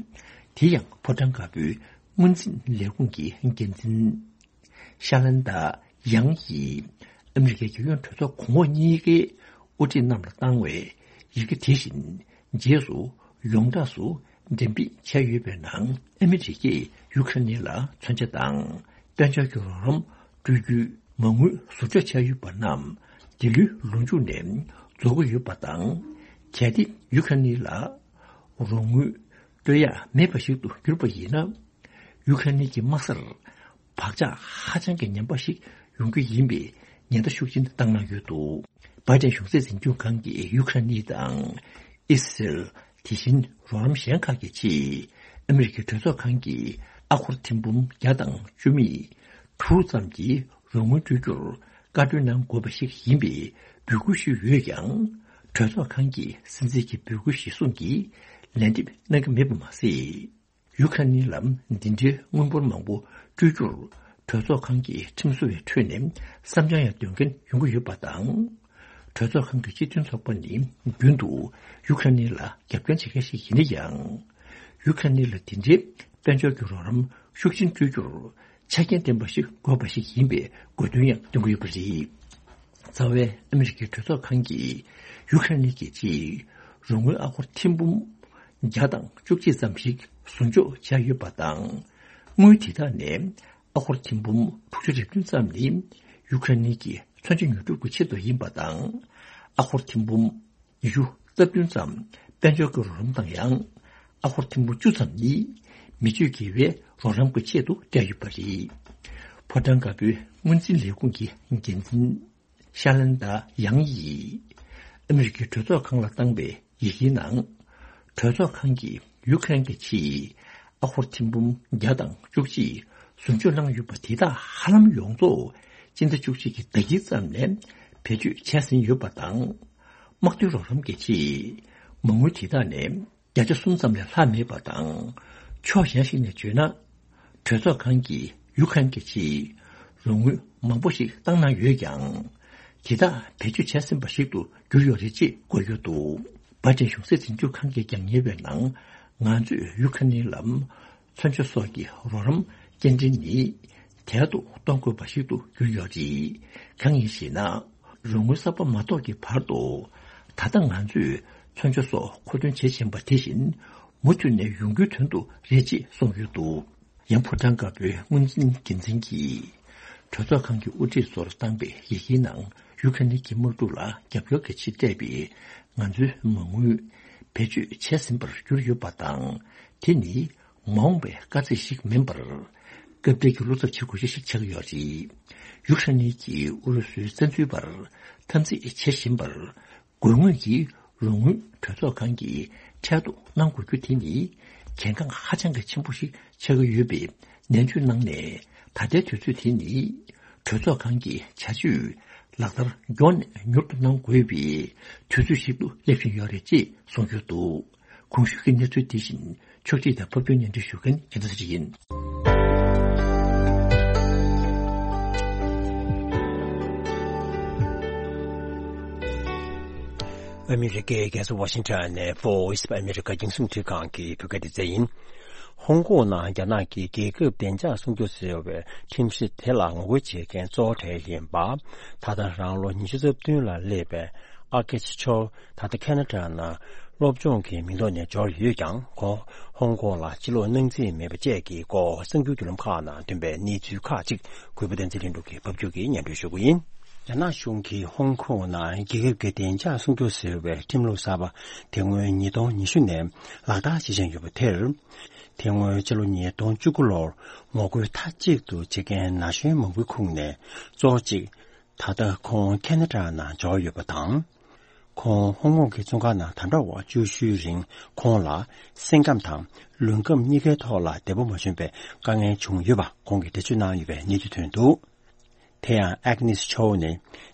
དེ་ཡང་ཕོ་བྲང་དཀར་པོའི་སྔོན་འཛིན་ལས་ཁུངས་ཀྱི་འགན་འཛིན་ཤ་ལན་ཏཱ་ཡང་ཡིས་ཨ་མི་རི་ཀའི་རྒྱལ་ཡོངས་གྲོས་ཚོགས་གོང་འོག་གཉིས་ཀའི་དབུ་ཁྲིད་རྣམས་ལ་བཏང་བའི་ཡི་གེ་དེ་བཞིན་རྗེས་སུ་ཡོངས་གྲགས་སུ་འགྲེམས་སྤེལ་བྱས་ཡོད་པའི་ནང་། ཨ་མི་རི་ཀས་ཡུ་ཁ་རེན་ལ་མཚོན་ཆ་དང་དཔལ་འབྱོར་གྱི་རོགས་རམ་སྤྲོད་རྒྱུའི་མ་དངུལ་ཟུར་འཇོག་བྱས་ཡོད་པ་རྣམས་འདི་ལོའི་ལོ་མཇུག་ནས་རྫོགས་ཀྱི་ཡོད་པ་དང་། གལ་ཏེ་ཡུ་ཁ་རེན་ལ་རོགས་དངུལ་སྤྲོད་ཡག་མེད་པ་ཞིག་ཏུ་གྱུར་པ་ཡིན་ན། ཡུ་ཁ་རེན་གྱི་དམག་སར་བག་ཆགས་ཧ་ཅང་གི་ངན་པ་ཞིག་ཡོང་རྒྱུ་ཡིན་པའི་ཉེན་བརྡ་ཤུགས་ཆེན་བཏང་གནང་ཡོད་འདུག་བྷའི་ཏན་གཞུང་སྲིད་འཛིན་སྐྱོང་ཁང་གིས་ཡུ་ཁ་རེན་དང་ཨི་སི་རལ། དེ་བཞིན་རོགས་རམ་གཞན་ཁག་གི་ཆེད་ཨ་མི་རི་ཀའི་གྲོས་ཚོགས་ཁང་གིས་ཨ་སྒོར་ཐེར་འབུམ་བརྒྱ་དང་བཅུ་མེད་དྲུག་ཙམ་གྱི་རོགས་དངུལ་སྤྲོད་རྒྱུར་བཀའ་འཁྲོལ་གནང་དགོས་པ་ཞིག་ཡིན་པའི་འབོད་སྐུལ་ཞུས་ཡོད་ཀྱང་། གྲོས་ཚོགས་ཁང་གིས་སྲིད་འཛིན་གྱི་འབོད་སྐུལ་གཞིར་བཟུང་གིས་ལན་འདེབས་གནང་གི་མེད་པ་མ་ཟད། ཡུ་ཁ་རེན་ལ་འདི་འདྲའི་དངུལ་འབོར་མང་པོ་སྤྲོད་རྒྱུར་གྲོས་ཚོགས་ཁང་གི་ཁྲིམས་བཟོ་བའི་ཁྲོད་ནས་བསམ་འཆར་ཡང་འདོན་མཁན་ཡོང་གི་ཡོད་པ་དང་། གྲོས་ཚོགས་ཁང་གི་སྤྱི་མཐུན་ཚོགས་པ་ནི་རྒྱུན་དུ་ཡུ་ཁ་རེན་ལ་རྒྱབ་སྐྱོར་བྱེད་མཁན་ཞིག་ཡིན་ན་ཡང་། ཡུ་ཁ་རེན་ལ་འདི་འདྲའི་དཔལ་འབྱོར་གྱི་རོགས་རམ་ཤུགས་ཆེན་སྤྲོད་རྒྱུར་ཆ་རྐྱེན་ལྡན་པ་ཞིག་དགོས་པ་ཞིག་ཡིན་པའི་དགོས་འདུན་ཡང་འདོན་གྱི་ཡོད་པ་རེད། རྩ་བའི་ཨ་མི་རི་ཀའི་གྲོས་ཚོགས་ཁང་གིས་ཡུ་ཁ་རེན་གྱི་ཆེད་རོགས་དངུལ་ཨ་སྒོར་ཐེར་འབུམ་བརྒྱ་དང་བཅུ་གཅིག་ཙམ་ཞིག་ཟུར་འཇོག་བྱས་ཡོད་པ་དང་། དངུལ་དེ་དག་ནས་ཨ་སྒོར་ཐེར་འབུམ་དྲུག་ཅུ་རེ་བདུན་ཙམ་ནི་ཡུ་ཁ་རེན་གྱི་མཚོན་ཆ་ཉོ་སྒྲུབ་ཀྱི་ཆེད་དུ་ཡིན་པ་དང་། ཨ་སྒོར་ཐེར་འབུམ་ཉི་ཤུ་ རྩ་བདུན་ཙམ་དཔལ་འབྱོར་གྱི་རོགས་རམ་དང་ཡང་ཨ་སྒོར་ཐེར་འབུམ་བཅུ་ཙམ་ནི་མི་སྤྱོད་དགེ་བའི་རོགས་རམ་གྱི་ཆེད་དུ་སྤྲད་ཡོད་པ་རེད། ཕོ་བྲང་དཀར་པོའི་སྔོན་འཛིན་ལས་ཁུངས་ཀྱི་འགན་འཛིན་ཤ་ལན་ཏཱ་ཡང་ཡིས་ཨ་མི་རི་ཀའི་གྲོས་ཚོགས་ཁང་ལ་བཏང་པའི་ཡི་གེའི་ནང་། གྲོས་ཚོགས་ཁང་གིས་ཡུ་ཁ་རེན་གྱི་ཆེད་ཨ་སྒོར་ཐེར་འབུམ་བརྒྱ་དང་བཅུ་གཅིག་ཟུར་འཇོག་གནང་ཡོད་པ་དེ་དག་ཧ་ལམ་ཡོངས་རྫོགས་སྤྱི་ཟླ་བཅུ་གཅིག་གི་ཟླ་དཀྱིལ་ཙམ་ནས་བེད་སྤྱོད་བྱས་ཟིན་ཡོད་པ་དང་། དམག་དོན་རོགས་རམ་གྱི་ཆེད་མ་དངུལ་དེ་དག་ནས་བརྒྱ་ཆ་གསུམ་ཙམ་ལས་ལྷག་མེད་པ་དང་། ཕྱོགས་གཞན་ཞིག་ནས་བརྗོད་ན། གྲོས་ཚོགས་ཁང་གིས་ཡུ་ཁ་རེན་གྱི་ཆེད་རོགས་དངུལ་མང་པོ་ཞིག་བཏང་གནང་ཡོད་ཀྱང་། དེ་དག་བེད་སྤྱོད་བྱས་ཟིན་པ་ཞིག་ཏུ་གྱུར་ཡོད་རེད་ཅེས་བཀོད་ཡོད་འདུག་བྷའི་ཏིན་གཞུང་སྲིད་འཛིན་སྐྱོབ་ཁང་གིས་ཀྱང་ཉེ་བའི་ནང་། ང་ཚོས་ཡུ་ཁ་རེན་ལ་མཚོན་ཆ་སོགས་ཀྱི་རོགས་རམ་སྐྱེལ་འདྲེན་ནི་དལ་དུ་གཏོང་དགོས་པ་ཞིག་ཏུ་གྱུར་ཡོད་རེད། གང་ཡིན་ཞེ་ན། རོགས་དངུལ་གསར་པ་མ་གཏོགས་ཀྱི་བར་དུ། ད་ལྟ་ང་ཚོས་མཚོན་ཆ་སོགས་མཁོ་འདོན་བྱེད་བཞིན་པ་དེ་བཞིན་མུ་མཐུད་ནས་ཡོང་རྒྱུའི་དོན་དུ་རེད་ཅེས་གསུངས་ཡོད་འདུག་ཡང་ཕོ་བྲང་དཀར་པོའི་སྔོན་འཛིན་འགན་འཛིན་གྱིས། གྲོས་ཚོགས་ཁང་གི་དབུ་ཁྲིད་ཚོར་བཏང་པའི་ཡི་གེའི་ནང་ཡུ་ཁ་རེན་གྱི་དམག་འཁྲུག་ལ་རྒྱབ་སྐྱོར་གྱི་ཆེད་སྤྲད་པའི་ང་ཚོའི་མ་དངུལ་བེད་སྤྱོད་བྱས་ཟིན་པར་གྱུར་ཡོད་པ་དང་། དེ་ནི་མ་འོངས་པའི་དཀའ་ཚེགས་ཤིག་མིན་པར། སྐབས་འབྲེལ་གྱི་བློ་འཚབ་བྱེད་དགོས་ཤིག་ཆགས་ཀྱི་ཡོད་རེད། ཡུཀ་རེན་གྱིས་ཨུ་རུ་སུའི་བཙན་འཛུལ་བར་འཐབ་འཛིང་བྱེད་བཞིན་པར། དགོས་ངེས་ཀྱི་རོགས་དངུལ་གྲོས་ཚོགས་ཁང་གིས་འཕྲལ་དུ་གནང་དགོས་རྒྱུ་དེ་ནི་གལ་འགངས་ཧ་ཅང་གི་ཆེན་པོ་ཞིག་ཆགས་ཀྱི་ཡོད་པའི་ནན་བརྗོད་གནང་ནས། ད་ལྟའི་དུས་ཚོད་དེ་ནི་གྲོས་ཚོགས་ཁང་གི་བྱ་སྤྱོད་ལག་བསྟར་མགྱོགས་ནས་མྱུར་དུ་གནང་དགོས་པའི་དུས་ཚོད་ཞིག་ཏུ་སླེབས་བཞིན་ཡོད་རེད་ཅེས་གསུངས་ཡོད་འདུག་གོང་ཞུས་ཀྱི་གནས་ཚུལ་དེ་བཞིན་ཕྱོགས་སྒྲིག་དང་ཕབ་སྒྱུར་སྙན་སྒྲོན་ཞུ་མཁན་རྒྱལ་མཚན་ཚེ་རིང་ཡིན། ཨ་མི་རི་ཀའི་རྒྱལ་ས་ཝ་ཤིང་ཊོན་ནས་Voice of America རྒྱང་སྲིང་རླུང་འཕྲིན་ཁང་གི་བོད་སྐད་སྡེ་ཚན་ཡིན། ཧོང་ཀོང་ནང་རྒྱ་ནག་གིས་རྒྱལ་ཁབ་བདེ་འཇགས་སྲུང་སྐྱོབ་ཟེར་བའི་ཁྲིམས་གཞི་དེ་ལ་ངོ་རྒོལ་བྱེད་མཁན་གཙོ་བོ་གྲས་ཡིན་པ། ད་ལྟ་རང་ལོ་ཉི་ཤུ་རྩ་བདུན་ལ་སླེབས་པའི་ཨ་ཀེ་ཆི་ཆོ། ད་ལྟ་ཁེ་ན་ཌ་ནང་སློབ་སྦྱོང་གི་མིང་ཐོག་ནས་འབྱོར་ཡོད་ཀྱང་། ཁོང་ཧོང་ཀོང་ལ་ཕྱིར་ལོག་གནང་རྩིས་མེད་པ་བཅས་ཀྱི་སྐོར་གསར་འགྱུར་བརྒྱུད་ལམ་ཁག་ནང་ཐོན་པའི་གནས་ཚུལ་ཁག་ཅིག་གུས་པ་བསྟན་འཛིན་ལྷུན་གྲུབ་ཀྱིས་ཕབ་སྒྱུར་གྱིས་སྙན་སྒྲོན་ཞུ་གི་ཡིན། རྒྱ་ནག་གཞུང་གིས་ཧོང་ཀོང་ནང་རྒྱལ་ཁབ་ཀྱི་བདེ་འཇགས་སྲུང་སྐྱོབ་ཟེར་བའི་ཁྲིམས་ལུགས་གསར་པ་དེ་སྔོན་ཉིས་སྟོང་ཉི་ཤུ་ནས་ལག་བསྟར་བྱེད་བཞིན་ཡོད་པ་དེར། དེ་སྔོན་ཕྱི་ལོ་ཉིས་སྟོང་བཅུ་དགུ་ལོར་ངོ་རྒོལ་མཐའ་གཅིག་ཏུ་བྱེད་མཁན་ན་གཞོན་མང་པོའི་ཁོངས་ནས་གཙོ་བོ་གཅིག་ད་ལྟ་ཁོང་ཁེ་ན་ཌ་ནང་འབྱོར་ཡོད་པ་དང་། ཁོང་ཧོང་ཀོང་གི་བཙོན་ཁང་ནང་དམ་དྲག་འོག་བཅུ་བཞིའི་རིང་ཁོང་ལ་སེམས་ཁམས་དང་ལུས་ཁམས་གཉིས་ཀའི་ཐོག་ལ་བདེ་པོ་མ་བྱུང་བའི་དཀའ་ངལ་བྱུང་ཡོད་པ་ཁོང་གིས་འགྲེལ་བརྗོད་གནང་ཡོད་པའི་གནས་ཚུལ་ཐོན་འདུག་དེ་ཡང་ཨེག་ནིས་ཆོའུ་ནི་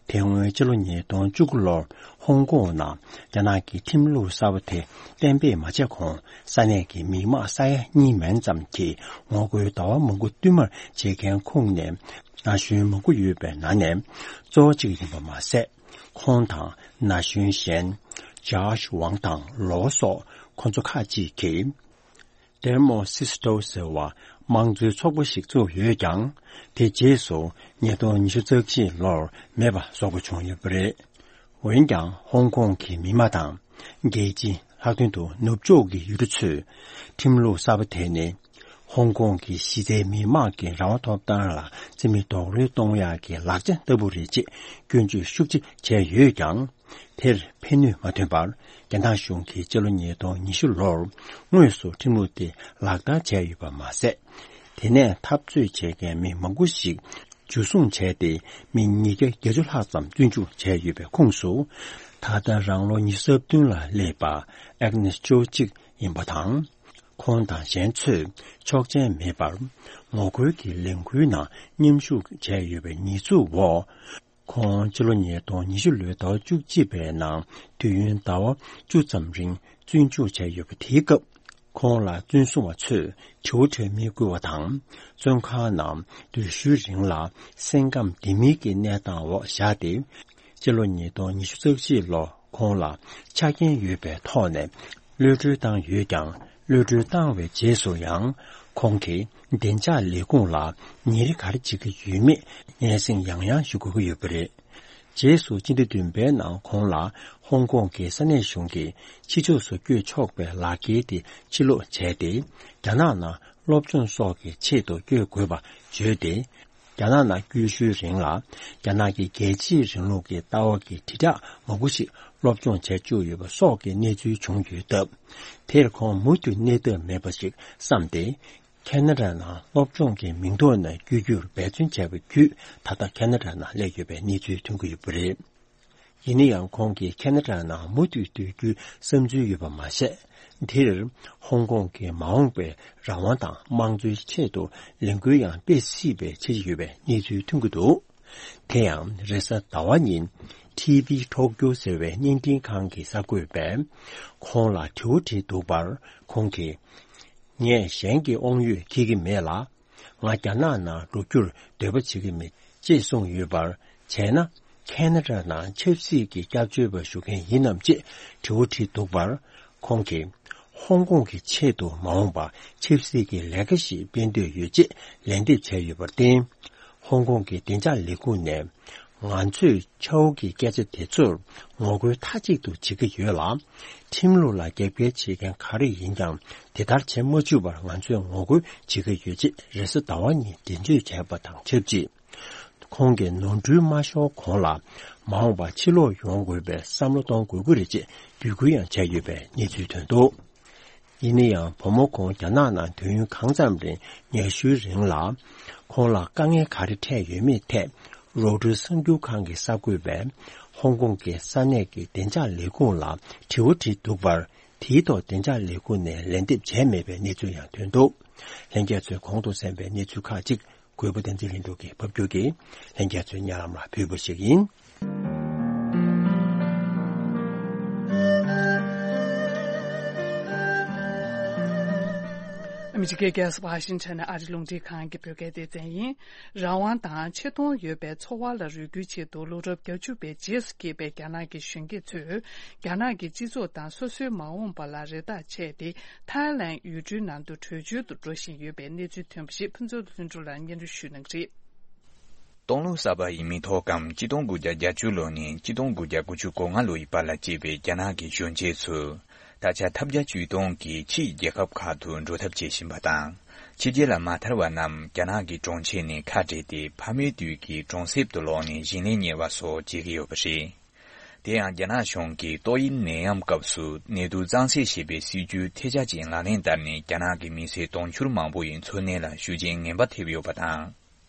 དེ་སྔོན་ཕྱི་ལོ་ཉིས་སྟོང་བཅུ་དགུ་ལོར་ཧོང་ཀོང་ནང་རྒྱ་ནག་གི་ཁྲིམས་ལུགས་གསར་པ་དེ་གཏན་འབེབས་མ་བྱས་གོང་ས་གནས་ཀྱི་མི་དམངས་ས་ཡ་གཉིས་མན་ཙམ་གྱིས་ངོ་རྒོལ་ཟླ་བ་མང་པོ་བསྟུད་མར་བྱེད་མཁན་ཁོངས་ནས་ན་གཞོན་མང་པོ་ཡོད་པའི་ནང་ནས་གཙོ་བོ་གཅིག་ཡིན་པ་མ་ཟད། ཁོང་དང་ན་གཞོན་གཞན་ཇཱཤ་ཝང་དང་ལོ་སོགས་ཁོང་ཚོ་ཁག་ཅིག་གིས། ཏེར་མོ་སིས་ཊོ་ཟེར་བ་དམངས་གཙོའི་ཚོགས་པ་ཞིག་བཙུགས་ཡོད་ཀྱང་། དེ་རྗེས་སུ་ཉིས་སྟོང་ཉི་ཤུ་རྩ་གཅིག་ལོར་མེད་པ་བཟོ་དགོས་བྱུང་ཡོད་པ་རེད། འོན་ཀྱང་ཧོང་ཀོང་གི་མི་དམངས་དང་རྒྱལ་སྤྱི་ལྷག་དོན་དུ་ནུབ་ཕྱོགས་ཀྱི་ཡུལ་གྲུ་ཚོས་ཁྲིམས་ལུགས་གསར་པ་དེ་ནི་ཧོང་ཀོང་གི་གཞི་རྩའི་མི་དམངས་ཀྱི་རང་དབང་ཐོབ་ཐང་ལ་རྩིས་མེད་རྡོག་རོལ་གཏོང་ཡག་གི་ལག་ཆ་ལྟ་བུ་རེད་ཅེས་སྐྱོན་བརྗོད་ཤུགས་ཆེ་བྱས་ཡོད་ཀྱང་། དེར་ཕན་ནུས་མ་ཐོན་པར། རྒྱ་ནག་གཞུང་གིས་སྤྱི་ལོ་ཉིས་སྟོང་ཉི་ཤུ་ལོར་དངོས་སུ་ཁྲིམས་ལུགས་དེ་ལག་བསྟར་བྱས་ཡོད་པ་མ་ཟད། དེ་ནས་འཐབ་རྩོད་བྱེད་མཁན་མི་མང་པོ་ཞིག་འཇུ་བཟུང་བྱས་ཏེ། མི་ཉིས་བརྒྱ་བརྒྱད་ཅུ་ལྷག་ཙམ་བཙོན་འཇུག་བྱས་ཡོད་པའི་ཁོངས་སུ། ད་ལྟ་རང་ལོ་ཉི་ཤུ་རྩ་བདུན་ལ་སླེབས་པ་ཨེག་ནེས་ཅོ་གཅིག་ཡིན་པ་དང་། ཁོང་དང་གཞན་ཚོས་ཆོག་མཆན་མེད་པར་ངོ་རྒོལ་གྱི་ལས་འགུལ་ནང་མཉམ་ཞུགས་བྱས་ཡོད་པའི་ཉེས་འཛུགས་འོག་ཁོང་ཕྱི་ལོ་ཉིས་སྟོང་ཉི་ཤུ་ལོའི་ཟླ་བ་བཅུ་གཅིག་པའི་ནང་དུས་ཡུན་ཟླ་བ་བཅུ་ཙམ་རིང་བཙོན་འཇུག་བྱས་ཡོད་པ་དེའི་སྐབས། ཁོང་ལ་བཙོན་སྲུང་བ་ཚོས་དྲི་བ་དྲི་མི་བསྐུལ་བ་དང་། བཙོན་ཁང་ནང་དུས་ཡུན་རིང་ལ་སེམས་ཁམས་བདེ་མིན་གྱི་གནས་སྟངས་འོག་བཞག་སྟེ། ཕྱི་ལོ་ཉིས་སྟོང་ཉི་ཤུ་རྩ་གཅིག་ལོ་ཁོང་ལ་ཆ་རྐྱེན་ཡོད་པའི་ཐོག་ནས་གློད་གྲོལ་བཏང་ཡོད་ཀྱང་། གློད་གྲོལ་བཏང་བའི་རྗེས་སུ་ཡང་ཁོང་གིས་བདེ་འཇགས་ལས་ཁུངས་ལ་ཉིན་རེ་ག་རེ་བྱེད་ཀྱི་ཡོད་མེད་སྙན་སེང་ཡང་ཡང་ཞུ་དགོས་ཀྱི་ཡོད་པ་རེད། རྗེས་སུ་སྤྱི་ཟླ་བདུན་པའི་ནང་ཁོང་ལ་ཧོང་ཀོང་གི་ས་གནས་གཞུང་གིས་ཕྱི་ཕྱོགས་སུ་བསྐྱོད་ཆོག་པའི་ལག་འཁྱེར་དེ་ཕྱིར་སློག་བྱས་ཏེ། རྒྱ་ནག་ནང་སློབ་སྦྱོང་སོགས་ཀྱི་ཆེད་དུ་བསྐྱོད་དགོས་པ་བརྗོད་དེ། རྒྱ་ནག་ནང་བསྐྱོད་ཤུལ་རིང་ལ། རྒྱ་ནག་གི་རྒྱལ་གཅེས་རིང་ལུགས་ཀྱི་ལྟ་བ་གི་དྲིལ་བསྒྲགས་མང་པོ་ཞིག་སློབ་སྦྱོང་བྱས་བཅུག་ཡོད་པ་སོགས་ཀྱི་གནས་ཚུལ་བྱུང་ཡོད་སྟབས། དེར་ཁོང་མུ་མཐུད་གནས་ཐབས་མེད་པ་ཞིག་བསམ་སྟེ། ཁེ་ན་ཌ་ནང་སློབ་སྦྱོང་གི་མིང་ཐོག་ནས་བསྐྱོད་རྒྱུར་འབད་བརྩོན་བྱས་པ་བརྒྱུད། ད་ལྟ་ཁེ་ན་ཌ་ནང་སླེབས་ཡོད་པའི་གནས་ཚུལ་ཐོན་གྱི་ཡོད་པ་རེད། ཡིན་ན་ཡང་། ཁོང་གིས་ཁེ་ན་ཌ་ནང་མུ་མཐུད་སྡོད་རྒྱུའི་བསམ་ཚུལ་ཡོད་པ་མ་ཟད། དེར་ཧོང་ཀོང་གི་མ་འོངས་པའི་རང་དབང་དང་དམངས་གཙོའི་ཆེད་དུ་ལས་འགུལ་ཡང་སྤེལ་སྲིད་པའི་འཆར་གཞི་ཡོད་པའི་གནས་ཚུལ་ཐོན་གྱི་འདུག་དེ་ཡང་རེས་གཟའ་ཟླ་བ་ཉིན། ཊི་ཝི་ཊོག་ཀྱོ་ཟེར་བའི་བརྙན་འཕྲིན་ཁང་གི་གསར་འགོད་པས། ཁོང་ལ་དྲི་བ་དྲིས་འདུག་པར། ཁོང་གིས། ངས་གཞན་གྱི་དབང་ཡོད་འཁྱེར་གྱི་མེད་ལ། ང་རྒྱ་ནག་ནང་འགྲོ་རྒྱུར་འདོད་པ་བྱེད་ཀྱི་མེད་ཅེས་གསུངས་ཡོད་པར། བྱས་ན། ཁེ་ན་ཌ་ནང་ཆབ་སྲིད་ཀྱི་སྐྱབས་བཅོལ་བ་ཞུ་མཁན་ཡིན་ནམ་ཅེས་དྲི་བ་དྲིས་འདུག་པར། ཁོང་གིས། ཧོང་ཀོང་གི་ཆེད་དུ་མ་འོངས་པར་ཆབ་སྲིད་ཀྱི་ལས་ཀ་ཞིག་སྤེལ་འདོད་ཡོད་ཅེས་ལན་འདེབས་བྱས་ཡོད་པར་བརྟེན། ཧོང་ཀོང་གི་བདེ་འཇགས་ལས་ཁུངས་ནས། ང་ཚོས་ཆའོ་གི་སྐད་ཆ་དེ་ཚོར་ངོ་རྒོལ་མཐའ་གཅིག་ཏུ་བྱེད་ཀྱི་ཡོད་ལ། ཁྲིམས་ལུགས་ལ་རྒྱབ་འགལ་བྱེད་མཁན་ག་རེ་ཡིན་ཀྱང་དེ་ལྟར་བྱེད་མ་བཅུག་པར་ང་ཚོས་ངོ་རྒོལ་བྱེད་ཀྱི་ཡོད་ཅེས་རེས་གཟའ་ཟླ་བ་ཉིན་འགྲེལ་བརྗོད་བྱས་པ་དང་ཆབས་ཅིག་ཁོང་གིས་ནོར་འཁྲུལ་མ་ཤོར་གོང་ལ་མ་འོངས་པར་ཕྱིར་ལོག་ཡོང་དགོས་པའི་བསམ་བློ་གཏོང་དགོས་ཀྱི་རེད་ཅེས་འབོད་སྐུལ་ཡང་བྱས་ཡོད་པའི་གནས་ཚུལ་ཐོན་འདུག་ཡིན་ན་ཡང་། བུ་མོ་ཁོང་རྒྱ་ནག་ནང་དུས་ཡུན་གང་ཙམ་རིང་ཉལ་ཤུལ་རིང་ལ། ཁོང་ལ་དཀའ་ངལ་ག་རེ་འཕྲད་ཡོད་མེད་ཐད། རོའི་ཊར་གསར་འགྱུར་ཁང་གི་གསར་འགོད་པས། ཧོང་ཀོང་གི་ས་གནས་ཀྱི་བདེ་འཇགས་ལས་ཁུངས་ལ་དྲི་བ་དྲིས་འདུག་པར། དེའི་ཐོག་བདེ་འཇགས་ལས་ཁུངས་ནས་ལན་འདེབས་བྱས་མེད་པའི་གནས་ཚུལ་ཡང་ཐོན་འདུག་ལྷན་རྒྱས་ཚོས་གོང་དུ་གསན་པའི་གནས་ཚུལ་ཁག་ཅིག་གུས་པ་བསྟན་འཛིན་ལྷུན་གྲུབ་ཀྱིས་ཕབ་སྒྱུར་གྱིས་ལྷན་རྒྱས་ཚོའི་སྙན་ལམ་ལ་ཕུལ་བ་ཞིག་ཡིན། ཨ་མི་རི་ཀའི་རྒྱལ་ས་ཝ་ཤིང་ཊོན་ནས་ཨ་རི་རླུང་འཕྲིན་ཁང་གི་བོད་སྐད་སྡེ་ཚན་ཡིན། རང་དབང་དང་ཆེ་མཐོང་ཡོད་པའི་འཚོ་བ་ལ་རོལ་རྒྱུའི་ཆེད་དུ་ལོ་རབས་བརྒྱད་ཅུ་པའི་རྗེས་སུ་སྐྱེས་པའི་རྒྱ་ནག་གི་གཞོན་སྐྱེས་ཚོས་རྒྱ་ནག་གི་སྤྱི་ཚོགས་དང་སོ་སོའི་མ་འོངས་པ་ལ་རེ་ཐག་ཆད་དེ། ཐའི་ལན་ཡུལ་གྲུའི་ནང་དུ་བྲོས་བྱོལ་དུ་འགྲོ་བཞིན་ཡོད་པའི་གནས་ཚུལ་ཐོན་པ་ཞིག་ཕུན་ཚོགས་ལྷུན་གྲུབ་ལགས་སྙན་སྒྲོན་ཞུ་གནང་གི་རེད། སྟོང་ལོ་གསར་པ་ཡི་མི་ཐོག་གམ་གཅིག་སྟོང་དགུ་བརྒྱ་བརྒྱད་ཅུ་ལོ་ནས་གཅིག་སྟོང་དགུ་བརྒྱ་དགུ་བཅུ་གོ་ལྔ་ལོ་ཡི་བར་ལ་སྐྱེས་པའི་རྒྱ་ནག་གི་གཞོན་སྐྱེས་ཚོས། ད་ཆ་ཐབས་བརྒྱ་ཇུས་སྟོང་གིས་ཕྱིའི་རྒྱལ་ཁབ་ཁག་ཏུ་འགྲོ་ཐབས་བྱེད་བཞིན་པ་དང་། ཕྱི་རྒྱལ་ལ་མ་ཐར་བ་རྣམས་རྒྱ་ནག་གི་གྲོང་ཁྱེར་ནས་ཁ་བྲལ་ཏེ་ཕ་མའི་དུས་ཀྱི་གྲོང་གསེབ་ཏུ་ལོག་ནས་ཞིང་ལས་གཉེར་བ་སོགས་བྱེད་ཀྱི་ཡོད་པ་རེད། དེ་ཡང་རྒྱ་ནག་གཞུང་གིས་ཏོག་དབྱིབས་ནད་ཡམས་སྐབས་སུ་ནད་དུག་གཙང་སེལ་བྱེད་པའི་སྲིད་ཇུས་ཐལ་ཆ་ཅན་ལག་ལེན་བསྟར་ནས་རྒྱ་ནག་གི་མི་སེར་དུང་ཕྱུར་མང་པོ་ཡི་འཚོ་གནས་ལ་ཤུགས་རྐྱེན་ངན་པ་ཐེབས་ཡོད་པ་དང་།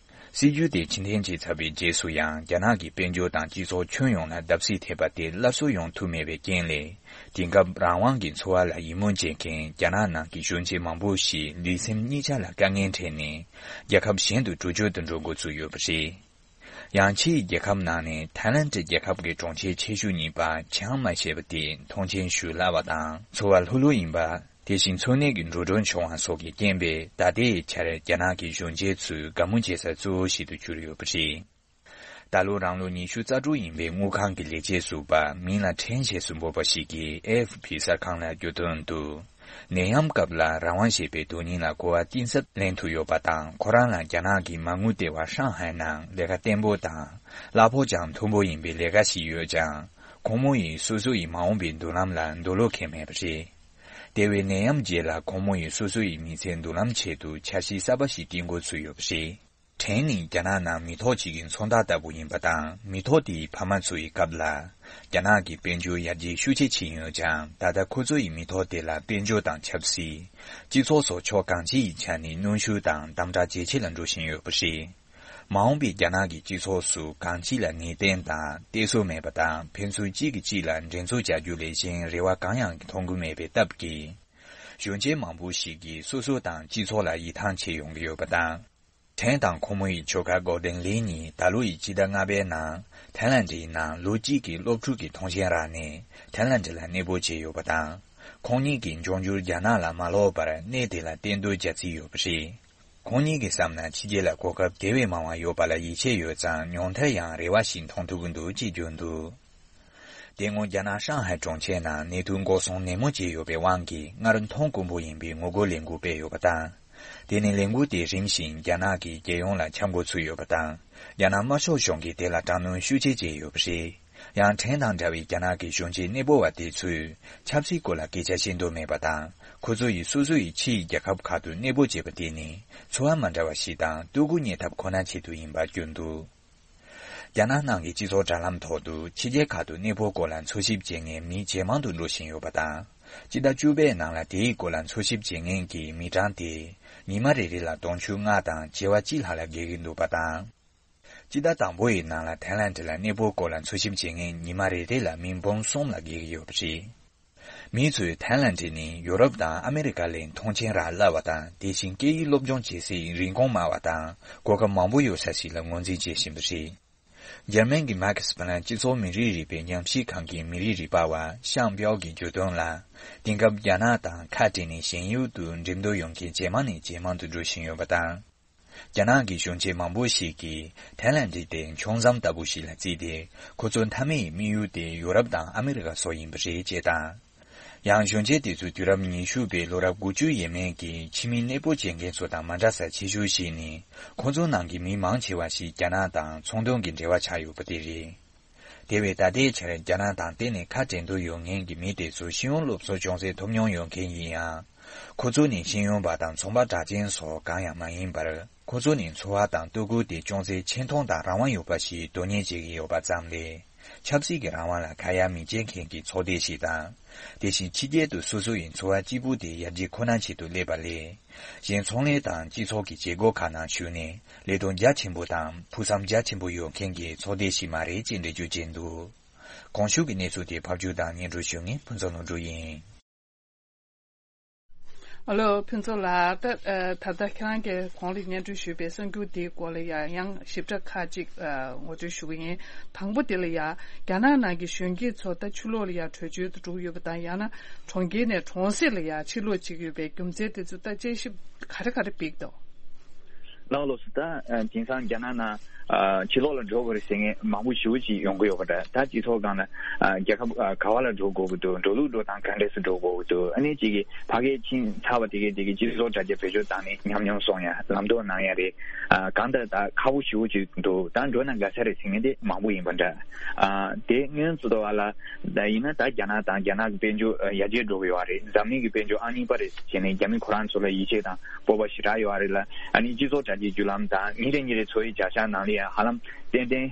སྲིད་ཇུས་དེ་ཕྱིར་འཐེན་བྱས་ཚར་བའི་རྗེས་སུ་ཡང་རྒྱ་ནག་གི་དཔལ་འབྱོར་དང་སྤྱི་ཚོགས་ཁྱོན་ཡོངས་ལ་བརྡབ་གསིག་ཐེབས་པ་དེ་སླར་གསོ་ཡོང་ཐུབ་མེད་པའི་རྐྱེན་ལས། དེང་སྐབས་རང་དབང་གི་འཚོ་བ་ལ་ཡིད་སྨོན་བྱེད་མཁན་རྒྱ་ནག་ནང་གི་གཞོན་སྐྱེས་མང་པོ་ཞིག་ལུས་སེམས་གཉིས་ཆ་ལ་དཀའ་ངལ་འཕྲད་ནས་རྒྱལ་ཁབ་གཞན་དུ་བྲོས་བྱོལ་དུ་འགྲོ་འགོ་ཚུགས་ཡོད་པ་རེད། ཡང་ཕྱིའི་རྒྱལ་ཁབ་ནང་ནས་ཐའི་ལན་ཌི་རྒྱལ་ཁབ་ཀྱི་གྲོང་ཁྱེར་ཆེ་ཤོས་གཉིས་པ་ཆིང་མའེ་ཞེས་པ་དེ་མཐོང་ཆེན་ཞུ་སླ་བ་དང་འཚོ་བ་ལྷུག་ལྷུག་ཡིན་པ། དེ་བཞིན་འཚོ་གནས་ཀྱི་འགྲོ་གྲོན་ཆུང་བ་སོགས་ཀྱི་རྐྱེན་པས་ད་ལྟའི་ཆར་རྒྱ་ནག་གི་གཞོན་སྐྱེས་ཚོའི་དགའ་མོ་བྱེད་ས་གཙོ་བོ་ཞིག་ཏུ་གྱུར་ཡོད་པ་རེད། ད་ལོ་རང་ལོ་ཉི་ཤུ་རྩ་དྲུག་ཡིན་པའི་དངུལ་ཁང་གི་ལས་བྱེད་ཟུར་པ་མིང་ལ་ཁྲེན་ཞེས་སུ་འབོད་པ་ཞིག་གིས་ཨེ་ཨེཕ་པི་གསར་ཁང་ལ་བརྗོད་དོན་དུ། ནད་ཡམས་སྐབས་ལ་རང་དབང་ཞེས་པའི་དོན་སྙིང་ལ་གོ་བ་གཏིང་ཟབ་ལེན་ཐུབ་ཡོད་པ་དང་། ཁོ་རང་ལ་རྒྱ་ནག་གི་མ་དངུལ་ལྟེ་བ་ཧྲང་ཧའེ་ནང་ལས་ཀ་བརྟན་པོ་དང་། གླ་ཕོགས་ཀྱང་མཐོན་པོ་ཡིན་པའི་ལས་ཀ་ཞིག་ཡོད་ཀྱང་། ཁོང་མོ་ཡིས་སོ་སོ་ཡི་མ་འོངས་པའི་མདུན་ལམ་ལ་འདོད་བློ་ཁེངས་མེད་པ་རེད། དེ་བས་ནད་ཡམས་རྗེས་ལ་ཁོང་མོ་ཡིས་སོ་སོ་ཡི་མི་ཚེའི་མདུན་ལམ་ཆེད་དུ་འཆར་གཞི་གསར་པ་ཞིག་བཏིང་འགོ་ཚུགས་ཡོད་པ་རེད། ཁྲེན་ནི་རྒྱ་ནག་ནང་མི་ཐོག་ཅིག་གི་མཚོན་རྟགས་ལྟ་བུ་ཡིན་པ་དང་། མི་ཐོག་དེའི་ཕ་མ་ཚོ་ཡི་སྐབས་ལ། རྒྱ་ནག་གི་དཔལ་འབྱོར་ཡར་རྒྱས་ཤུགས་ཆེ་ཕྱིན་ཡོད་ཀྱང་། ད་ལྟ་ཁོ་ཚོ་ཡི་མི་ཐོག་དེ་ལ་དཔལ་འབྱོར་དང་ཆབ་སྲིད། སྤྱི་ཚོགས་སོགས་ཕྱོགས་གང་ཅིའི་ཆ་ནས་གནོན་ཤུགས་དང་དམ་དྲག་ཇེ་ཆེ་ལ་འགྲོ་བཞིན་ཡོད་པ་རེད། མ་འོངས་པའི་རྒྱ་ནག་གི་སྤྱི་ཚོགས་སུ་གང་ཅི་ལ་ངེས་གཏན་དང་གཏད་སོ་མེད་པ་དང་། ཕན་ཚུན་གཅིག་གིས་གཅིག་ལ་འགྲན་རྩོད་བྱ་རྒྱུ་ལས་གཞན་རེ་བ་གང་ཡང་མཐོང་གི་མེད་པའི་སྟབས་ཀྱིས། གཞོན་སྐྱེས་མང་པོ་ཞིག་གིས་སོ་སོ་དང་སྤྱི་ཚོགས་ལ་ཡིད་ཐང་ཆད་ཡོང་གི་ཡོད་པ་དང་། ཁྲེན་དང་ཁོ་མོ་ཡི་ཁྱོ་ག་གོ་ཌེན་ལི་གཉིས་ད་ལོ་ཡི་སྤྱི་ཟླ་ལྔ་པའི་ནང་ཐའི་ལན་ཌིའི་ནང་ལོ་གཅིག་གི་སློབ་ཕྲུག་གི་ཐོངས་མཆན་རག་ནས་ཐའི་ལན་ཌི་ལ་གནས་སྤོ་བྱས་ཡོད་པ་དང་། ཁོང་གཉིས་ཀྱིས་འབྱུང་འགྱུར་རྒྱ་ནག་ལ་མ་ལོག་པར་གནས་དེ་ལ་གཏན་སྡོད་བྱ་རྩིས་ཡོད་པ་རེད། ཁོང་གཉིས་ཀྱིས་བསམ་ན་ཕྱི་རྒྱལ་ལ་གོ་སྐབས་དེ་བས་མང་བ་ཡོད་པ་ལ་ཡིད་ཆེས་ཡོད་ཙང་། ཉུང་མཐར་ཡང་རེ་བ་ཞིག་མཐོང་ཐུབ་ཀྱི་འདུག་ཅེས་བརྗོད་འདུག་དེ་སྔོན་རྒྱ་ནག་ཧྲང་ཧའེ་གྲོང་ཁྱེར་ནང་ནད་དུག་འགོག་སྲུང་ནན་མོ་བྱས་ཡོད་པའི་དབང་གིས་སྔར་མཐོང་དཀོན་པོ་ཡིན་པའི་ངོ་རྒོལ་ལས་འགུལ་སྤེལ་ཡོད་པ་དང་། དེ་ནས་ལས་འགུལ་དེ་རིམ་བཞིན་རྒྱ་ནག་གི་རྒྱལ་ཡོངས་ལ་ཁྱབ་འགོ་ཚུགས་ཡོད་པ་དང་། རྒྱ་ནག་དམར་ཤོག་གཞུང་གིས་དེ་ལ་དྲག་གནོན་ཤུགས་ཆེ་བྱས་ཡོད་པ་རེད། ཡང་ཁྲེན་དང་འདྲ་བའི་རྒྱ་ནག་གི་གཞོན་སྐྱེས་གནས་སྤོ་བ་དེ་ཚོས་ཆབ་སྲིད་སྐོར་ལ་སྐད་ཆ་བཤད་འདོད་མེད་པ་དང་། ཁོ་ཚོ་ཡིས་སོ་སོ་ཡི་ཕྱི་ཡི་རྒྱལ་ཁབ་ཁག་ཏུ་གནས་སྤོ་བྱས་པ་དེ་ནི་འཚོ་བ་མ་འདྲ་བ་ཞིག་དང་ལྟོ་གོས་རྙེད་ཐབས་ཁོ་ན་ཆེད་དུ་ཡིན་པ་བསྐྱོན་འདུག་རྒྱ་ནག་ནང་གི་སྤྱི་ཚོགས་དྲ་ལམ་ཐོག་ཏུ་ཕྱི་རྒྱལ་ཁག་ཏུ་གནས་སྤོ་སྐོར་ལ་འཚོལ་ཞིབ་བྱེད་མཁན་མི་ཇེ་མང་དུ་འགྲོ་བཞིན་ཡོད་པ་དང་། སྤྱི་ཟླ་བཅུ་པའི་ནང་ལ་དེའི་སྐོར་ལ་འཚོལ་ཞིབ་བྱེད་མཁན་གྱི་མི་གྲངས་དེ་ཉི་མ་རེ་རེ་ལ་དུང་ཕྱུར་ལྔ་དང་བྱེ་བ་གཅིག་ལྷག་ལ་བརྒལ་གྱི་འདུག་པ་དང་། སྤྱི་ཟླ་དང་པོ་ཡི་ནང་ལ་ཐའི་ལན་ཌི་ལ་གནས་སྤོ་སྐོར་ལ་འཚོལ་ཞིབ་བྱེད་མཁན་ཉི་མ་རེ་རེ་ལ་མི་འབུམ་གསུམ་ལ་བརྒལ་གྱི་ཡོད་པ་རེད། མི་ཚོས་ཐའི་ལན་ཌི་ནི་ཡོ་རོབ་དང་ཨ་མེ་རི་ཀ་ལས་མཐོང་ཆེན་རག་སླ་བ་དང་། དེ་བཞིན་སྐད་ཡིག་སློབ་སྦྱོང་བྱེད་སའི་རིན་གོང་དམའ་བ་དང་གོ་སྐབས་མང་པོ་ཡོད་ས་ཞིག་ལ་ངོས་འཛིན་བྱེད་བཞིན་པ་རེད། འཇར་མན་གྱི་མཱ་ཁེ་སི་ཕ་ལན་སྤྱི་ཚོགས་མི་རིགས་རིག་པའི་ཉམས་ཞིབ་ཁང་གི་མི་རིགས་རིག་པ་བ་ཤང་པའོ་གིས་བརྗོད་དོན་ལ། དེང་སྐབས་རྒྱ་ནག་དང་ཁ་བྲལ་ནས་ཞེན་ཡུལ་དུ་འགྲེམས་སྟོན་ཡོང་མཁན་ཇེ་མང་ནས་ཇེ་མང་དུ་འགྲོ་བཞིན་ཡོད་པ་དང་། རྒྱ་ནག་གི་གཞོན་སྐྱེས་མང་པོ་ཞིག་གིས་ཐའི་ལན་ཌི་དེ་མཆོང་མཚམས་ལྟ་བུ་ཞིག་ལ་བརྩིས་ཏེ། ཁོ་ཚོ་མཐའ་མའི་དམིགས་ཡུལ་དེ་ཡོ་རོབ་དང་ཨ་མེ་རི་ཀ་སོགས་ཡིན་པ་རེད་ཅེས་དང་། ཡང་གཞོན་སྐྱེས་དེ་ཚོས་དུས་རབས་ཉི་ཤུ་པའི་ལོ་རབས་དགུ་བཅུ་ཡས་མས་ཀྱི་ཕྱི་མི་གནས་སྤོ་བྱེད་མཁན་ཚོ་དང་མ་འདྲ་ས་ཆེ་ཤོས་ཤིག་ནི། ཁོ་ཚོའི་ནང་གི་མི་མང་ཆེ་བ་ཞིག་རྒྱ་ནག་དང་ཚོང་དོན་གྱི་འབྲེལ་བ་ཆགས་ཡོད་པ་དེ་རེད། དེ་བས་ད་ལྟའི་ཆར་རྒྱ་ནག་དང་གཏན་ནས་ཁ་བྲལ་འདོད་ཡོད་མཁན་གྱི་མི་དེ་ཚོ་ཤེས་ཡོན་སློབ་གསོ་ཅུང་ཟད་ཐོབ་མྱོང་ཡོད་མཁན་ཡིན་ཡང་། ཁོ་ཚོ་ནི་ཤེས་ཡོན་པ་དང་ཚོང་པ་གྲགས་ཅན་སོགས་གང་ཡང་མ་ཡིན་པར། ཁོ་ཚོ་ནི་འཚོ་བ་དང་ལྟོ་གོས་དེ་ཅུང་ཟད་ཆེ་མཐོང་དང་རང་དབང་ཡོད་པ་ཞིག་དོ་མཉམ་བྱེད་ཀྱི་ཡོད་པ་ཙམ་ལས། ཆབ་སྲིད་ཀྱི་རང་དབང་ལ་ཁ་ཡ་མི་བྱེད་མཁན་གྱི་ཚོགས་སྡེ་ཞིག་དང་། དེ་བཞིན་ཕྱི་རྒྱལ་དུ་སོ་སོ་ཡི་འཚོ་བ་གཅིག་པུ་དེ་ཡར་རྒྱས་ཁོ་ན་ཆེད་དུ་སླེབས་པ་ལས། གཞན་ཚོང་ལས་དང་སྤྱི་ཚོགས་ཀྱི་བྱེད་སྒོ་ཁག་ནང་ཞུགས་ནས་ལས་དོན་རྒྱ་ཆེན་པོ་དང་ཕུགས་བསམ་རྒྱ་ཆེན་པོ་ཡོད་མཁན་གྱི་ཚོགས་སྡེ་ཞིག་མ་རེད་ཅེས་འགྲེལ་བརྗོད་བྱས་འདུག་གོང་ཞུས་ཀྱི་གནས་ཚུལ་དེ་ཕབ་སྒྱུར་དང་སྙན་སྒྲོན་ཞུ་མཁན་ཕུན་ཚོགས་ལྷུན་གྲུབ་ཡིན། ཨ་ལོ་ཕུན་ཚོགས་ལགས། ད་ད་ལྟ་ཁྱེད་རང་གིས་གོང་ལ་སྙན་སྒྲོན་ཞུས་པའི་གསར་འགྱུར་དེའི་སྐོར་ལ་ཡང་ཡང་ཞིབ་ཕྲ་ཁག་ཅིག་ངོ་སྤྲོད་ཞུ་གི་ཡིན། དང་པོ་དེ་ལ་ཡང་རྒྱ་ནག་ནང་གི་གཞོན་སྐྱེས་ཚོ་ད་ཕྱི་ལོགས་ལ་ཡང་བྲོས་བྱོལ་དུ་འགྲོ་གི་ཡོད་པ་དང་། ཡང་ན་གྲོང་ཁྱེར་ནས་གྲོང་གསེབ་ལ་ཡང་ཕྱིར་ལོག་བྱེད་ཀྱི་ཡོད་པའི་རྒྱུ་མཚན་དེ་ཚོ་ད་དཔྱད་ཞིབ་ག་རེ་ག་རེ་འབིག་འདུག་ལགས་ལགས་སོ། ད་དེང་སང་རྒྱ་ནག་ནང་ཕྱི་ལོགས་ལ་འགྲོ་དགོས་རེད་ཟེར་མཁན་མང་པོ་ཞེ་པོ་ཅིག་ཡོང་གི་ཡོད་པ་འདྲ། ད་སྤྱི་ཚོགས་སྒང་ལ་རྒྱལ་ཁབ་ག་བ་ལ་འགྲོ་དགོས་ཀྱི་འདུག་འགྲོ་ལུགས་འགྲོ་སྟངས་ག་འདྲས་སུ་འགྲོ་དགོས་ཀྱི་འདུག་ཨ་ནི་གཅིག་གིས་ཕ་གིར་ཕྱིན་ཚར་བ་དེ་གས་དེ་གས་སྤྱི་ཚོགས་དྲ་རྒྱ་བེད་སྤྱོད་བཏང་ནས་ཉམས་མྱོང་སོང་ཡ། ལམ་སྟོན་གནང་ཡ་རེད། གང་ལྟར་ད་ཁག་པོ་ཞེ་པོ་ཅིག་འདུག་ད་འགྲོ་ན་དགའ་ས་རེད་ཟེར་མཁན་དེ་མང་པོ་ཡིན་པ་འདྲ། དེ་སྔོན་ཚུད་དུ་བ་ལ་ད་ཡིན་ན་ད་རྒྱ་ནག་དང་རྒྱ་ནག་གི་དཔལ་འབྱོར་ཡར་རྒྱས་འགྲོ་གི་ཡོད་རེད། འཛམ་གླིང་གི་དཔལ་འབྱོར་ཨང་གཉིས་པ་རེད་ཟེར་ནས་རྒྱ་མི་ཁོ་རང་ཚོ་ལ་ཡིད་ཆེས་དང་སྤོབས་པ་ཞེ་དྲག་ཡོད་རེད་ལ། ཨ་ནི་སྤྱི་ཚོགས་དྲ་རྒྱའི་བརྒྱུད་ལམ་དང་ཉིན་རེ་ཉིན་རེ་འཚོ་བའི་བྱ་གཞག་ནང་ལ་ཡང་ཧ་ལམ་ཏན་ཏན་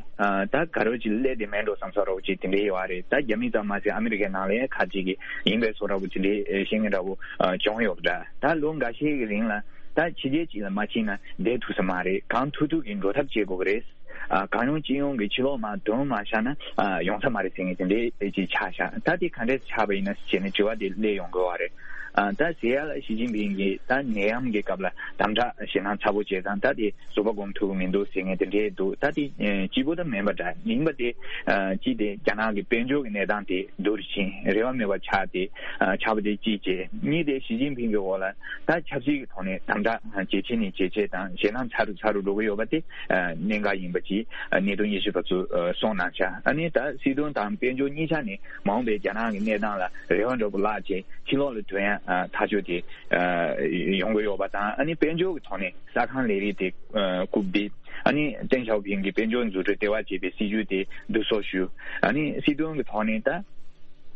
ད་ག་རེ་ཅིག་སླེབས་བསྡད་མེད་འགྲོ་བསམ་ས་རོགས་ཅིག་དེ་འདྲས་ཡོད་རེད། ད་རྒྱ་མི་ཙམ་མ་ཟད་ཨ་མི་རི་ཀའི་ནང་ལ་ཡང་ཁ་ཅིག་གིས་ཡིན་པའི་བཟོ་འདྲ་པོ་དེ་འདྲས་བཤད་མཁན་འདྲ་པོ་བྱུང་ཡོད་པ་འདྲ། ད་ལོ་འགའ་ཤས་ཀྱི་རིང་ལ་ད་ཕྱི་རྒྱལ་ཅིག་ལ་མ་ཕྱིན་ན་བསྡད་ཐུབ་ས་མ་རེད། གང་ཐུབ་ཐུབ་ཀྱིས་འགྲོ་ཐབས་བྱེད་དགོས་ཀྱི་རེད། ཨ་གང་ཡོང་ཅི་ཡོང་གི་ཕྱི་ལོགས་མར་དོན་མ་བཞག་ན་ཨ་ཡོང་ས་མ་རེད་ཟེར་མཁན་དེ་འདྲས་ཅིག་ཆགས་ཤག་ད་དེ་ག་འདྲས་ཆགས་པ་ཡིན་ན་ཟེར་ནས་དྲི་བ་དེ་སླེབས་ཡོང་གི་ཡོད་རེད། ཨ་ད་ཟེར་ཡ་ལ་ཞི་ཅིན་ཕིང་གིས་ད་ནད་ཡམས་ཀྱི་སྐབས་ལ་དམ་དྲག་ཞེད་སྣང་ཚ་པོ་བྱས་ཙང་ད་དེ་ཟུར་པ་སྒོམ་ཐུབ་ཀྱི་མི་འདུག་ཟེར་མཁན་དེ་འདྲས་འདུག་ད་དེ་ཨ་སྐྱིད་པོ་ད་མིན་པ་འདྲ། ཡིན་པ་དེ་ཨ་ཅི་དེ་རྒྱ་ནག་གི་དཔལ་འབྱོར་གྱི་གནས་སྟངས་དེ་སྡུག་རུ་ཕྱིན་རེ་བ་མེད་པ་ཆགས་ཏེ་ཨ་ཆགས་པ་དེ་གཅིག་བྱས། གཉིས་དེ་ཞི་ཅིན་ཕིང་གི་འོག་ལ་ད་ཆབ་སྲིད་ཀྱི་ཐོག་ནས་དམ་དྲག་ཇེ་ཆེ་ནས་ཇེ་ཆེ་དང་ཞེད་སྣང་ཚ་རུ་ཚ་རུ་འགྲོ་གི་ཡོད་པ་དེ་ཨ་གནད་འགག་ཡིན་པ་ཅིག་ཨ་གནད་དོན་དབྱེ་ཞིབ་པ་ཚོས་ཨ་གསུངས་གནང་ཤག་ཨ་ནི་ད་སྲིད་དོན་དང་དཔལ་འབྱོར་གཉིས་ཆ་ནས་མ་འོངས་པའི་རྒྱ་ནག་གི་གནས་སྟངས་ལ་རེ་བ་འདྲ་པོ་བརླག་བྱས་ཕྱི་ལོགས་ལ་ཐོན་ཡ་ཨ་ཐག་ཆོད་དེ་ཨ་ཡོང་གི་ཡོད་པ་དང་། ཨ་ནི་དཔལ་འབྱོར་གྱི་ཐོག་ནས་གསར་ཁང་ལས་རིགས་དེ་ཨ་བཀུག་སྟེ། ཨ་ནི་ཏེང་ཞའོ་ཕིང་གིས་དཔལ་འབྱོར་འཛུགས་སྐྲུན་ལྟེ་བ་ཅེས་པའི་སྲིད་ཇུས་དེ་བསྡུ་གསོག་ཞུ། ཨ་ནི་སྲིད་དོན་གྱི་ཐོག་ནས་ད་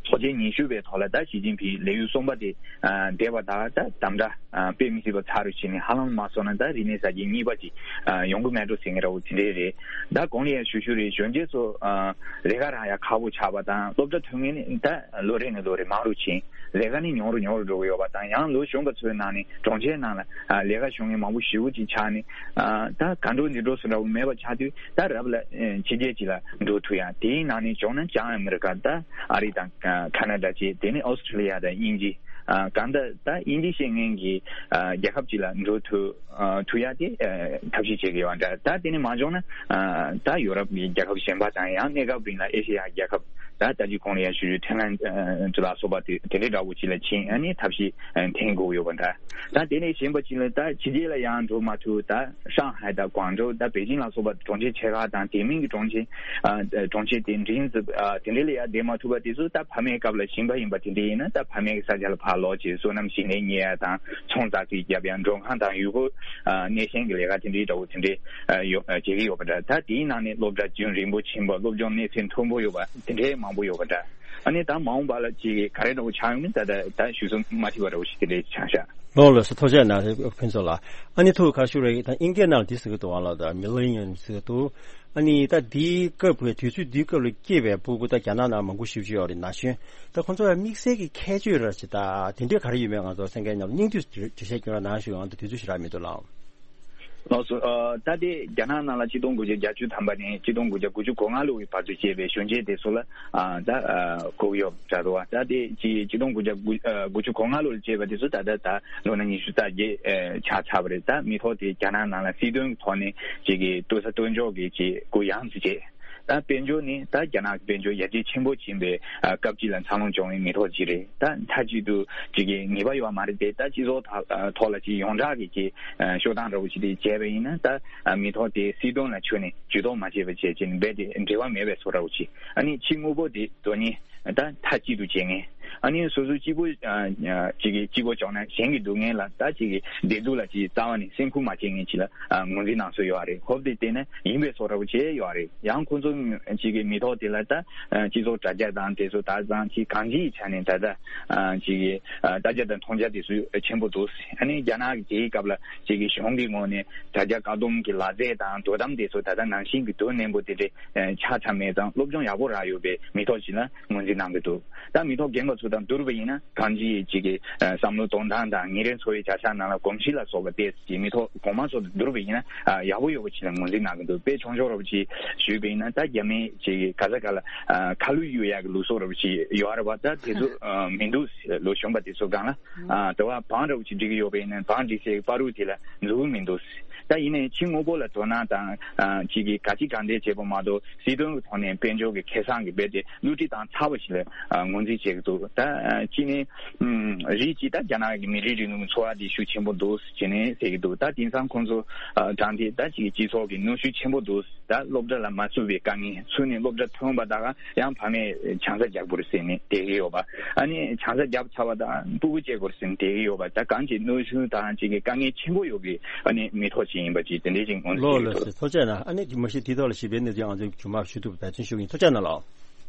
ཚོགས་ཆེན་ཉི་ཤུ་པའི་ཐོག་ལ་ད་ཞི་ཅིན་ཕིང་ལས་ཡུན་གསུམ་པ་དེ་ཨ་འདས་པ་དང་ད་དམ་དྲག་ཨ་དཔེ་མི་སྲིད་པ་ཚ་རུ་ཕྱིན་ནས་ཧ་ལམ་མ་སོང་ན་ད་རིག་གནས་གསར་བརྗེ་གཉིས་པ་ཅིག་ཨ་ཡོང་གི་མེད་འགྲོ་ཟེར་མཁན་འདྲ་པོ་དེ་འདྲས་རེད། ད་གོང་ལ་ཡང་ཞུ་ཞུ་རེད། གཞོན་སྐྱེས་ཚོ་ཨ་ལས་ཀ་རག་ཡ་ཁག་པོ་ཆགས་པ་དང་སློབ་གྲྭ་ཐོན་མཁན་ནི་ད་ལོ་རེ་ནས་ལོ་རེ་མང་རུ་ཕྱིན། ལས་ཀ་ནི་ཉུང་རུ་ཉུང་རུ་འགྲོ་གི་ཡོད་པ་དང་། ཡང་ལོ་གཞོན་པ་ཚོའི་ནང་ནས་གྲོང་ཁྱེར་ནང་ལ་ཨ་ལས་ཀ་ཞུ་མཁན་མང་པོ་ཞེ་པོ་ཅིག་ཆགས་ནས་ཨ་ད་ག་འགྲོ་འདི་འགྲོ་སུ་འདྲ་པོ་མེད་པ་ཆགས་དུས་ད་རབ་ལ་ཨ་ཕྱི་རྒྱལ་ཅིག་ལ་འགྲོ་ཐུབ་ཡ། དེའི་ནང་ནས་བྱུང་ན་བྱང་ཨ་མི་རི་ཀ་ད་ཨ་རི་དང་ཨ་ཁ་ན་ཌ་བཅས། དེ་ནས་ཨོ་སི་ཁྲི་ལི་ཡ་དང་དབྱིན་ཇི། ཨ་གང་ལྟར་ད་དབྱིན་ཇི་ཤེས་མཁན་གྱི་ཨ་རྒྱལ་ཁབ་ཅིག་ལ་འགྲོ་ཐུབ་ཨ་ཐུབ་ཡ་དེ་ཨ་ཐབས་ཤེས་བྱེད་ཀྱི་ཡོད་འདྲ། ད་དེ་ནས་མ་བྱུང་ན་ཨ་ད་ཡོ་རོབ་ཀྱི་རྒྱལ་ཁབ་གཞན་པ་དང་ཡང་གནས་སྐབས་རིང་ལ་ཨེ་ཤེ་ཡ་རྒྱལ་ཁབ་ད་ད་ཅི་གོང་ལ་ཡང་ཞུ་རྒྱུ་ཐའི་ལན་ཨ་ལ་སོགས་པ་དེ་དེ་འདྲའི་འདྲ་བོ་ཅིག་ལ་ཕྱིན། ཨ་ནི་ཐབས་ཤེས་ཨ་འཐེན་དགོས་ཡོད་པ་འདྲ། ད་དེ་ནས་གཞན་པ་ཅིག་ལ་ད་ཕྱི་རྒྱལ་ལ་ཡང་འགྲོ་མ་ཐུབ། ད་ཧྲང་ཧའེ་དང་ཀོང་ཀྲོའུ་ད་པེ་ཅིང་ལ་སོགས་པ་གྲོང་ཁྱེར་ཆེ་ཁག་དང་དེ་མིན་གྱི་གྲོང་ཁྱེར་ཨ་གྲོང་ཁྱེར་དེ་འདྲའི་ཨ་དེ་འདྲའི་ལ་ཡང་བསྡད་མ་ཐུབ་པ་དེ་ཚོ་ད་ཕ་མའི་སྐབས་ལ་ཞིང་པ་ཡིན་པ་དེ་འདྲ་ཡིན་ན་ད་ཕ་མའི་ས་ཆ་ལ་ཕར་ལོག་བྱས་སོ་ནམ་ཞིང་ལས་གཉེར་ཡ་དང་ཚོང་ཙག་ཙིག་རྒྱབ་ཡ། མགྲོན་ཁང་དང་ཡུལ་སྐོར་ཨ་གནས་ཆེན་གྱི་ལས་ཀ་དེ་འདྲའི་འདྲ་བོ་དེ་འདྲའི་ཨ་ཡོད་ཨ་བྱེད་ཀྱི་ཡོད་པ་འདྲ། ད་དེའི་ནང་ནས་སློབ་གྲྭ་རྒྱུན་རིང་པོ་ཕྱིན་པ། སློབ་སྦྱོང་གནས་ཚད་མཐོན་པོ་ཡོད་པ་དེ་འདྲའི་མང་ མང་པོ་ཡོད་པ་འདྲ། ཨ་ནི་ད་མ་འོངས་པ་ལ་ཅིག་ག་རེ་འདྲ་བོ་ཆགས་ཡོང་མིན་ད་ད་ད་ཞུ་ཚོད་མ་ཐིག་པ་འདྲ་བོ་ཞིག་དེ་འདྲའི་ཆགས་ཤག་ལོ་ལོ་སོ་ཐུགས་རྗེ་གནང་ཕུན་ཚོགས་ལགས། ཨ་ནི་ཐུགས་ཁ་ཤུ་རེ་ད་དབྱིན་སྐད་ནང་ལ་འདི་ཟེར་གི་འདུག་ཨ་ལ་ད་མི་ལི་ཡོན་ཟེར་གི་འདུག་ཨ་ནི་ད་འདིའི་སྐབས་ཀྱི་དུས་ཚོད་འདིའི་སྐབས་ལ་སྐྱེས་པའི་སྤུ་གུ་ད་རྒྱ་ནག་ནང་མང་པོ་ཞེ་པོ་ཅིག་ཡོད་རེད། ན་གཞོན་ད་ཁོང་ཚོ་ལ་དམིགས་བསལ་གྱི་ཁྱད་ཆོས་ར་ཅིག་ད་དེ་འདྲའི་ག་རེ་ཡོད་མེད་ང་ཚོ་གསན་མཁན་མཉམ་དུ་སྙིང་བསྡུས་འགྲེལ་བཤད་སྐྱོན་ར་ནང་ཞུ་ཡང་ད་དུས་ཚོད་ཞེ་དྲག་མི་འདུག་ལགས། ལགས་སོ། ཨ་ད་དེ་རྒྱ་ནག་ནང་ལ་ཆིག་སྟོང་དགུ་བརྒྱ་བརྒྱད་ཅུ་ཐམ་པ་ནས་ཆིག་སྟོང་དགུ་བརྒྱ་དགུ་བཅུ་གོ་ལྔ་ལོ་ཡི་བར་དུ་སྐྱེས་པའི་གཞོན་སྐྱེས་དེ་ཚོ་ལ་ཨ་ད་ཨ་གོ་གི་ཡོད་འདྲ་འདུག་ད་དེ་ཆིག་ཆིག་སྟོང་དགུ་བརྒྱ་དགུ་ཨ་དགུ་བཅུ་གོ་ལྔ་ལོ་ལ་སྐྱེས་པ་དེ་ཚོ་ད་ལྟ་ད་ལོ་ན་ཉི་ཤུ་རྩ་བརྒྱད་ཨ་ཆགས་ཚར་བ་རེད། ད་མི་ཐོག་དེ་རྒྱ་ནག་ནང་ལ་སྲིད་དོན་གྱི་ཐོག་ནས་ཅིག་གི་ལྟོ་ས་ལྟོ་འཇོག་གི་ཅིག་གུ་ཡངས་སུ་བྱས། ད་དཔལ་འབྱོར་ནི་ད་རྒྱ་ནག་གི་དཔལ་འབྱོར་ཡར་རྒྱས་ཆེན་པོ་ཕྱིན་པའི་ཨ་སྐབས་ཅིག་ལ་འཚར་ལོངས་བྱུང་བའི་མི་ཐོག་ཅིག་རེད། ད་མཐའ་གཅིག་ཏུ་ཅིག་གི་ངེས་པ་ཡོད་མ་རེད་དེ། ད་སྤྱི་ཚོགས་ཐོག་ཐོག་ལ་ཅིག་ཡོངས་གྲགས་ཀྱི་ཅིག་ཤོག་གྲངས་འདྲ་བོ་ཅིག་དེ་བྱས་པ་ཡིན་ན་ད་མི་ཐོག་དེ་སྲིད་དོན་ལ་ཁྱོན་ནས་ཇུས་གཏོགས་མ་བྱས་པ་བྱས་ཅིག་རྦད་དེ་འབྲེལ་བ་མེད་པའི་བཟོ་འདྲ་བོ་ཅིག་ཨ་ནི་ཕྱི་དངོས་པོ་དེ་དོན་གཉེར་ད་མཐའ་གཅིག་ཏུ་བྱེད་མཁན། ཨ་ནི་སོ་སོའི་སྐྱིད་པོ་ཨ་ཅིག་གི་སྐྱིད་པོ་བྱུང་ན་གཞན་གྱི་སྡུག་བསྔལ་ལ་ད་ཅིག་གི་བདེ་སྡུག་ལ་ཅིག་རྩ་བ་ནས་སེམས་ཁུར་མ་བྱེད་མཁན་ཅིག་ལ་ཨ་ངོས་འཛིན་གནང་སྲོལ་ཡོད་རེད། ཧོབ་དེ་བལྟས་ན་ཡིན་པའི་བཟོ་འདྲ་བོ་བྱས་ཡོད་རེད། ཡང་ཁོང་ཚོ་ཅིག་གི་མི་ཐོག་དེ་ལ་ད་ཨ་སྤྱི་ཚོགས་དྲ་རྒྱ་དང་དེ་ཚོ་ད་ཙང་ཅིག་གང་ཅིའི་ཆ་ནས་ད་ལྟ་ཨ་ཅིག་གི་ཨ་ལྟ་རྒྱ་དང་མཐོང་རྒྱ་དེ་ཚོ་ཆེན་པོ་འདུག་ཨ་ནི་རྒྱ་ནག་གི་དེའི་སྐབས་ལ་ཅིག་གི་གཞུང་གི་ངོས་ནས་དྲ་རྒྱ་བཀག་སྡོམ་གྱི་ལག་རྩལ་དང་དོ་དམ་དེ་ཚོ་ད་ལྟ་ནང་བཞིན་གྱི་དོ་ནན་པོ་དེ་འདྲའི་ཆགས་ཚར་མེད་ཙང་སློབ་སྦྱོང་ཡག་པོ་རག་ཡོད་པའི་མི་ཐོག་ཅིག་ལ་ངོས་འཛིན་གནང་གི་འདུག་ད་མི་ཐོག་རྒན་པ་ཚོ་དང་བསྡུར་བ་ཡིན་ན་གང་ཅིའི་ཅིག་གི་བསམ་བློ་གཏོང་སྟངས་དང་ཉིན་རེའི་འཚོ་བའི་བྱ་གཞག་ནང་ལ་གོམས་གཤིས་ལ་སོགས་པ་ཏོག་ཙམ་མི་ཐོག་གོང་མ་ཚོ་དང་བསྡུར་བ་ཡིན་ན་ཡག་པོ་ཡོད་པ་ཅིག་ལ་ངོས་འཛིན་གནང་གི་འདུག་དཔེ་ཆུང་ཆུང་འདྲ་བོ་ཅིག་ཞུས་པ་ཡིན་ན་ད་རྒྱ་མིའི་ཅིག་ག་ས་ག་ལ་ཁ་ལུད་གཡུག་ཡག་གི་ལུགས་སྲོལ་འདྲ་བོ་ཅིག་ཡོད་རེད་པ། ད་དེ་ཚོ་མི་འདུག་ལོ་གཞོན་པ་དེ་ཚོ་སྒང་ལ་ཨ་དེ་བ་བང་འདྲ་བོ་ཅིག་སྒྲིག་གི་ཡོད་པ་ཡིན་ན་བང་སྒྲིག་སའི་བར་རུ་དེ་ལ་འཛུལ་གི་མི་འདུག་ད་ཡིན་ནའི་ཕྱི་དངོས་པོ་ལ་དོ་སྣང་དང་ཨ་ཅིག་གི་ག་ཅི་གང་འདྲ་བྱེད་པ་མ་གཏོགས་སྲིད་དོན་གྱི་ཐོག་ནས་དཔལ་འབྱོར་གྱི་ཁེ་བཟང་གི་རྦད་དེ་བསླུ་བྲིད་བཏང་ཚར་བ་ཞིག་ལ་ཨ་ངོས་འཛིན་བྱེད་ཀྱི་འདུག་ད་ཨ་གཅིག་ནས་ཨམ་རིགས་གཅིག་ད་རྒྱ་ནག་གི་མི་རིགས་རིང་ལུགས་ཀྱི་འཚོ་བ་འདི་ཤུགས་ཆེན་པོ་འདུག་ཅེས་ནས་ཟེར་གྱི་འདུག་ད་དེང་སང་ཁོང་ཚོ་ཨ་དྲང་ཐད་ད་ཅིག་གི་སྤྱི་ཚོགས་ཀྱི་གནོན་ཤུགས་ཆེན་པོ་འདུག་ད་སློབ་གྲྭ་ལ་མ་ཚུད་པའི་དཀའ་ངལ། ཚུད་ནས་སློབ་གྲྭ་ཐོན་པ་དག་ཡང་ཕ་མས་ཆང་ས་རྒྱག་དགོས་རེད་ཟེར་ནས་བསྡད་ཀྱི་ཡོད་པ། ཨ་ནི་ཆང་ས་བརྒྱབ་ཚར་བ་དང་སྤུ་གུ་སྐྱེ་དགོས་རེད་ཟེར་ནས་བསྡད་ཀྱི་ཡོད་པ། ད་གང་ཅིག་གནོན་ཤུགས་དང་ཅིག་གི་དཀའ་ངལ་ཆེན་པོ་ཡོད་ཀྱི་ཨ་ནི་མི་ཐོག་ཅིག་ཡིན་པ་ཅིག་དེ་འདྲའི་ཅིག་ངོས་འཛིན་ལོ་བྱེད་ལོ་ཀྱི་འདུག་ཟེར། ཐུགས་རྗེ་གནང་། ཨ་ནི་མ་གཞི་དེ་ཐོག་ལ་ཞིབ་པའི་གནས་ཚུལ་ང་ཚོས་རྒྱུན་མར་ཞུ་ཐུབ་པ་འབད་བརྩོན་ཞུ་གི་ཡིན། ཐུགས་རྗེ་གནང་ལགས།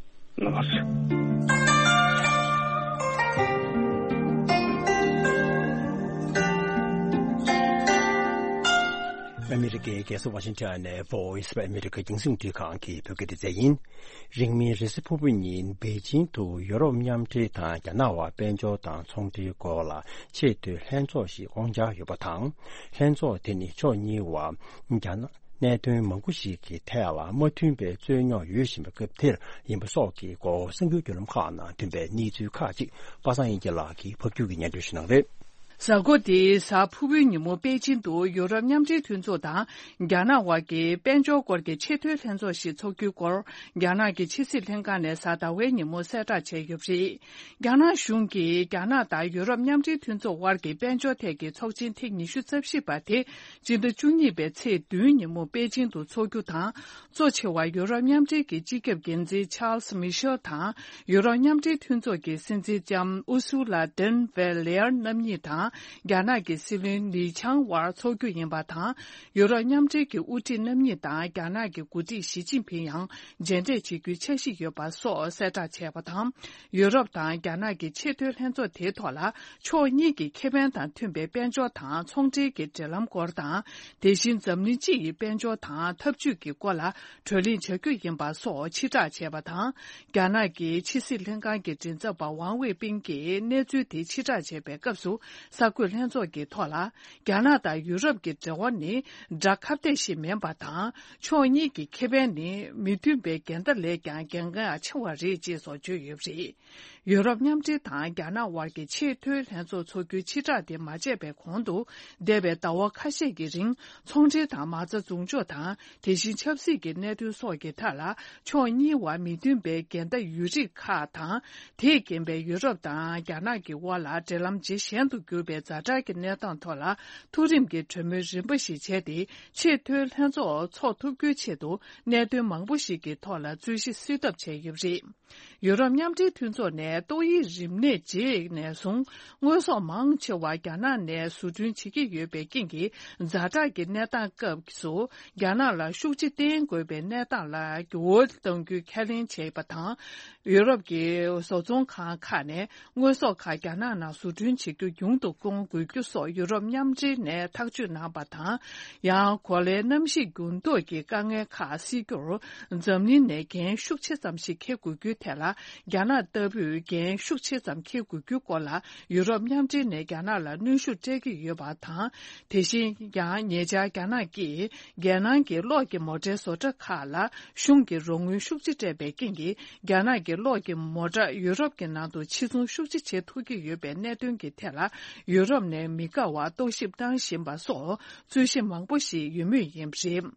ལགས་སོ། ཨ་མི་རི་ཀའི་རྒྱལ་ས་ཝ་ཤིང་ཊོན་ནས་Voice of America རྒྱང་སྲིང་རླུང་འཕྲིན་ཁང་གི་བོད་སྐད་སྡེ་ཚན་ཡིན། རིང་མིན་རེས་གཟའ་ཕུར་བུ་ཉིན་པེ་ཅིང་དུ་ཡུ་རོབ་མཉམ་འབྲེལ་དང་རྒྱ་ནག་དབར་དཔལ་འབྱོར་དང་ཚོང་འབྲེལ་སྐོར་ལ་ཆེས་མཐོའི་ལྷན་ཚོགས་ཤིག་བསྐོང་འཆར་ཡོད་པ་དང་། ལྷན་ཚོགས་དེ་ནི་ཕྱོགས་གཉིས་བར་རྒྱ་ནག་གནད་དོན་མང་པོ་ཞིག་གི་ཐད་ལ་མ་མཐུན་པའི་རྩོད་རྙོག་ཡོད་བཞིན་པའི་སྐབས་དེར་ཡིན་པ་སོགས་ཀྱི་སྐོར་གསར་འགྱུར་བརྒྱུད་ལམ་ཁག་ནང་ཐོན་པའི་གནས་ཚུལ་ཁག་ཅིག་པ་སངས་དབྱངས་སྐྱིད་ལགས་ཀྱིས་ཕབ་སྒྱུར་གྱིས་སྙན་སྒྲོན་ཞུ་གནང་རེད། གཟའ་འཁོར་འདིའི་གཟའ་ཕུར་བུའི་ཉིན་མོ་པེ་ཅིང་དུ་ཡུ་རོབ་མཉམ་འབྲེལ་མཐུན་ཚོགས་དང་རྒྱ་ནག་དབར་གྱི་དཔལ་འབྱོར་སྐོར་གྱི་ཆེས་མཐོའི་ལྷན་ཚོགས་ཤིག་འཚོགས་རྒྱུའི་སྐོར་རྒྱ་ནག་གི་ཕྱི་སྲིད་ལྷན་ཁང་ནས་གཟའ་ཟླ་བའི་ཉིན་མོ་གསལ་བསྒྲགས་བྱས་ཡོད་པ་རེད། རྒྱ་ནག་གཞུང་གིས་རྒྱ་ནག་དང་ཡུ་རོབ་མཉམ་འབྲེལ་མཐུན་ཚོགས་དབར་གྱི་དཔལ་འབྱོར་ཐད་ཀྱི་ཚོགས་ཆེན་ཐེངས་ཉི་ཤུ་རྩ་བཞི་པ་དེ་སྤྱི་ཟླ་བཅུ་གཉིས་པའི་ཚེས་བདུན་ཉིན་མོ་པེ་ཅིང་དུ་འཚོགས་རྒྱུ་དང་། གཙོ་ཆེ་བ་ཡུ་རོབ་མཉམ་འབྲེལ་གྱི་སྤྱི་ཁྱབ་འགན་འཛིན་Charles Michel དང་ཡུ་རོབ་མཉམ་འབྲེལ་མཐུན་ཚོགས་ཀྱི་སྲིད་འཛིན་ལྕམ་Ursula von der Leyen རྣམ་གཉིས་དང་རྒྱ་ནག་གི་སྲིད་བློན་Li Qiang དབར་འཚོགས་རྒྱུ་ཡིན་པ་དང་། ཡུ་རོབ་མཉམ་འབྲེལ་གྱི་དབུ་ཁྲིད་རྣམ་གཉིས་དང་རྒྱ་ནག་གི་འགོ་ཁྲིད་ཞི་ཅིན་ཕིང་ཡང་མཇལ་འཕྲད་བྱེད་རྒྱུའི་འཆར་གཞི་ཡོད་པ་སོགས་གསལ་བསྒྲགས་བྱས་པ་དང་། ཡུ་རོབ་དང་རྒྱ་ནག་གི་ཆེས་མཐོའི་ལྷན་ཚོགས་དེའི་ཐོག་ལ་ཕྱོགས་གཉིས་ཀྱི་ཁེ་ཕན་དང་མཐུན་པའི་དཔལ་འབྱོར་དང་ཚོང་འབྲེལ་གྱི་འབྲེལ་ལམ་སྐོར་དང་། དེ་བཞིན་འཛམ་གླིང་སྤྱི་ཡི་དཔལ་འབྱོར་དང་འཐབ་ཇུས་ཀྱི་སྐོར་ལ་གྲོས་གླེང་བྱ་རྒྱུ་ཡིན་པ་སོགས་ཕྱིར་བསྒྲགས་བྱས་པ་དང་། རྒྱ་ནག་གི་ཕྱི་སྲིད་ལྷན་ཁང་གི་མགྲིན་ཚབ་པ་ཝང་ཝེ་པིན་གྱིས་གནས་ཚུལ་དེ་ཕྱིར་བསྒྲགས་བྱས་པའི་སྐབས་སུ། གསར་འགོད་ལྷན་ཚོགས་ཀྱི་ཐོག་ལ། རྒྱ་ནག་དང་ཡུ་རོབ་ཀྱི་འབྲེལ་བ་ནི་དགྲ་ཁ་གཏད་ཞིག་མིན་པ་དང་། ཕྱོགས་གཉིས་ཀྱི་ཁེ་ཕན་ནི་མི་མཐུན་པའི་འགལ་ཟླ་ལས་ཀྱང་གལ་འགངས་ཆེ་བ་རེད་ཅེས་སོགས་བརྗོད་ཡོད་པ་རེད། ཡུ་རོབ་མཉམ་འབྲེལ་དང་རྒྱ་ནག་དབར་གྱི་ཆེས་མཐོའི་ལྷན་ཚོགས་འཚོགས་རྒྱུའི་ཕྱིར་བསྒྲགས་དེ་མ་བྱས་པའི་གོང་དུ། འདས་པའི་ཟླ་བ་ཁ་ཤས་ཀྱི་རིང་། ཚོང་འབྲེལ་དང་མ་རྩ་འཛུགས་འཇོག་དང་། དེ་བཞིན་ཆབ་སྲིད་ཀྱི་གནད་དོན་སོགས་ཀྱི་ཐད་ལ། ཕྱོགས་གཉིས་བར་མི་མཐུན་པའི་འགལ་ཟླ་ཡོད་རིགས་ཁག་དང་། དེས་རྐྱེན་པས་ཡུ་རོབ་དང་རྒྱ་ནག་གི་དབར་ལ་འབྲེལ་ལམ་ཇེ་ཞན་དུ་གྱུར་ པའི་ཛ་དྲག་གི་གནས་སྟངས་ཐོག་ལ་མཐོ་རིམ་གྱི་གྲོས་མོལ་རིམ་པ་ཞིག་བྱས་ཏེ། ཆེས་མཐོའི་ལྷན་ཚོགས་འཚོགས་ཐུབ་རྒྱུའི་ཆེད་དུ་གནད་དོན་མང་པོ་ཞིག་གི་ཐོག་ལ་རྩོད་གཞི་སེལ་ཐབས་བྱས་ཡོད་པ་རེད། ཡུ་རོབ་མཉམ་འབྲེལ་མཐུན་ཚོགས་ནས་ཏོག་དབྱིབས་རིམས་ནད་རྗེས་ནས་བཟུང་དངོས་ཟོག་མང་ཆེ་བ་རྒྱ་ནག་ནས་བཟོ་སྐྲུན་བྱེད་ཀྱི་ཡོད་པའི་རྐྱེན་གྱིས། ཛ་དྲག་གི་གནས་སྟངས་སྐབས་སུ། རྒྱ་ནག་ལ་ཤུགས་རྐྱེན་བསྟེན་དགོས་པའི་གནས་སྟངས་ལ་འགྱུར་བ་གཏང་རྒྱུའི་ཁས་ལེན་བྱས་པ་དང་། ཡུ་རོབ་ཀྱི་བཟོ་ཚོང་ཁང་ཁག་ནས་དངོས་ཟོག་ཁག་རྒྱ་ནག་ནང་བཟོ་སྐྲུན་བྱེད་རྒྱུ་ཉུང་དུ་གཏོང་དགོས་རྒྱུ་སོགས་ཡུ་རོབ་མཉམ་འབྲེལ་ནས་ཐག་གཅོད་གནང་པ་དང་། ཡང་གོ་ལའི་གནམ་གཤིས་འགྱུར་ལྡོག་གི་དཀའ་ངལ་ཁག་སེལ་རྒྱུར། འཛམ་གླིང་ནས་འགན་ཤུགས་ཆེ་ཙམ་ཞིག་འཁྱེར་དགོས་རྒྱུའི་ཐད་ལ། རྒྱ་ནག་ལྟ་བུས་འགན་ཤུགས་ཆེ་ཙམ་འཁྱེར་དགོས་རྒྱུའི་སྐོར་ལ། ཡུ་རོབ་མཉམ་འབྲེལ་ནས་རྒྱ་ནག་ལ་གནོན་ཤུགས་སྤྲད་ཀྱི་ཡོད་པ་དང་། དེ་བཞིན་ཡང་ཉེ་ཆར་རྒྱ་ནག་གིས། རྒྱལ་ནང་གི་གློག་གི་མོ་ཊའི་བཟོ་གྲྭ་ཁག་ལ་གཞུང་གིས་རོགས་དངུལ་ཤུགས་ཆེ་སྤྲད་པའི་རྐྱེན་གྱིས། རྒྱ་ནག་གི་གློག་གི་མོ་ཊ་ཡུ་རོབ་ཀྱི་ནང་དུ་ཕྱིར་ཚོང་ཤུགས་ཆེ་བྱེད་ཐུབ་ཀྱི་ཡོད་པའི་གནད་དོན་གྱི་ཐད་ལ། ཡུ་རོབ་ནས་མི་དགའ་བར་རྟོག་ཞིབ་གནང་བཞིན་པ་སོགས་རྩོད་གཞི་མང་པོ་ཞིག་ཡོད་མུས་ཡིན་པ་རེད།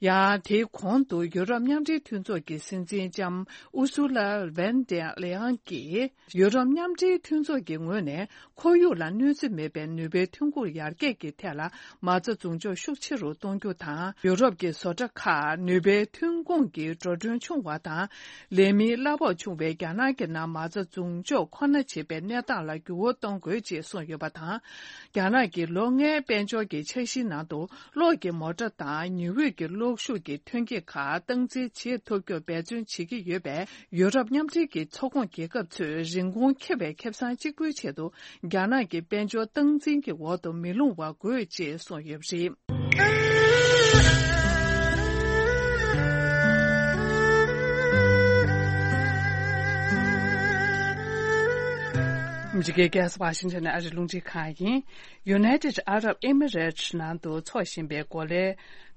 ཡང་དེའི་གོང་དུ་ཡུ་རོབ་མཉམ་འབྲེལ་མཐུན་ཚོགས་ཀྱི་སྲིད་འཛིན་ལྕམ་ཨུ་སུ་ལ་ཝན་ཏེ་ལེ་ཡང་གིས། ཡུ་རོབ་མཉམ་འབྲེལ་མཐུན་ཚོགས་ཀྱི་ངོས་ནས། ཁོར་ཡུག་ལ་གནོད་འཚེ་མེད་པའི་ནུས་པའི་ཐོན་ཁུངས་ཡར་རྒྱས་ཀྱི་ཐད་ལ་མ་རྩ་འཛུགས་འཇོག་ཤུགས་ཆེ་རུ་གཏོང་རྒྱུ་དང་། ཡུ་རོབ་ཀྱི་བཟོ་གྲྭ་ཁག་ནུས་པའི་ཐོན་ཁུངས་ཀྱི་འགྲོ་གྲོན་ཆུང་བ་དང་། ལས་མིའི་གླ་ཕོགས་ཆུང་བའི་རྒྱ་ནག་གི་ནང་མ་རྩ་འཛུགས་འཇོག་ཁོ་ན་བྱེད་པའི་གནས་སྟངས་ལ་འགྱུར་བ་གཏོང་དགོས་ཅེས་གསུངས་ཡོད་པ་དང་། རྒྱ་ནག་གིས་ལོ་ལྔའི་དཔལ་འབྱོར་གྱི་འཆར་གཞིའི་ནང་དུ། གློག་གི་མོ་ཊ་དང་ཉི་འོད་ཀྱི་གློག་ཤུགས་ཀྱི་ཐོན་སྐྱེད་ཁག་སྟངས་འཛིན་བྱེད་ཐུབ་རྒྱུར་འབད་བརྩོན་བྱེད་ཀྱི་ཡོད་པས། ཡུ་རོབ་མཉམ་འབྲེལ་གྱི་ཚོགས་ཁོངས་རྒྱལ་ཁབ་ཚོས་རིན་གོང་ཁེ་བའི་ཁེ་བཟང་གཅིག་པུའི་ཆེད་དུ་རྒྱ་ནག་གི་དཔལ་འབྱོར་སྟངས་འཛིན་གྱི་འོག་ཏུ་མི་ལྷུང་བ་དགོས་ཅེས་གསུངས་ཡོད་པ་རེད། ཨ་མི་རི་ཀའི་རྒྱལ་ས་ཝ་ཤིང་ཊོན་ནས་ཨ་རིའི་རླུང་འཕྲིན་ཁང་ཡིན། United Arab Emirates ནང་དུ་འཚོགས་བཞིན་པའི་གོ་ལའི་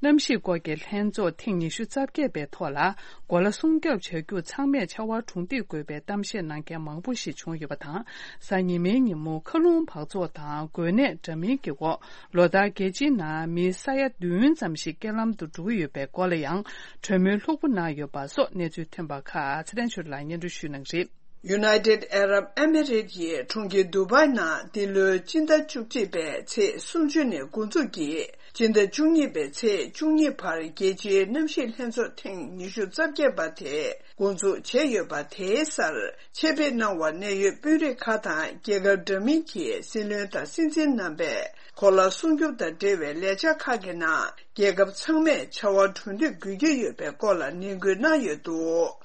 གནམ་གཤིས་སྐོར་གྱི་ལྷན་ཚོགས་ཐེངས་ཉི་ཤུ་རྩ་བརྒྱད་པའི་ཐོག་ལ། གོ་ལ་སྲུང་སྐྱོབ་བྱ་རྒྱུ་ཚང་མས་ཕྱར་བ་གྲུ་འདེགས་དགོས་པའི་གཏམ་བཤད་གནང་མཁན་མང་པོ་ཞིག་བྱུང་ཡོད་པ་དང་། གཟའ་ཉི་མའི་ཉིན་མོ་མཁའ་རླུང་འབག་བཙོག་དང་འགོས་ནད་འདྲ་མིན་གྱི་འོག་ལོ་ལྟར་རྒྱལ་སྤྱིའི་ནང་མི་ས་ཡ་བདུན་ཙམ་ཞིག་རྐྱེན་ལམ་དུ་འགྲོ་གི་ཡོད་པའི་སྐོར་ལ་ཡང་གྲོས་མོལ་ལྷུག་པོ་གནང་ཡོད་པ་སོགས་གནས་ཚུལ་ཐོན་པ་ཁག་ཚེ་བརྟན་ཆོས་ལགས་སྙན་སྒྲོན་ཞུ་གནང་གི་རེད། United Arab Emirates ཡི་གྲོང་ཁྱེར་དུ་བྷའི་ནང་འདི་ལོའི་སྤྱི་ཟླ་བཅུ་གཅིག་པའི་ཚེས་སུམ་ཅུ་ནས་འགོ་འཛུགས་ཀྱིས། སྤྱི་ཟླ་བཅུ་གཉིས་པའི་ཚེས་བཅུ་གཉིས་བར་རྒྱལ་སྤྱིའི་གནམ་གཤིས་ལྷན་ཚོགས་ཐེངས་ཉི་ཤུ་རྩ་བརྒྱད་པ་དེ་འགོ་འཛུགས་བྱས་ཡོད་པ་དེའི་སར་ཆེད་ཕེབས་གནང་བར་གནད་ཡོད་དཔོན་རིགས་ཁག་དང་རྒྱལ་ཁབ་འདྲ་མིན་གྱི་སྲིད་བློན་དང་སྲིད་འཛིན་རྣམ་པས་གོ་ལ་སྲུང་སྐྱོབ་དང་འབྲེལ་བའི་ལས་འཆར་ཁག་གི་ནང་། རྒྱལ་ཁབ་ཚང་མས་བྱ་བ་གྲུ་འདེགས་དགོས་ཀྱི་ཡོད་པའི་སྐོར་ལ་ནན་སྐུལ་གནང་ཡོད་འདུག་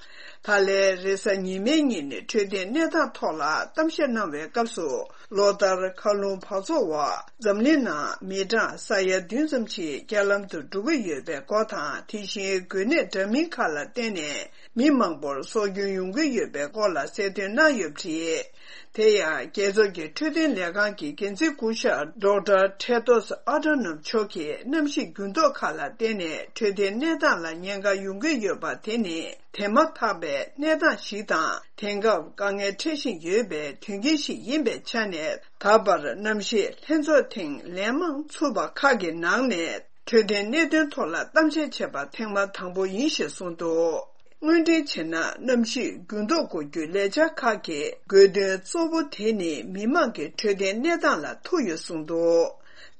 ད་ལན་རེས་གཟའ་ཉི་མའི་ཉིན་འཕྲོད་བསྟེན་གནས་སྟངས་ཐོག་ལ་གཏམ་བཤད་གནང་བའི་སྐབས་སུ། ལོ་ལྟར་མཁའ་རླུང་འབག་བཙོག་འོག་འཛམ་གླིང་ནང་མི་གྲངས་ས་ཡ་བདུན་ཙམ་ཞིག་རྐྱེན་ལམ་དུ་འགྲོ་གི་ཡོད་པའི་སྐོར་དང་། དེ་བཞིན་འགོས་ནད་འདྲ་མིན་ཁག་ལ་བརྟེན་ནས་མི་མང་པོར་སྲོག་སྐྱོན་ཡོང་གི་ཡོད་པའི་སྐོར་ལ་གསལ་སྟོན་གནང་ཡོད་པ་རེད། དེ་ཡང་རྒྱལ་ཚོགས་ཀྱི་འཕྲོད་བསྟེན་ལས་ཁང་གི་འགན་འཛིན་སྐུ་ཞབས་Doctor Tedros Adhanom མཆོག་གིས་གནམ་གཤིས་འགྱུར་ལྡོག་ཁག་ལ་བརྟེན་ནས་འཕྲོད་བསྟེན་གནས་སྟངས་ལ་ཉེན་ཁ་ཡོང་གི་ཡོད་པ་དེ་ནི་དེ་མ་ཐག་པའི་གནས་སྟངས་ཤིག་དང་། དེང་སྐབས་དཀའ་ངལ་འཕྲད་བཞིན་ཡོད་པའི་དོན་རྐྱེན་ཞིག་ཡིན་པའི་ཆ་ནས། ད་བར་གནམ་གཤིས་ལྷན་ཚོགས་ཐེངས་ལན་མང་ཚུགས་པ་ཁག་གི་ནང་ནས་འཕྲོད་བསྟེན་གནད་དོན་ཐོག་ལ་གཏམ་བཤད་བྱས་པ་ཐེངས་མ་དང་པོ་ཡིན་ཞེས་གསུངས་འདུག་དངོས་འབྲེལ་བྱས་ན། གནམ་གཤིས་འགྱུར་ལྡོག་འགོག་རྒྱུའི་ལས་འཆར་ཁག་གི་དགོས་དོན་གཙོ་བོ་དེ་ནི་མི་དམངས་ཀྱི་འཕྲོད་བསྟེན་གནས་སྟངས་ལ་ཐུག་ཡོད་གསུངས་འདུག་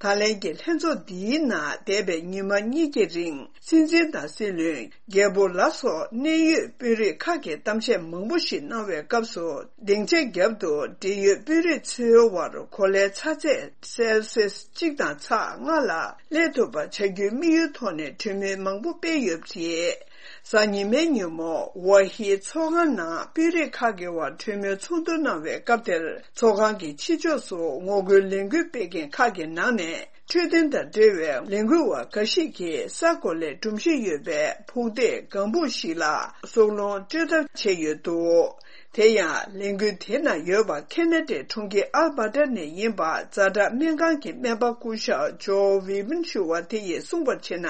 ད་ལན་གྱི་ལྷན་ཚོགས་འདིའི་ནང་འདས་པའི་ཉི་མ་གཉིས་ཀྱི་རིང་སྲིད་འཛིན་དང་སྲིད་བློན། རྒྱལ་པོ་ལ་སོགས་གནད་ཡོད་དཔོན་རིགས་ཁག་གིས་གཏམ་བཤད་མང་པོ་ཞིག་གནང་བའི་སྐབས་སུ། སྡིངས་ཆ་རྒྱབ་ཏུ་འབྲེལ་ཡོད་དཔོན་རིགས་ཚོའི་དབར་གོ་ལའི་ཚ་ཚད་སེལ་སིས་གཅིག་དང་ཚེག་ལྔ་ལ་སླེབས་ཐུབ་པ་བྱ་རྒྱུའི་དམིགས་ཡུལ་ཐོག་ནས་གྲོས་མོལ་མང་པོ་སྤེལ་ཡོད་པ་རེད། གཟའ་ཉི་མའི་ཉིན་མོ་ཝཱ་ཧི་ཚོགས་ཁང་ནང་དཔོན་རིགས་ཁག་གི་དབར་གྲོས་མོལ་ཚོགས་འདུ་གནང་བའི་སྐབས་དེར། ཚོགས་ཁང་གི་ཕྱི་ཕྱོགས་སུ་ངོ་རྒོལ་ལས་འགུལ་སྤེལ་མཁན་ཁག་གི་ནང་ནས། འཕྲོད་བསྟེན་དང་འབྲེལ་བའི་ལས་འགུལ་བ་འགའ་ཞིག་གིས་ས་གོ་ལའི་སྒྲོམ་གཞི་ཡོད་པའི་ཕུག་སྟེགས་ལྒང་བུ་ཞིག་ལ་སྲོག་རླུང་སྤྲོད་ཐབས་བྱས་ཡོད་འདུག་དེ་ཡང་ལས་འགུལ་དེའི་ནང་ཡོད་པ་ཁེ་ན་ཌའི་གྲོང་ཁྱེར་ཨལ་བྷ་ཏར་ནས་ཡིན་པ་ཛ་དྲག་སྨན་ཁང་གི་སྨན་པ་སྐུ་ཞབས་ཇོ་ཝི་མིན་ཞུ་བ་དེ་ཡིས་གསུངས་པར་བྱས་ན།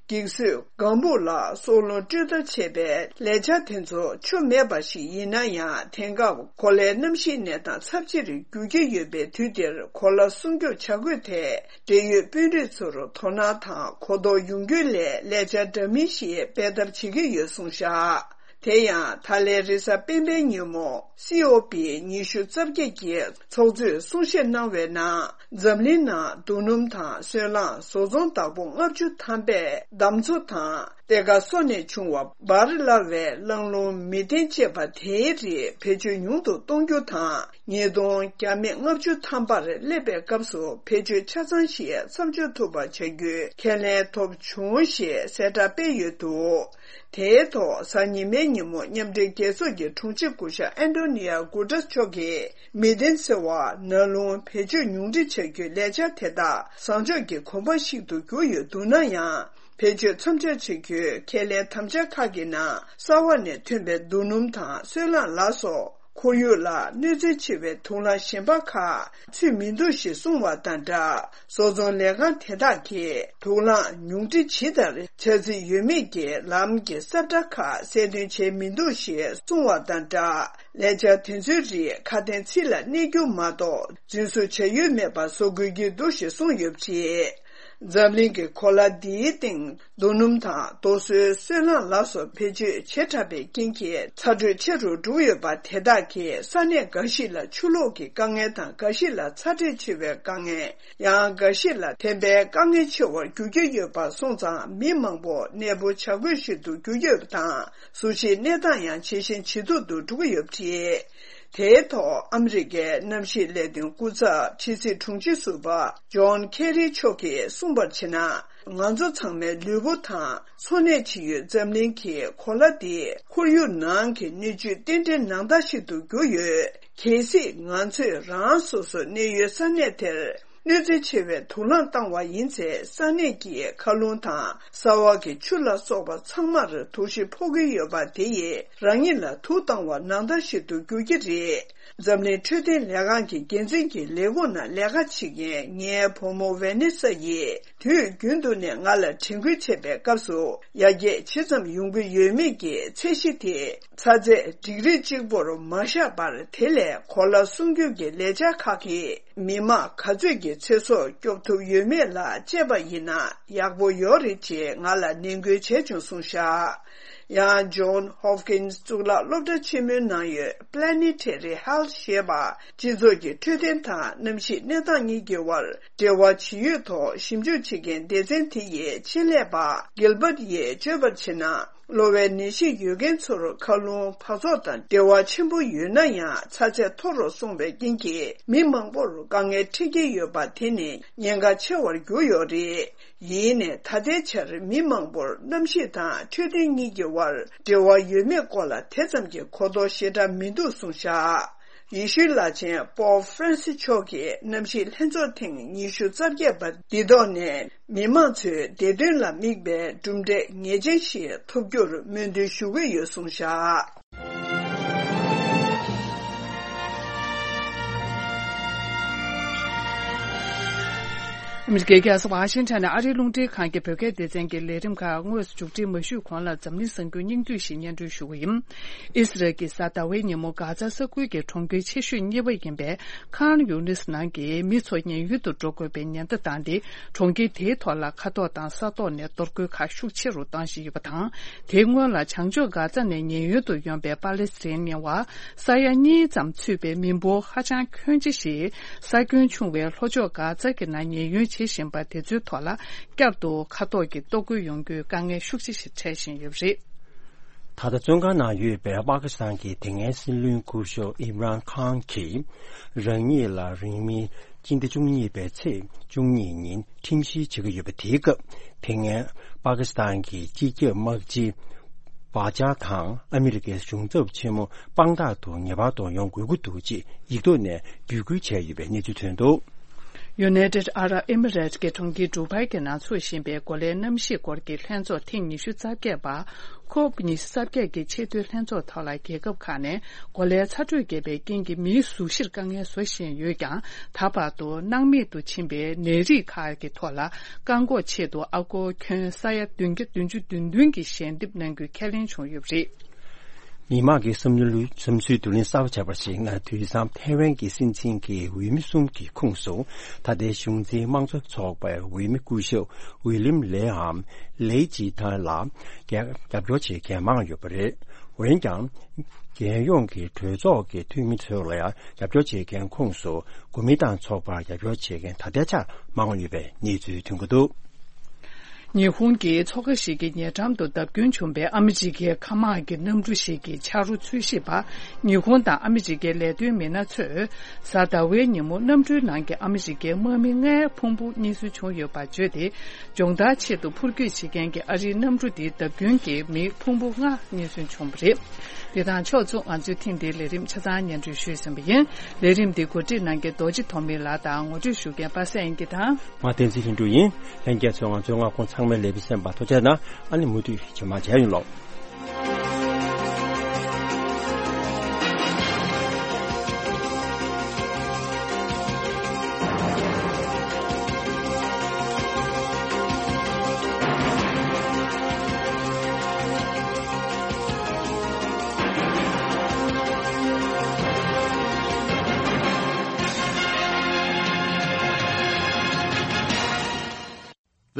འགྱིག་བཟོས་ལྒང་བུ་ལ་སྲོག་རླུང་སྤྲོད་ཐབས་བྱས་པའི་ལས་འཆར་དེ་ཚོ་ཆོ་མེད་པ་ཞིག་ཡིན་ན་ཡང་། དེང་སྐབས་གོ་ལའི་གནམ་གཤིས་གནས་སྟངས་ཚབས་ཆེ་རུ་འགྱུར་གྱི་ཡོད་པའི་དུས་འདིར། གོ་ལ་སྲུང་སྐྱོབ་བྱ་དགོས་ཐད་འབྲེལ་ཡོད་དཔོན་རིགས་ཚོར་དོ་སྣང་དང་གོ་རྟོགས་ཡོང་རྒྱུའི་སླད་ལས་འཆར་འདྲ་མིན་ཞིག་སྤེལ་ཐབས་བྱེད་ཀྱི་ཡོད་གསུངས་བཞག་དེ་ཡང་ད་ལན་རེས་གཟའ་སྤེན་པའི་ཉིན་མོ་སི་ཨོ་པི་ཉི་ཤུ་རྩ་བརྒྱད་ཀྱི་ཚོགས་གཙོས་གསུང་བཤད་གནང་བའི་ནང་འཛམ་གླིང་ནང་རྡོ་སྣུམ་དང་སོལ་རླངས་བཟོ་ཚོང་བདག་པོ་ལྔ་བཅུ་ཐམ་པས་འདམ་མཚོ་དང་གཏེར་ཁ་སོགས་ནས་བྱུང་བ་འབར་སླ་བའི་རླངས་རླུང་མེ་ཏན་ཅེས་པ་དེའི་རིགས་བེད་སྤྱོད་ཉུང་དུ་གཏོང་རྒྱུ་དང་། ཉིས་སྟོང་བརྒྱ་མེད་ལྔ་བཅུ་ཐམ་པར་སླེབས་པའི་སྐབས་སུ་བེད་སྤྱོད་ཆ་ཚང་ཞིག་མཚམས་འཇོག་ཐུབ་པ་བྱ་རྒྱུའི་ཁས་ལེན་ཐོབ་བྱུང་ཞེས་གསལ་བསྒྲགས་སྤེལ་ཡོད་འདུག་དེའི་ཐོག་གཟའ་ཉི་མའི་ཉིན་མོ་མཉམ་འབྲེལ་རྒྱལ་ཚོགས་ཀྱི་དྲུང་ཆེ་སྐུ་ཞབས་ཨན་ཏོ་ནི་ཡ་གུ་ཏྲས་མཆོག་གིས་མེ་ཏན་ཟེར་བ་ནང་རླུང་བེད་སྤྱོད་ཉུང་འཕྲི་བྱ་རྒྱུའི་ལས་འཆར་དེ་དག་བཟང་ཕྱོགས་ཀྱི་གོམ་པ་ཞིག་ཏུ་གྱུར་ཡོད་འདུག་ན་ཡང་། བེད་སྤྱོད་མཚམས་འཇོག་བྱེད་རྒྱུའི་ཁས་ལེན་དམ་བཅའ་ཁག་གི་ནང་གསར་བ་ནས་ཐོན་པའི་རྡོ་སྣུམ་དང་སོལ་རླངས་ལ་སོགས། ཁོར་ཡུག་ལ་གནོད་འཚེ་ཆེ་བའི་དུག་རླངས་གཞན་པ་ཁག་ཚུད་མི་འདུག་ཞེས་གསུངས་བ་དང་སྦྲགས། བཟོ་ཚོང་ལས་ཁང་དེ་དག་གིས་དུག་རླངས་ཉུང་འཕྲི་ཇི་ལྟར་བྱ་རྩིས་ཡོད་མེད་ཀྱི་ལམ་གྱི་གསལ་བསྒྲགས་ཁག་གསལ་སྟོན་བྱས་མི་འདུག་ཞེས་གསུངས་བ་དང་སྦྲགས། ལས་འཆར་དེ་ཚོའི་རིགས་ཁ་དན་ཚིག་ལ་གནས་རྒྱུ་མ་གཏོགས་རྫུན་བཟོ་བྱ་ཡུལ་མེད་པ་བཟོ་དགོས་ཀྱི་འདུག་ཞེས་གསུངས་ཡོད་པ་རེད། འཛམ་གླིང་གི་གོ་ལ་འདིའི་སྟེང་རྡོ་སྣུམ་དང་རྡོ་སོལ་སོལ་རླངས་ལ་སོགས་བེད་སྤྱོད་བྱེ་བྲག་པའི་རྐྱེན་གྱིས་ཚ་དྲོད་ཆེ་རུ་འགྲོ་ཡོད་པ་དེ་དག་གིས་ས་གནས་འགའ་ཞིག་ལ་ཆུ་ལོག་གི་དཀའ་ངལ་དང་། འགའ་ཞིག་ལ་ཚ་དྲོད་ཆེ་བའི་དཀའ་ངལ། ཡང་འགའ་ཞིག་ལ་ཐན་པའི་དཀའ་ངལ་ཆེ་བར་འགྱུར་གྱི་ཡོད་པ་སོང་ཙང་། མི་མང་པོ་གནས་སྤོ་བྱ་དགོས་ཤིག་ཏུ་གྱུར་ཡོད་པ་དང་། གཟུགས་གཞིའི་གནས་སྟངས་ཡང་ཇེ་ཞན་ཇེ་སྡུག་ཏུ་འགྲོ་གི་ཡོད་པ་རེད། དེའི་ཐོག་ཨ་མི་རི་ཀའི་གནམ་གཤིས་ལས་དོན་སྐུ་ཚབ་ཕྱི་སྲིད་དྲུང་ཆེ་ཟུར་པ་ཇོན་ཁེ་རི་མཆོག་གིས་གསུངས་པར་བྱས་ན། ང་ཚོ་ཚང་མའི་ལུས་པོ་དང་འཚོ་གནས་བྱེད་ཡུལ་འཛམ་གླིང་གི་གོ་ལ་འདི་ཁོར་ཡུག་ནང་གི་སྣོད་བཅུད་རྟེན་འབྲེལ་ནང་ལྟར་ཞིག་ཏུ་གྱུར་ཡོད། གལ་སྲིད་ང་ཚོས་རང་སོ་སོའི་གནས་ཡུལ་ས་གནས་དེར་གནོད་འཚེ་ཆེ་བའི་དུག་རླངས་བཏང་བ་ཡིན་ཚེ། ས་གནས་ཀྱི་མཁའ་རླུང་དང་། ས་འོག་གི་ཆུ་ལ་སོགས་པ་ཚང་མར་དུག་ཤི་ཕོག་གི་ཡོད་པ་དེ་ཡིས་རང་ཉིད་ལ་དུག་བཏང་བ་ནང་ལྟར་ཞིག་ཏུ་འགྱུར་གྱི་རེད། འཛམ་གླིང་འཕྲོད་བསྟེན་ལས་ཁང་གི་འགན་འཛིན་གྱི་ལས་ཁུངས་ནང་ལས་ཀ་བྱེད་མཁན་ངའི་བུ་མོ་ཝེ་ནེ་ས་ཡིས། དུས་རྒྱུན་དུ་ནས་ང་ལ་དྲན་སྐུལ་བྱེད་པའི་སྐབས་སུ། ཡར་རྒྱས་ཇི་ཙམ་ཡོང་གི་ཡོད་མེད་ཀྱི་ཚད་གཞི་དེ་ཚ་ཚད་ཌིག་རི་གཅིག་པོར་མ་བཞག་པར། དེ་ལས་གོ་ལ་སྲུང་སྐྱོབ་ཀྱི་ལས་འཆར་ཁག་གིས། མི་མང་ག་ཚོད་ཀྱི་ཚེ་སྲོག་སྐྱོབ་ཐུབ་ཡོད་མེད་ལ་དཔྱད་པ་ཡིན་ན་ཡག་པོ་ཡོད་རེད་ཅེས་ང་ལ་ནན་སྐུལ་བྱས་བྱུང་གསུངས་བཞག་ཡང་John Hopkins་གཙུག་ལག་སློབ་གྲྭ་ཆེན་མོའི་ནང་ཡོད་Planetary Health་ཞེས་པ། སྤྱི་ཚོགས་ཀྱི་འཕྲོད་བསྟེན་དང་གནམ་གཤིས་གནས་སྟངས་གཉིས་ཀྱི་དབར་འབྲེལ་བ་ཇི་ཡོད་ཐོག་ཞིབ་འཇུག་བྱེད་མཁན་སྡེ་ཚན་དེ་ཡི་ཆེད་ལས་པ་Gilbert་ཡིས་བརྗོད་པར་བྱས་ན། གློ་བའི་ནད་གཞི་ཡོད་མཁན་ཚོར་མཁའ་རླུང་འབག་བཙོག་དང་འབྲེལ་བ་ཆེན་པོ་ཡོད་ན་ཡང་། ཚ་ཚད་མཐོ་རུ་སོང་བའི་རྐྱེན་གྱིས་མི་མང་པོར་དཀའ་ངལ་འཕྲད་ཀྱི་ཡོད་པ་དེ་ནི་ཉེན་ཁ་ཆེ་བར་གྱུར་ཡོད་རེད། ཡིན་ནའི་ད་ལྟའི་ཆར་མི་མང་པོར་གནམ་གཤིས་དང་འཕྲོད་བསྟེན་གཉིས་ཀྱི་དབར་འབྲེལ་བ་ཡོད་མེད་སྐོར་ལ་དེ་ཙམ་གྱི་གོ་རྟོགས་ཞེ་དྲག་མི་འདུག་གསུངས་བཞག་ཡེ་ཤུའི་བླ་ཆེན་པོབ་ཧྥ་རན་སི་མཆོག་གིས་གནམ་གཤིས་ལྷན་ཚོགས་ཐེངས་ཉི་ཤུ་རྩ་བརྒྱད་པ་འདི་ཐོག་ནས་མི་མང་ཚོའི་བདེ་དོན་ལ་དམིགས་པའི་གྲུབ་འབྲས་ངེས་ཅན་ཞིག་ཐོབ་རྒྱུར་སྨོན་འདུན་ཞུ་གི་ཡོད་གསུངས་བཞག་ཨ་མི་རི་ཀའི་རྒྱལ་ས་ཝ་ཤིང་ཊོན་ནས་ཨ་རིའི་རླུང་འཕྲིན་ཁང་གི་བོད་སྐད་སྡེ་ཚན་གྱི་ལས་རིམ་ཁག་དངོས་སུ་མཇུག་སྒྲིལ་མ་ཞུས་གོང་ལ། འཛམ་གླིང་གསར་འགྱུར་སྙིང་བསྡུས་ཤིག་སྙན་སྒྲོན་ཞུ་གི་ཡིན། ཨི་སི་རལ་གྱིས་གཟའ་ཟླ་བའི་ཉིན་མོ་གྷ་ཛ་ས་ཁུལ་གྱི་གྲོང་ཁྱེར་ཆེ་ཤོས་གཉིས་པ་ཡིན་པའི་ཁཱན་ཡུ་ནིས་ནང་གི་མི་ཚོ་ཉེན་གཡོལ་དུ་འགྲོ་དགོས་པའི་ཉེན་བརྡ་བཏང་སྟེ། གྲོང་ཁྱེར་དེའི་ཐོག་ལ་མཁའ་ཐོག་དང་ས་ཐོག་ནས་གཏོར་རྒོལ་ཁག་ཤུགས་ཆེ་རུ་བཏང་བཞིན་ཡོད་པ་དང་། དེའི་སྔོན་ལ་བྱང་ཕྱོགས་གྷ་ཛ་ནས་ཉེན་གཡོལ་དུ་ཡོང་པའི་པ་ལེ་སི་ཐན་མི་དབར་ས་ཡ་གཉིས་ཙམ་ཚུད་པའི་མི་འབོར་ཧ་ཅང་ཁྱོན་ཆེ་ཞིག་ས་ཁྱོན་ཆུང་བའི་ལྷོ་ཕྱོགས་གྷ་ཛ་གི་ནང་ཉེན་གཡོལ་བྱེད་བཞིན་པ་དེ་ཚོའི་ཐོག་ལ་བསྐྱར་དུ་མཁའ་ཐོག་གི་གཏོར་རྒོལ་ཡོང་རྒྱུའི་དཀའ་ངལ་ཤུགས་ཆེ་ཞིག་འཕྲད་བཞིན་ཡོད་པ་རེད། ད་ལྟ་བཙོན་ཁང་ནང་ཡོད་པའི་པ་ཀི་སི་ཐན་གྱི་དེ་སྔའི་སྲིད་བློན་སྐུ་ཞབས་ཨིམ་རཱན་ཁཱན་གྱིས་རང་ཉིད་ལ་རིང་མིན་སྤྱི་ཟླ་བཅུ་གཉིས་པའི་ཚེས་བཅུ་གཉིས་ཉིན་ཁྲིམས་བཤེར་བྱེད་ཀྱི་ཡོད་པ་དེའི་སྐབས། དེ་སྔའི་པ་ཀི་སི་ཐན་གྱི་སྤྱི་ཁྱབ་དམག་སྤྱི་བྷ་ཇཱ་དང་ཨ་མི་རི་ཀའི་གཞུང་ཚབ་ཆེན་མོ་དཔང་རྟགས་དུ་ངེས་པར་དུ་ཡོང་དགོས་ཀྱི་འདུག་ཅེས་ཡིག་ཐོག་ནས་འབོད་སྐུལ་བྱས་ཡོད་པའི་གནས་ཚུལ་ཐོན་འདུག United Arab Emirates་གྱི་གྲོང་ཁྱེར་ཌུ་བྷའི་གྱི་ནང་འཚོགས་བཞིན་པའི་གོ་ལའི་གནམ་གཤིས་སྐོར་གྱི་ལྷན་ཚོགས་ཐེངས་ཉི་ཤུ་རྩ་བརྒྱད་པ། ཁོབ་ཉི་ཤུ་རྩ་བརྒྱད་ཀྱི་ཆེས་མཐོའི་ལྷན་ཚོགས་ཐོག་ལ། རྒྱལ་ཁབ་ཁག་ནས་གོ་ལའི་ཚ་དྲོད་རྒྱས་པའི་རྐྱེན་གྱིས་མིའི་གཟུགས་གཞིར་དཀའ་ངལ་བཟོ་བཞིན་ཡོད་ཀྱང་། ད་བར་དུ་སྣང་མེད་དུ་ཕྱིན་པའི་ནད་རིགས་ཁག་གི་ཐོག་ལ་བཀག་འགོག་ཆེད་དུ་ཨ་སྒོར་ཁྱོན་ས་ཡ་བདུན་བརྒྱ་བདུན་ཅུ་དོན་བདུན་གྱི་ཞལ་འདེབས་གནང་རྒྱུའི་ཁས་ལེན་བྱུང་ཡོད་པ་རེད། མི་དམངས་ཀྱི་བསམ་བློའི་བསམ་ཚུལ་བསྡུ་ལེན་གསར་པ་བྱས་པར་གཞིགས་ན། དུས་མཚམས་ཐའེ་ཝན་གྱི་སྲིད་འཛིན་གྱི་འོས་མི་གསུམ་གྱི་ཁོངས་སུ། ད་ལྟའི་གཞུང་འཛིན་དམངས་གཙོ་ཚོགས་པའི་འོས་མི་སྐུ་ཞབས་ཝི་ལིམ་ལེའམ་ལེའི་ཇི་ཐན་ལ་རྒྱབ་སྐྱོར་བྱེད་མཁན་མང་ཡོད་པ་རེད། འོན་ཀྱང་། རྒྱལ་ཡོངས་ཀྱི་གྲོས་ཚོགས་ཀྱི་འཐུས་མི་ཚོ་ལ་ཡང་རྒྱབ་སྐྱོར་བྱེད་མཁན་ཁོངས་སུ་གོ་མིན་ཏང་ཚོགས་པར་རྒྱབ་སྐྱོར་བྱེད་མཁན་ད་ལྟའི་ཆར་མང་ཡོད་པའི་གནས་ཚུལ་ཐོན་གྱི་འདུག། ཉི་ཧོང་གི་མཚོ་ཁ་ཞིག་གི་ཉེ་འགྲམ་དུ་བརྡབ་སྐྱོན་བྱུང་བའི་ཨ་མི་རི་ཀའི་མཁའ་དམག་གི་གནམ་གྲུ་ཞིག་གི་ཆ་རོ་འཚོལ་ཞིབ་པ། ཉི་ཧོང་དང་ཨ་མི་རི་ཀའི་ལས་དོན་མི་སྣ་ཚོས་གཟའ་ཟླ་བའི་ཉིན་མོ་གནམ་གྲུའི་ནང་གི་ཨ་མི་རི་ཀའི་དམག་མི་ལྔའི་ཕུང་པོ་རྙེད་སོན་བྱུང་ཡོད་པ་བརྗོད་དེ། སྦྱོང་བརྡར་ཆེད་དུ་འཕུར་སྐྱོད་བྱེད་མཁན་གྱི་ཨ་རིའི་གནམ་གྲུ་དེའི་བརྡབ་སྐྱོན་གྱིས་མིའི་ཕུང་པོ་ལྔ་རྙེད་སོན་བྱུང་བ་རེད། དེ་དང་ཕྱོགས་མཚུངས། ང་ཚོས་ཐེངས་འདིའི་ལས་རིམ་ཆ་ཚང་སྙན་སྒྲོན་ཞུས་ཟིན་པ་ཡིན། ལས་རིམ་འདི་གོ་སྒྲིག་གནང་མཁན་རྡོ་རྗེ་ཐོགས་མེད་ལགས་དང་། ངོ་སྤྲོད་ཞུ་མཁན་པ་སངས་དབྱངས་སྐྱིད་དང་། ང་བསྟན་འཛིན་ལྷུན་གྲུབ་ཡིན། ལྷན་རྒྱས་ཚོས་ང་ཚོའི་མངའ་ཁོངས་ཚང་མའི་ལས་རིམ་གསན་པར་ཐུགས་རྗེ་གནང་། ཨ་ནི་མུ་མཐུད་ཞུ་མར་མཇལ་ཡོང་ལོག།